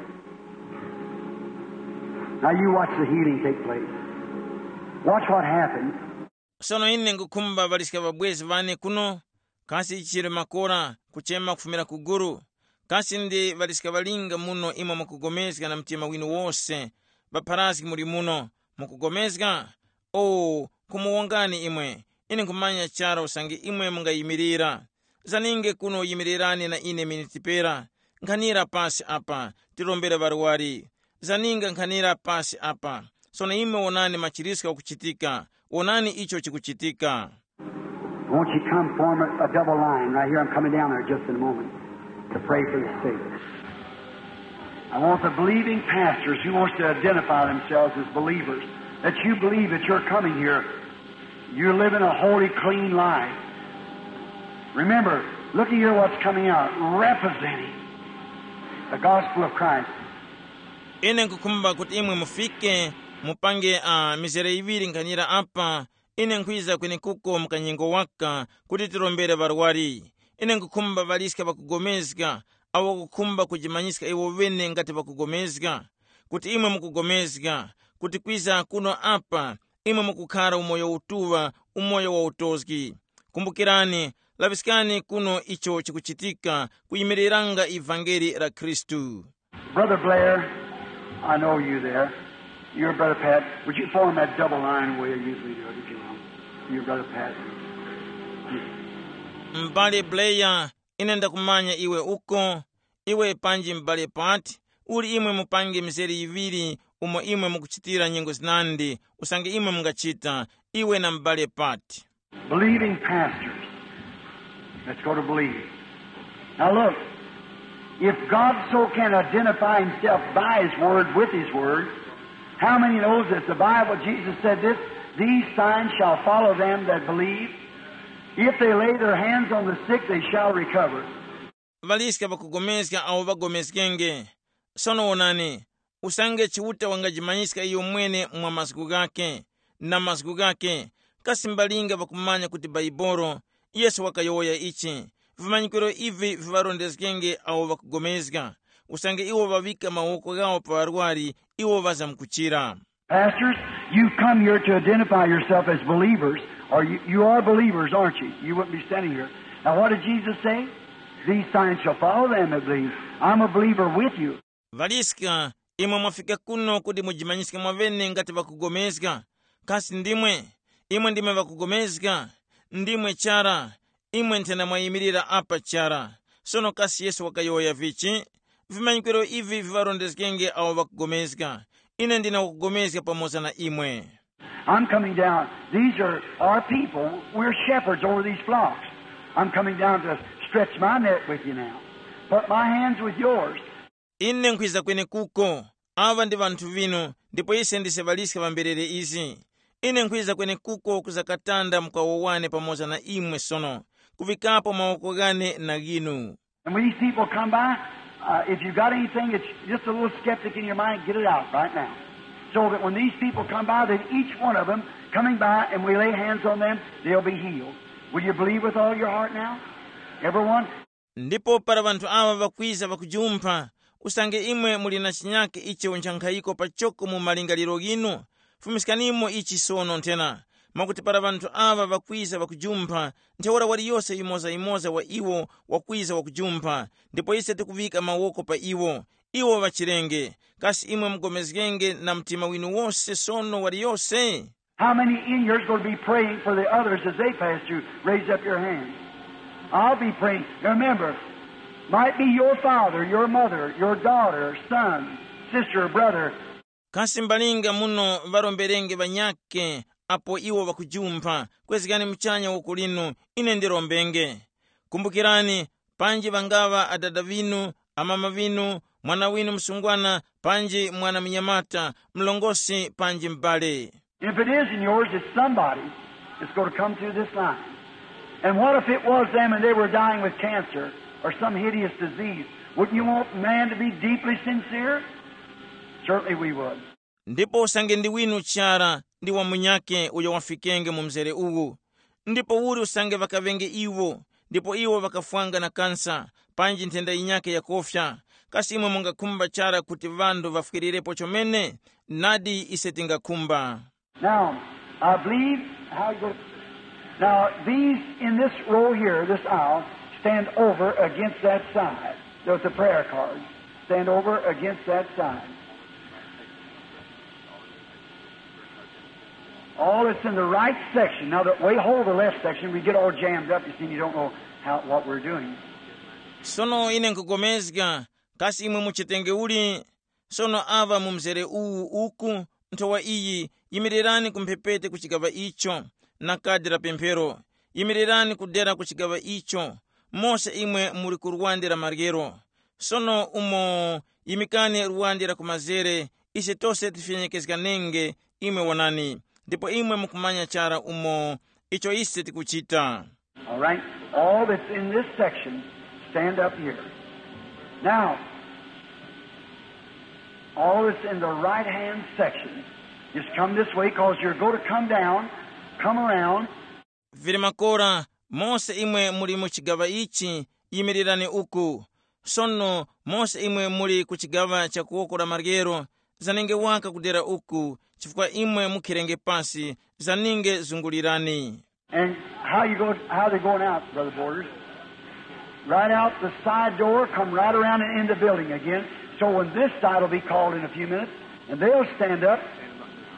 Now you watch the healing take place. Watch what happens. Sono ine nkukhumba ŵaliska ŵabwezi ŵane kuno, kasi chili makora kuchema kufumira ku guru? Kasi ndi ŵaliska ŵalinga muno imwe mukugomezga na mtima winu wose, ŵapharazgi muli muno, mukugomezga? O, kumuwongani imwe, ine nkhumanya chara usange imwe mungayimirira. Zaninge kuno yimirirani na ine miniti pera, nkhanira pasi apa, tirombere ŵarwari. Zaninga nkhanira pasi apa. Sono imwe wonani machiriska kuchitika, wonani icho chikuchitika. Won't you come form a, a double line right here? I'm coming down there just in a moment to pray for the sick. I want the believing pastors who wants to identify themselves as believers, that you believe that you're coming here. You're living a holy, clean life. Remember, look at here what's coming out, representing the gospel of Christ. Ine nkukhumba kuti imwe mufike, mupange uh, mizere iŵiri nkhanira apa. Ine nkhwiza kwenekuko mkanyengo waka kuti tirombere ŵarwari. Ine nkukhumba ŵaliska ŵakugomezga, awo kukhumba kujimanyiska iwo ŵene ngati ŵakugomezga, kuti imwe mukugomezga, kuti kwiza kuno apa imwe mukukhara umoyo utuŵa, umoyo wa utozgi. Kumbukirani, laŵiskani kuno icho chikuchitika kuyimiriranga ivangeli la Khristu. Brother Blair, I know you there. You're Brother Pat. Would you form that double line where you usually do it, if you will? You're Brother Pat. M'bale Bleya, ine ndakumanya iwe uko. Iwe panji m'bale Pat, uli imwe mupange mizere yiŵiri umo imwe mukuchitira nyengo zinandi, usange imwe mungachita, iwe na m'bale Pat. Believing pastors. Let's go to believe. Now look, if God so can identify himself by his word, with his word, how many knows that the Bible, Jesus said this, "These signs shall follow them that believe. If they lay their hands on the sick, they shall recover." Ŵaliska ŵakugomezga awo ŵagomezgenge. Sono wonani, usange Chiuta wangajimanyiska iyo mwene mwa mazgu ghakhe, na mazgu ghakhe, kasi mbalinga ŵakumanya kuti Baibolo, Yesu wakayowoya ichi, vimanyikiro ivi viŵarondezgenge awo ŵakugomezga, usange iwo ŵaŵika mawoko ghawo pa ŵarwari, iwo ŵazamkuchira. Pastors, you've come here to identify yourself as believers, or you, you are believers, aren't you? You wouldn't be standing here. Now, what did Jesus say? "These signs shall follow them that believe." I'm a believer with you. Ŵaliska, imwe mwafika kuno kuti mujimanyiske mwaŵene ngati ŵakugomezga. Kasi ndimwe? Imwe ndimwe ŵakugomezga? Ndimwe chara. Imwe nthena mwayimirira apa chara. Sono kasi Yesu wakayowoya vichi? Vimanyikiro ivi viŵarondezgenge awo ŵakugomezga. Ine ndina wakugomezga pamoza na imwe. I'm coming down. These are our people. We're shepherds over these flocks. I'm coming down to stretch my net with you now. Put my hands with yours. Ine nkhwiza kwenekuko. Awa ndi ŵanthu vinu, ndipo ise ndise ŵaliska ŵa mberere izi. Ine nkhwiza kwenekuko kuzakatanda mkawo wane pamoza na imwe sono, kuvikapo mawoko ghane na ghinu. And when these people come by, uh, if you got anything that's just a little skeptic in your mind, get it out right now. So that when these people come by, then each one of them coming by and we lay hands on them, they'll be healed. Will you believe with all your heart now? Everyone? Ndipo para ŵanthu aŵa ŵakwiza ŵakujumpha, usange imwe muli na chinyake icho ncha nkhayiko pachoko mu malingaliro ghinu, fumiskanimo ichi sono nthena, mwakuti para ŵanthu aŵa ŵakwiza ŵakujumpha, ntheura waliyose yumozayumoza wa iwo wakwiza wakujumpha, ndipo ise tikuŵika mawoko pa iwo, iwo ŵachirenge. Kasi imwe mugomezgenge na mtima winu wose sono waliyose? How many in here is going to be praying for the others as they pass through? Raise up your hand. I'll be praying. Now remember, might be your father, your mother, your daughter, son, sister, or brother. Kasi mbalinga muno ŵaromberenge ŵanyakhe apo iwo ŵakujumpha, kwezgani muchanya woko linu, ine ndirombenge. Kumbukirani, panji ŵangaŵa adada ŵinu, amama ŵinu, mwana winu msungwana, panji mwana munyamata, mlongosi panji m'bale. If it isn't yours, it's somebody that's going to come through this line. And what if it was them and they were dying with cancer or some hideous disease? Wouldn't you want man to be deeply sincere? Certainly we would. Ndipo usange ndi winu chara ndi wa munyakhe uyo wafikenge mu mzere uwu. Ndipo uli usange ŵakaŵenge iwo, ndipo iwo ŵakafwanga na kansa, panji nthenda yinyakhe yakofya, kasi imwe mungakhumba chara kuti ŵanthu ŵafwirirepo chomene? Nadi ise tingakhumba. Now, I believe how you go. Now, these in this row here, this aisle, stand over against that side. There's the prayer cards. Stand over against that side. All that's in the right section. Now, that we hold the left section, we get all jammed up, you see, you don't know how, what we're doing. Sono ine nkugomezga, kasi imwe muchitenge uli? Sono aŵa mu mzere uwu uku, nthowa iyi, yimirirani ku mphepete ku chigaŵa icho, na kadi la pemphero. Yimirirani kudera ku chigaŵa icho, mose imwe muli ku lwande la maryero. Sono umo yimikani lwande la kumazere, ise tose tifyenyekezganenge, imwe wonani, ndipo imwe mukumanya chara umo icho ise tikuchita. All right? All that's in this section, stand up here. Now, all that's in the right hand section, just come this way because you're going to come down, come around. Vili makora, mose imwe muli mu chigaŵa ichi, yimirirani uku. Sono mose imwe muli ku chigaŵa cha kuwoko la maryero, zanenge waka kudera uku, chifukwa imwe mukhirenge pasi, zaninge zungulirani. And how you go, how they going out, Brother Borders? Right out the side door, come right around and in the building again. So when this side will be called in a few minutes, and they'll stand up.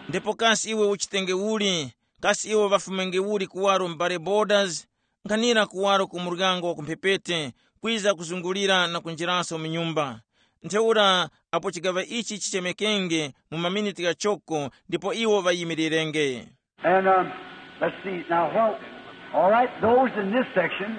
Ndipo kasi iwe uchitenge uli? Kasi iwe ŵafumenge uli kuwaro m'bale Borders? Nkhanira kuwaro ku muryango wa kumphepete, kwiza kuzungulira na kunjiraso mu nyumba. Ntheura apo chigaŵa ichi chichemekenge mu maminiti ghachoko, ndipo iwo ŵayimirirenge. And um, let's see now. Well, all right, those in this section,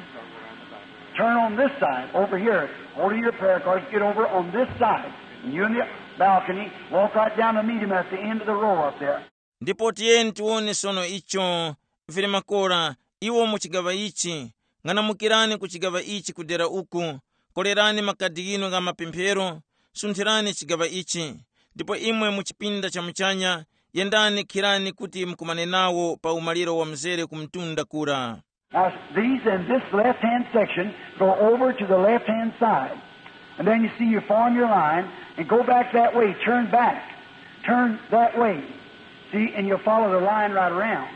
turn on this side over here. Hold of your prayer cards, get over on this side. And you in the balcony, walk right down to meet him at the end of the row up there. Ndipo tiyeni tiwone sono icho. Vili makora, iwo mu chigaŵa ichi, ng'anamukirani ku chigaŵa ichi kudera uku, kolerani makadi ghinu gha mapemphero, sunthirani chigaŵa ichi. Ndipo imwe mu chipinda cha muchanya, yendani khirani kuti mukumane nawo pa umaliro wa mzere ku mtunda kura. Now, these in this left hand section go over to the left hand side. And then you see you form your line and go back that way, turn back, turn that way. See, and you'll follow the line right around.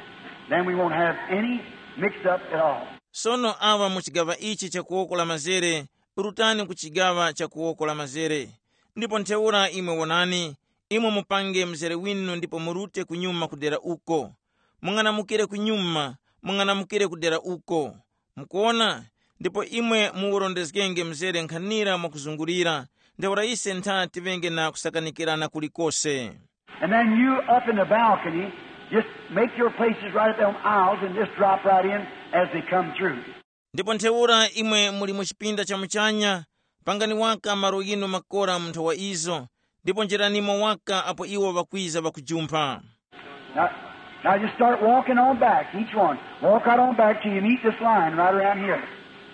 Then we won't have any mix up at all. Sono awa mu chigaŵa ichi cha kuwoko la mazere, rutani ku chigaŵa cha kuwoko la mazere. Ndipo ntheura imwe wonani, imwe mupange mzere winu ndipo murute kunyuma kudera uko. Mung'anamukire kunyuma, mung'anamukire kudera uko. Mukuwona? Ndipo imwe muwurondezgenge mzere nkhanira mwakuzungulira, ntheura ise ntha tiŵenge na kusakanikirana kulikose. And then you up in the balcony, just make your places right up on aisles and just drop right in as they come through. Ndipo ntheura imwe muli mu chipinda cha muchanya, pangani waka malo ghinu makora mu nthowa izo, ndipo njiranimo waka apo iwo ŵakwiza ŵakujumpha. Now, now just start walking on back, each one. Walk right on back till you meet this line right around here.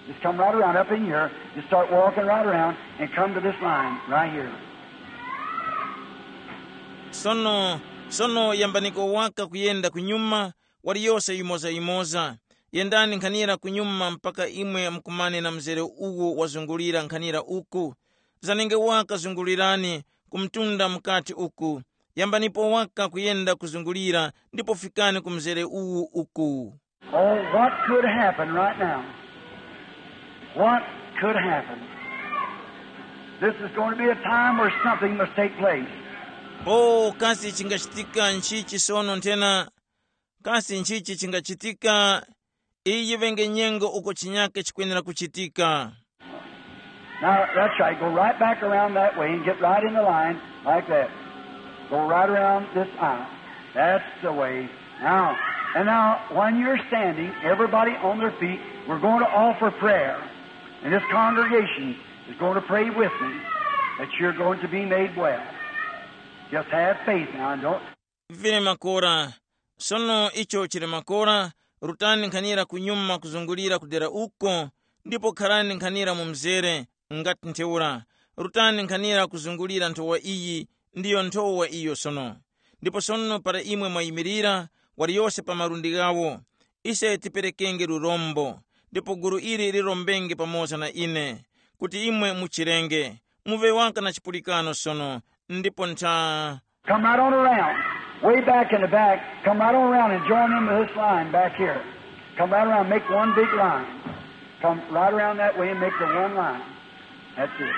Just come right around up in here. Just start walking right around and come to this line right here. Sono, sono yambaniko waka kuyenda kunyuma, waliyose yimoza-yimoza. Yendani nkhanira kunyuma mpaka imwe mukumane na mzere uwo wazungulira nkhanira uku. Zanenge waka zungulirani ku mtunda mukati uku. Yambanipo waka kuyenda kuzungulira ndipo fikani ku mzere uwu uku. Oh, what could happen right now? What could happen? This is going to be a time where something must take place. Oh, kasi chingachitika nchichi sono nthena? Kasi nchichi chingachitika? Iyi yiŵenge nyengo uko chinyake chikwenera kuchitika. Now, that's right. Go right back around that way and get right in the line like that. Go right around this aisle. That's the way. Now, and now, when you're standing, everybody on their feet, we're going to offer prayer. And this congregation, is going to pray with me that you're going to be made well. Just have faith now and don't. Vili makora. Sono icho chili makora, rutani nkhanira kunyuma kuzungulira kudera uko, ndipo kharani nkhanira mu mzere, ngati ntheura. Rutani nkhanira kuzungulira nthowa iyi, ndiyo nthowa iyo sono. Ndipo sono para imwe mwayimirira, waliyose pa malundi ghawo, ise tiperekenge lurombo, ndipo gulu ili lirombenge pamoza na ine, kuti imwe muchirenge, muŵe waka na chipulikano sono, ndipo ntha. Come right on around. Way back in the back, come right on around and join in with this line back here. Come right around, make one big line. Come right around that way and make the one line. That's it.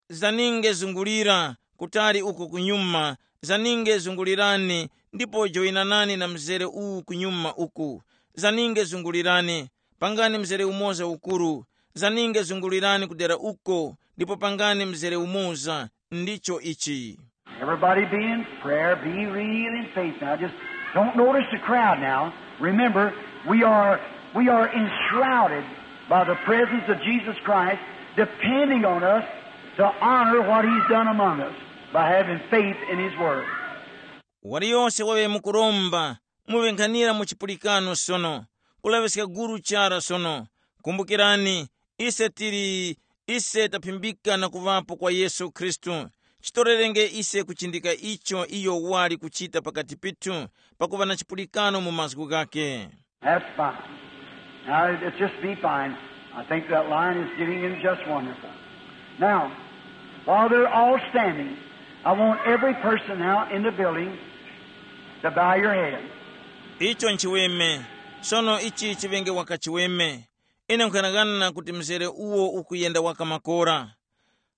Zaninge zungulira, kutali uko kunyuma, zaninge zungulirani, ndipo joyinanani na mzere uwu kunyuma uku. Zaninge zungulirani, pangani mzere umoza ukuru, zaninge zungulirani kudera uko, ndipo pangani mzere umoza, ndicho ichi. Everybody be in prayer, be real in faith. Now just don't notice the crowd now. Remember, we are, we are enshrouded by the presence of Jesus Christ, depending on us to honor what he's done among us by having faith in his word. Waliyose waŵe mukuromba, muŵenkhanira mu chipulikano sono, kulaŵiska guru chara sono. Kumbukirani, ise tili, ise taphimbika na kuŵapo kwa Yesu Khristu. Chitorerenge ise kuchindika icho iyo wali kuchita pakati pithu, pakuŵa na chipulikano mu mazgu ghakhe. That's fine. Now, it's just be fine. I think that line is getting in just wonderful. Now, while they're all standing, I want every person now in the building to bow your head. Icho nchiweme. Sono ichi chiŵenge waka chiweme. Ine nkhanang'ana kuti mzere uwo ukuyenda waka makora.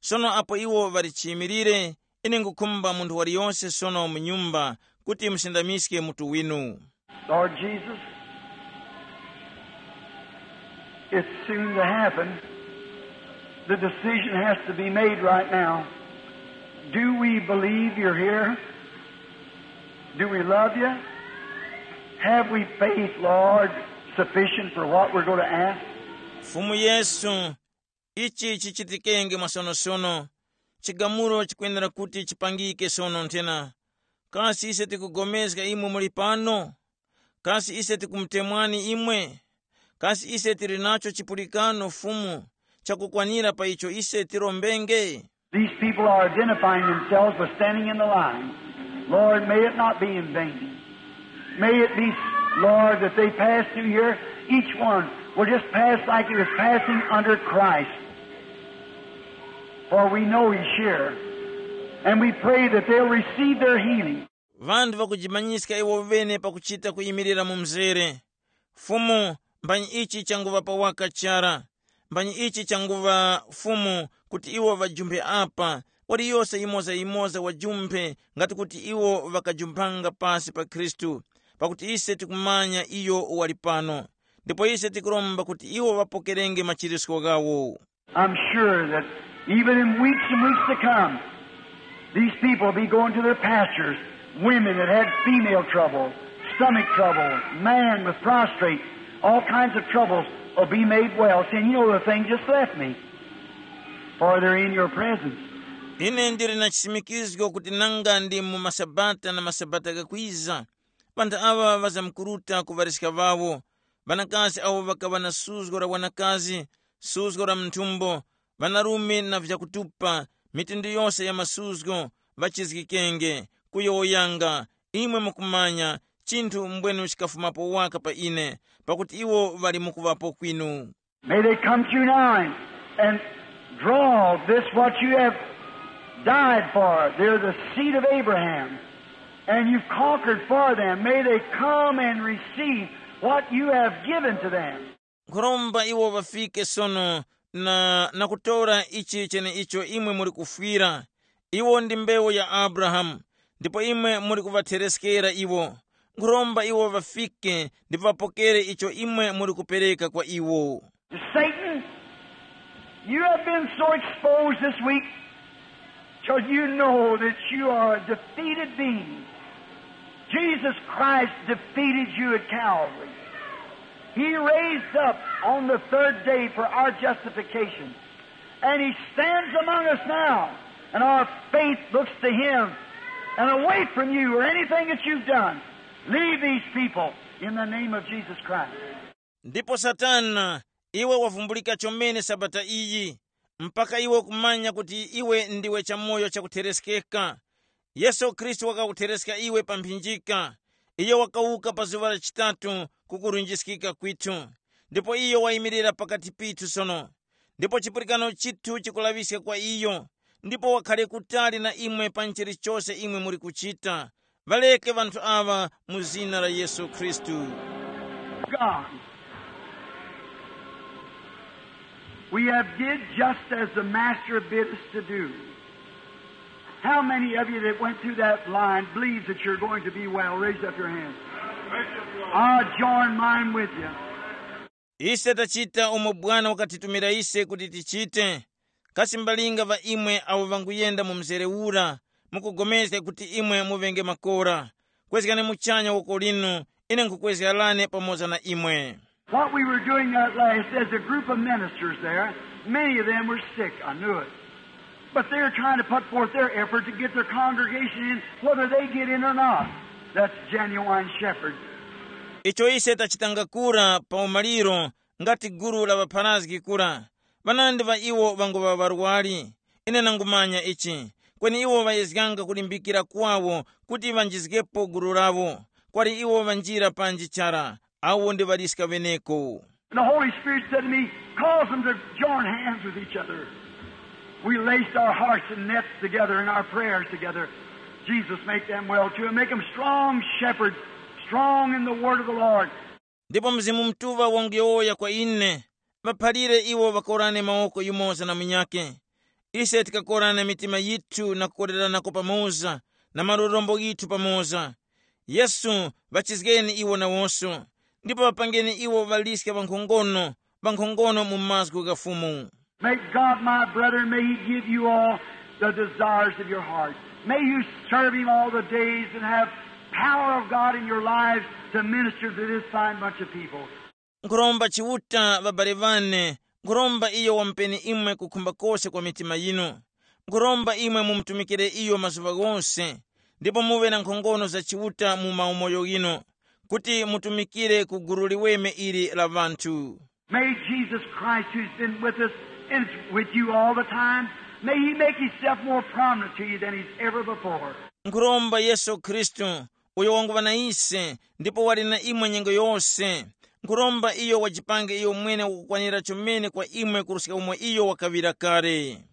Sono apo iwo ŵali chiyimilire, ine nkhukhumba munthu waliyose sono mu nyumba kuti musindamiske mutu winu. Lord Jesus, it's soon to happen. The decision has to be made right now. Do we believe you're here? Do we love you? Have we faith, Lord, sufficient for what we're going to ask? Fumu Yesu, ichi chichitikenge mwasonosono. Chigamulo chikwenera kuti chipangike sono nthena. Kasi ise tikupulikana imwe muli pano? Kasi ise tikumutemwani imwe? Kasi ise tili nacho chipulikano Fumu chakukwanira pa icho ise tirombenge? These people are identifying themselves by standing in the line. Lord, may it not be in vain. May it be, Lord, that they pass through here, each one will just pass like he was passing under Christ. For we know he's here. And we pray that they'll receive their healing. Vanthu vakujimanyiska iwo vene pakuchita kuyimirira mu mzere. Fumu, mbani ichi changuŵa pa waka chara. Mbani ichi changuŵa Fumu kuti iwo ŵajumphe apa, waliyose yimoza-yimoza wajumphe ngati kuti iwo ŵakajumphanga pasi pa Khristu, pakuti ise tikumanya iyo wali pano. Ndipo ise tikuromba kuti iwo ŵapokerenge machirisko ghawo. I'm sure that even in weeks and weeks to come, these people will be going to their pastures. Women that had female trouble, stomach trouble, man with prostrate, all kinds of troubles will be made well, saying, "You know, the thing just left me." For they're in your presence. Ine ndili na chisimikizgo kuti nanga ndi mu masabata na masabata gakwiza, ŵanthu aŵa ŵazamkuruta ku ŵariska ŵawo, ŵanakazi awo ŵakaŵa na suzgo la wanakazi, suzgo la mnthumbo, ŵanarume na vyakutupa, mitundu yose ya masuzgo, ŵachizgikenge, kuyowoyanga. Imwe mukumanya, chinthu mbwenu chikafumapo waka pa ine, pakuti iwo ŵali mukuŵapo kwinu. May they come through now and, and draw this what you have died for. They're the seed of Abraham, and you've conquered for them. May they come and receive what you have given to them. Nkhuromba iwo ŵafike sono na, na kutora ichi cheneicho imwe muli kufwira. Iwo ndi mbewu ya Abrahamu, ndipo imwe muli kuŵathereskera iwo. Nkhuromba iwo ŵafike ndipo ŵapokere icho imwe muli kupereka kwa iwo. Satan, you have been so exposed this week till you know that you are a defeated being. Jesus Christ defeated you at Calvary. He raised up on the third day for our justification. And he stands among us now, and our faith looks to him. And away from you or anything that you've done, leave these people in the name of Jesus Christ. Ndipo Satana, iwe wavumbulika chomene sabata iyi, mpaka iwe kumanya kuti iwe ndiwe chamoyo chakutereskeka. Yesu Khristu wakakuthereska iwe pa mphinjika. Iyo wakawuka pa zuŵa la chitatu kukurunjiskika kwithu. Ndipo iyo wayimirira pakati pithu sono. Ndipo chipulikano chithu chikulaŵiska kwa iyo. Ndipo wakhare kutali na imwe pa chilichose imwe muli kuchita. Ŵaleke ŵanthu aŵa mu zina la Yesu Khristu. God, we have did just as the Master bid us to do. How many of you that went through that line believes that you're going to be well? Raise up your hand. I'll join mine with you. Ise tachita umo Bwana wakatitumira ise kuti tichite. Kasi mbalinga ŵa imwe awo ŵanguyenda mu mzere ura, mukugomezga kuti imwe muŵenge makora? Kwezgani muchanya woko linu, ine nkhukwezgarane pamoza na imwe. What we were doing that last, as a group of ministers there, many of them were sick, I knew it. But they were trying to put forth their effort to get their congregation in, whether they get in or not. That's genuine shepherd. Icho ise tachitanga kura pa umaliro, ngati gulu la ŵapharazgi kura, ŵanandi ŵa iwo ŵanguŵa ŵarwari. Ine nangumanya ichi. Kweni iwo ŵayezganga kulimbikira kwawo kuti ŵanjizgepo gulu lawo. Kwali iwo ŵanjira panji chara, awo ndi ŵaliska ŵeneko. And the Holy Spirit said to me, "Cause them to join hands with each other." We laced our hearts and nets together and our prayers together. Jesus, make them well too, and make them strong shepherds, strong in the word of the Lord. Ndipo Mzimu Mutuŵa wanguyowoya kwa ine, ŵaphalire iwo ŵakorane mawoko yumoza na munyakhe. Ise tikakorana mitima yithu na kukoreranako pamoza, na malorombo ghithu pamoza. Yesu, ŵachizgeni iwo nawonso, ndipo ŵapangeni iwo ŵaliska ŵankhongono, ŵankhongono mu mazgu gha Fumu. May God, my brethren, may He give you all the desires of your heart. May you serve Him all the days and have power of God in your lives to minister to this fine bunch of people. Nkhuromba Chiuta, ŵabale ŵane, nkhuromba iyo wamupeni imwe kukhumba kose kwa mitima yinu. Nkhuromba imwe mumutumikire iyo mazuŵa ghose, ndipo muŵe na nkhongono za Chiuta mu maumoyo ghinu, kuti mutumikire ku gulu liweme ili la ŵanthu. May Jesus Christ, who's been with us and is with you all the time, may He make Himself more prominent to you than He's ever before. Nkhuromba Yesu Khristu, uyo wanguŵa na ise, ndipo wali na imwe nyengo yose. Nkhuromba iyo wajipange iyo mwene wakukwanira chomene kwa imwe kuruska umo iyo wakaŵira kale.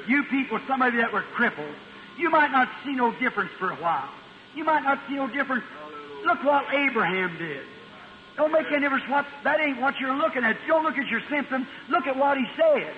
You people, some of you that were crippled, you might not see no difference for a while. You might not see no difference. Look what Abraham did. Don't make any difference what, that ain't what you're looking at. Don't look at your symptom. Look at what he said.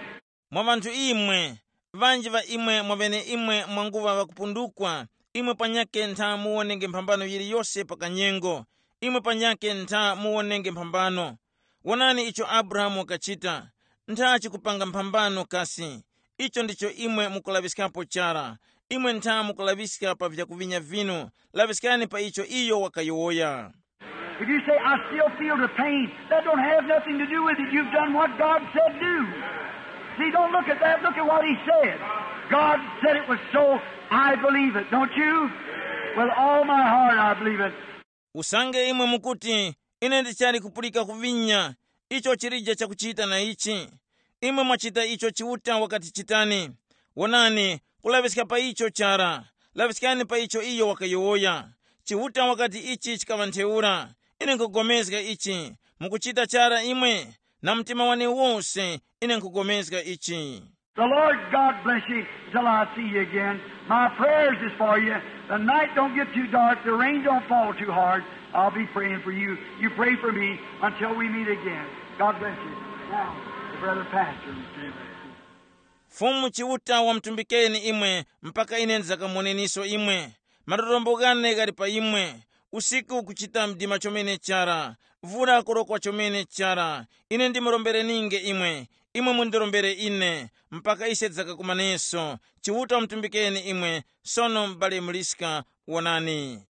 Mwa ŵanthu imwe, ŵanji ŵa imwe mwaŵeneimwe mwanguŵa ŵakupundukwa, imwe panyakhe ntha muwonenge mphambano yiliyose pa kanyengo, imwe panyakhe ntha muwonenge mphambano. Wonani icho Abrahamu wakachita, ntha chikupanga mphambano kasi. Icho ndicho imwe mukulaŵiskapo chara, imwe ntha mukulaŵiska pa vyakuŵinya vinu, laŵiskani pa icho iyo wakayowoya. If you say, "I still feel the pain," that don't have nothing to do with it. You've done what God said do. See, don't look at that. Look at what he said. God said it was so. I believe it. Don't you? With all my heart, I believe it. Usange imwe mukuti, "Ine ndichali kupulika kuvinya, icho chilije chakuchita na ichi." Imwe mwachita icho Chiuta wakati chitani. Wonani, kulaŵiska pa icho chara. Laŵiskani pa icho iyo wakayowoya. Chiuta wakati ichi chikaŵa ntheura. Ine nkhupulikana ichi. Mukuchita chara imwe? Na mtima wane wose, ine nkhupulikana ichi. The Lord God bless you till I see you again. My prayers is for you. The night don't get too dark. The rain don't fall too hard. I'll be praying for you. You pray for me until we meet again. God bless you. Now, the brother pastor. Fumu Chiuta wamutumbikeni imwe mpaka ine ndizakamoneniso imwe. Malorombo ghane ghali pa imwe. Usiku kuchita mdima chomene chara. Vura kurokwa chomene chara. Ine ndimurombereninge imwe. Imwe mundirombere ine. Mpaka ise tizakakumaneso. Chiuta wamutumbikeni imwe. Sono m'bale Muliska, wonani.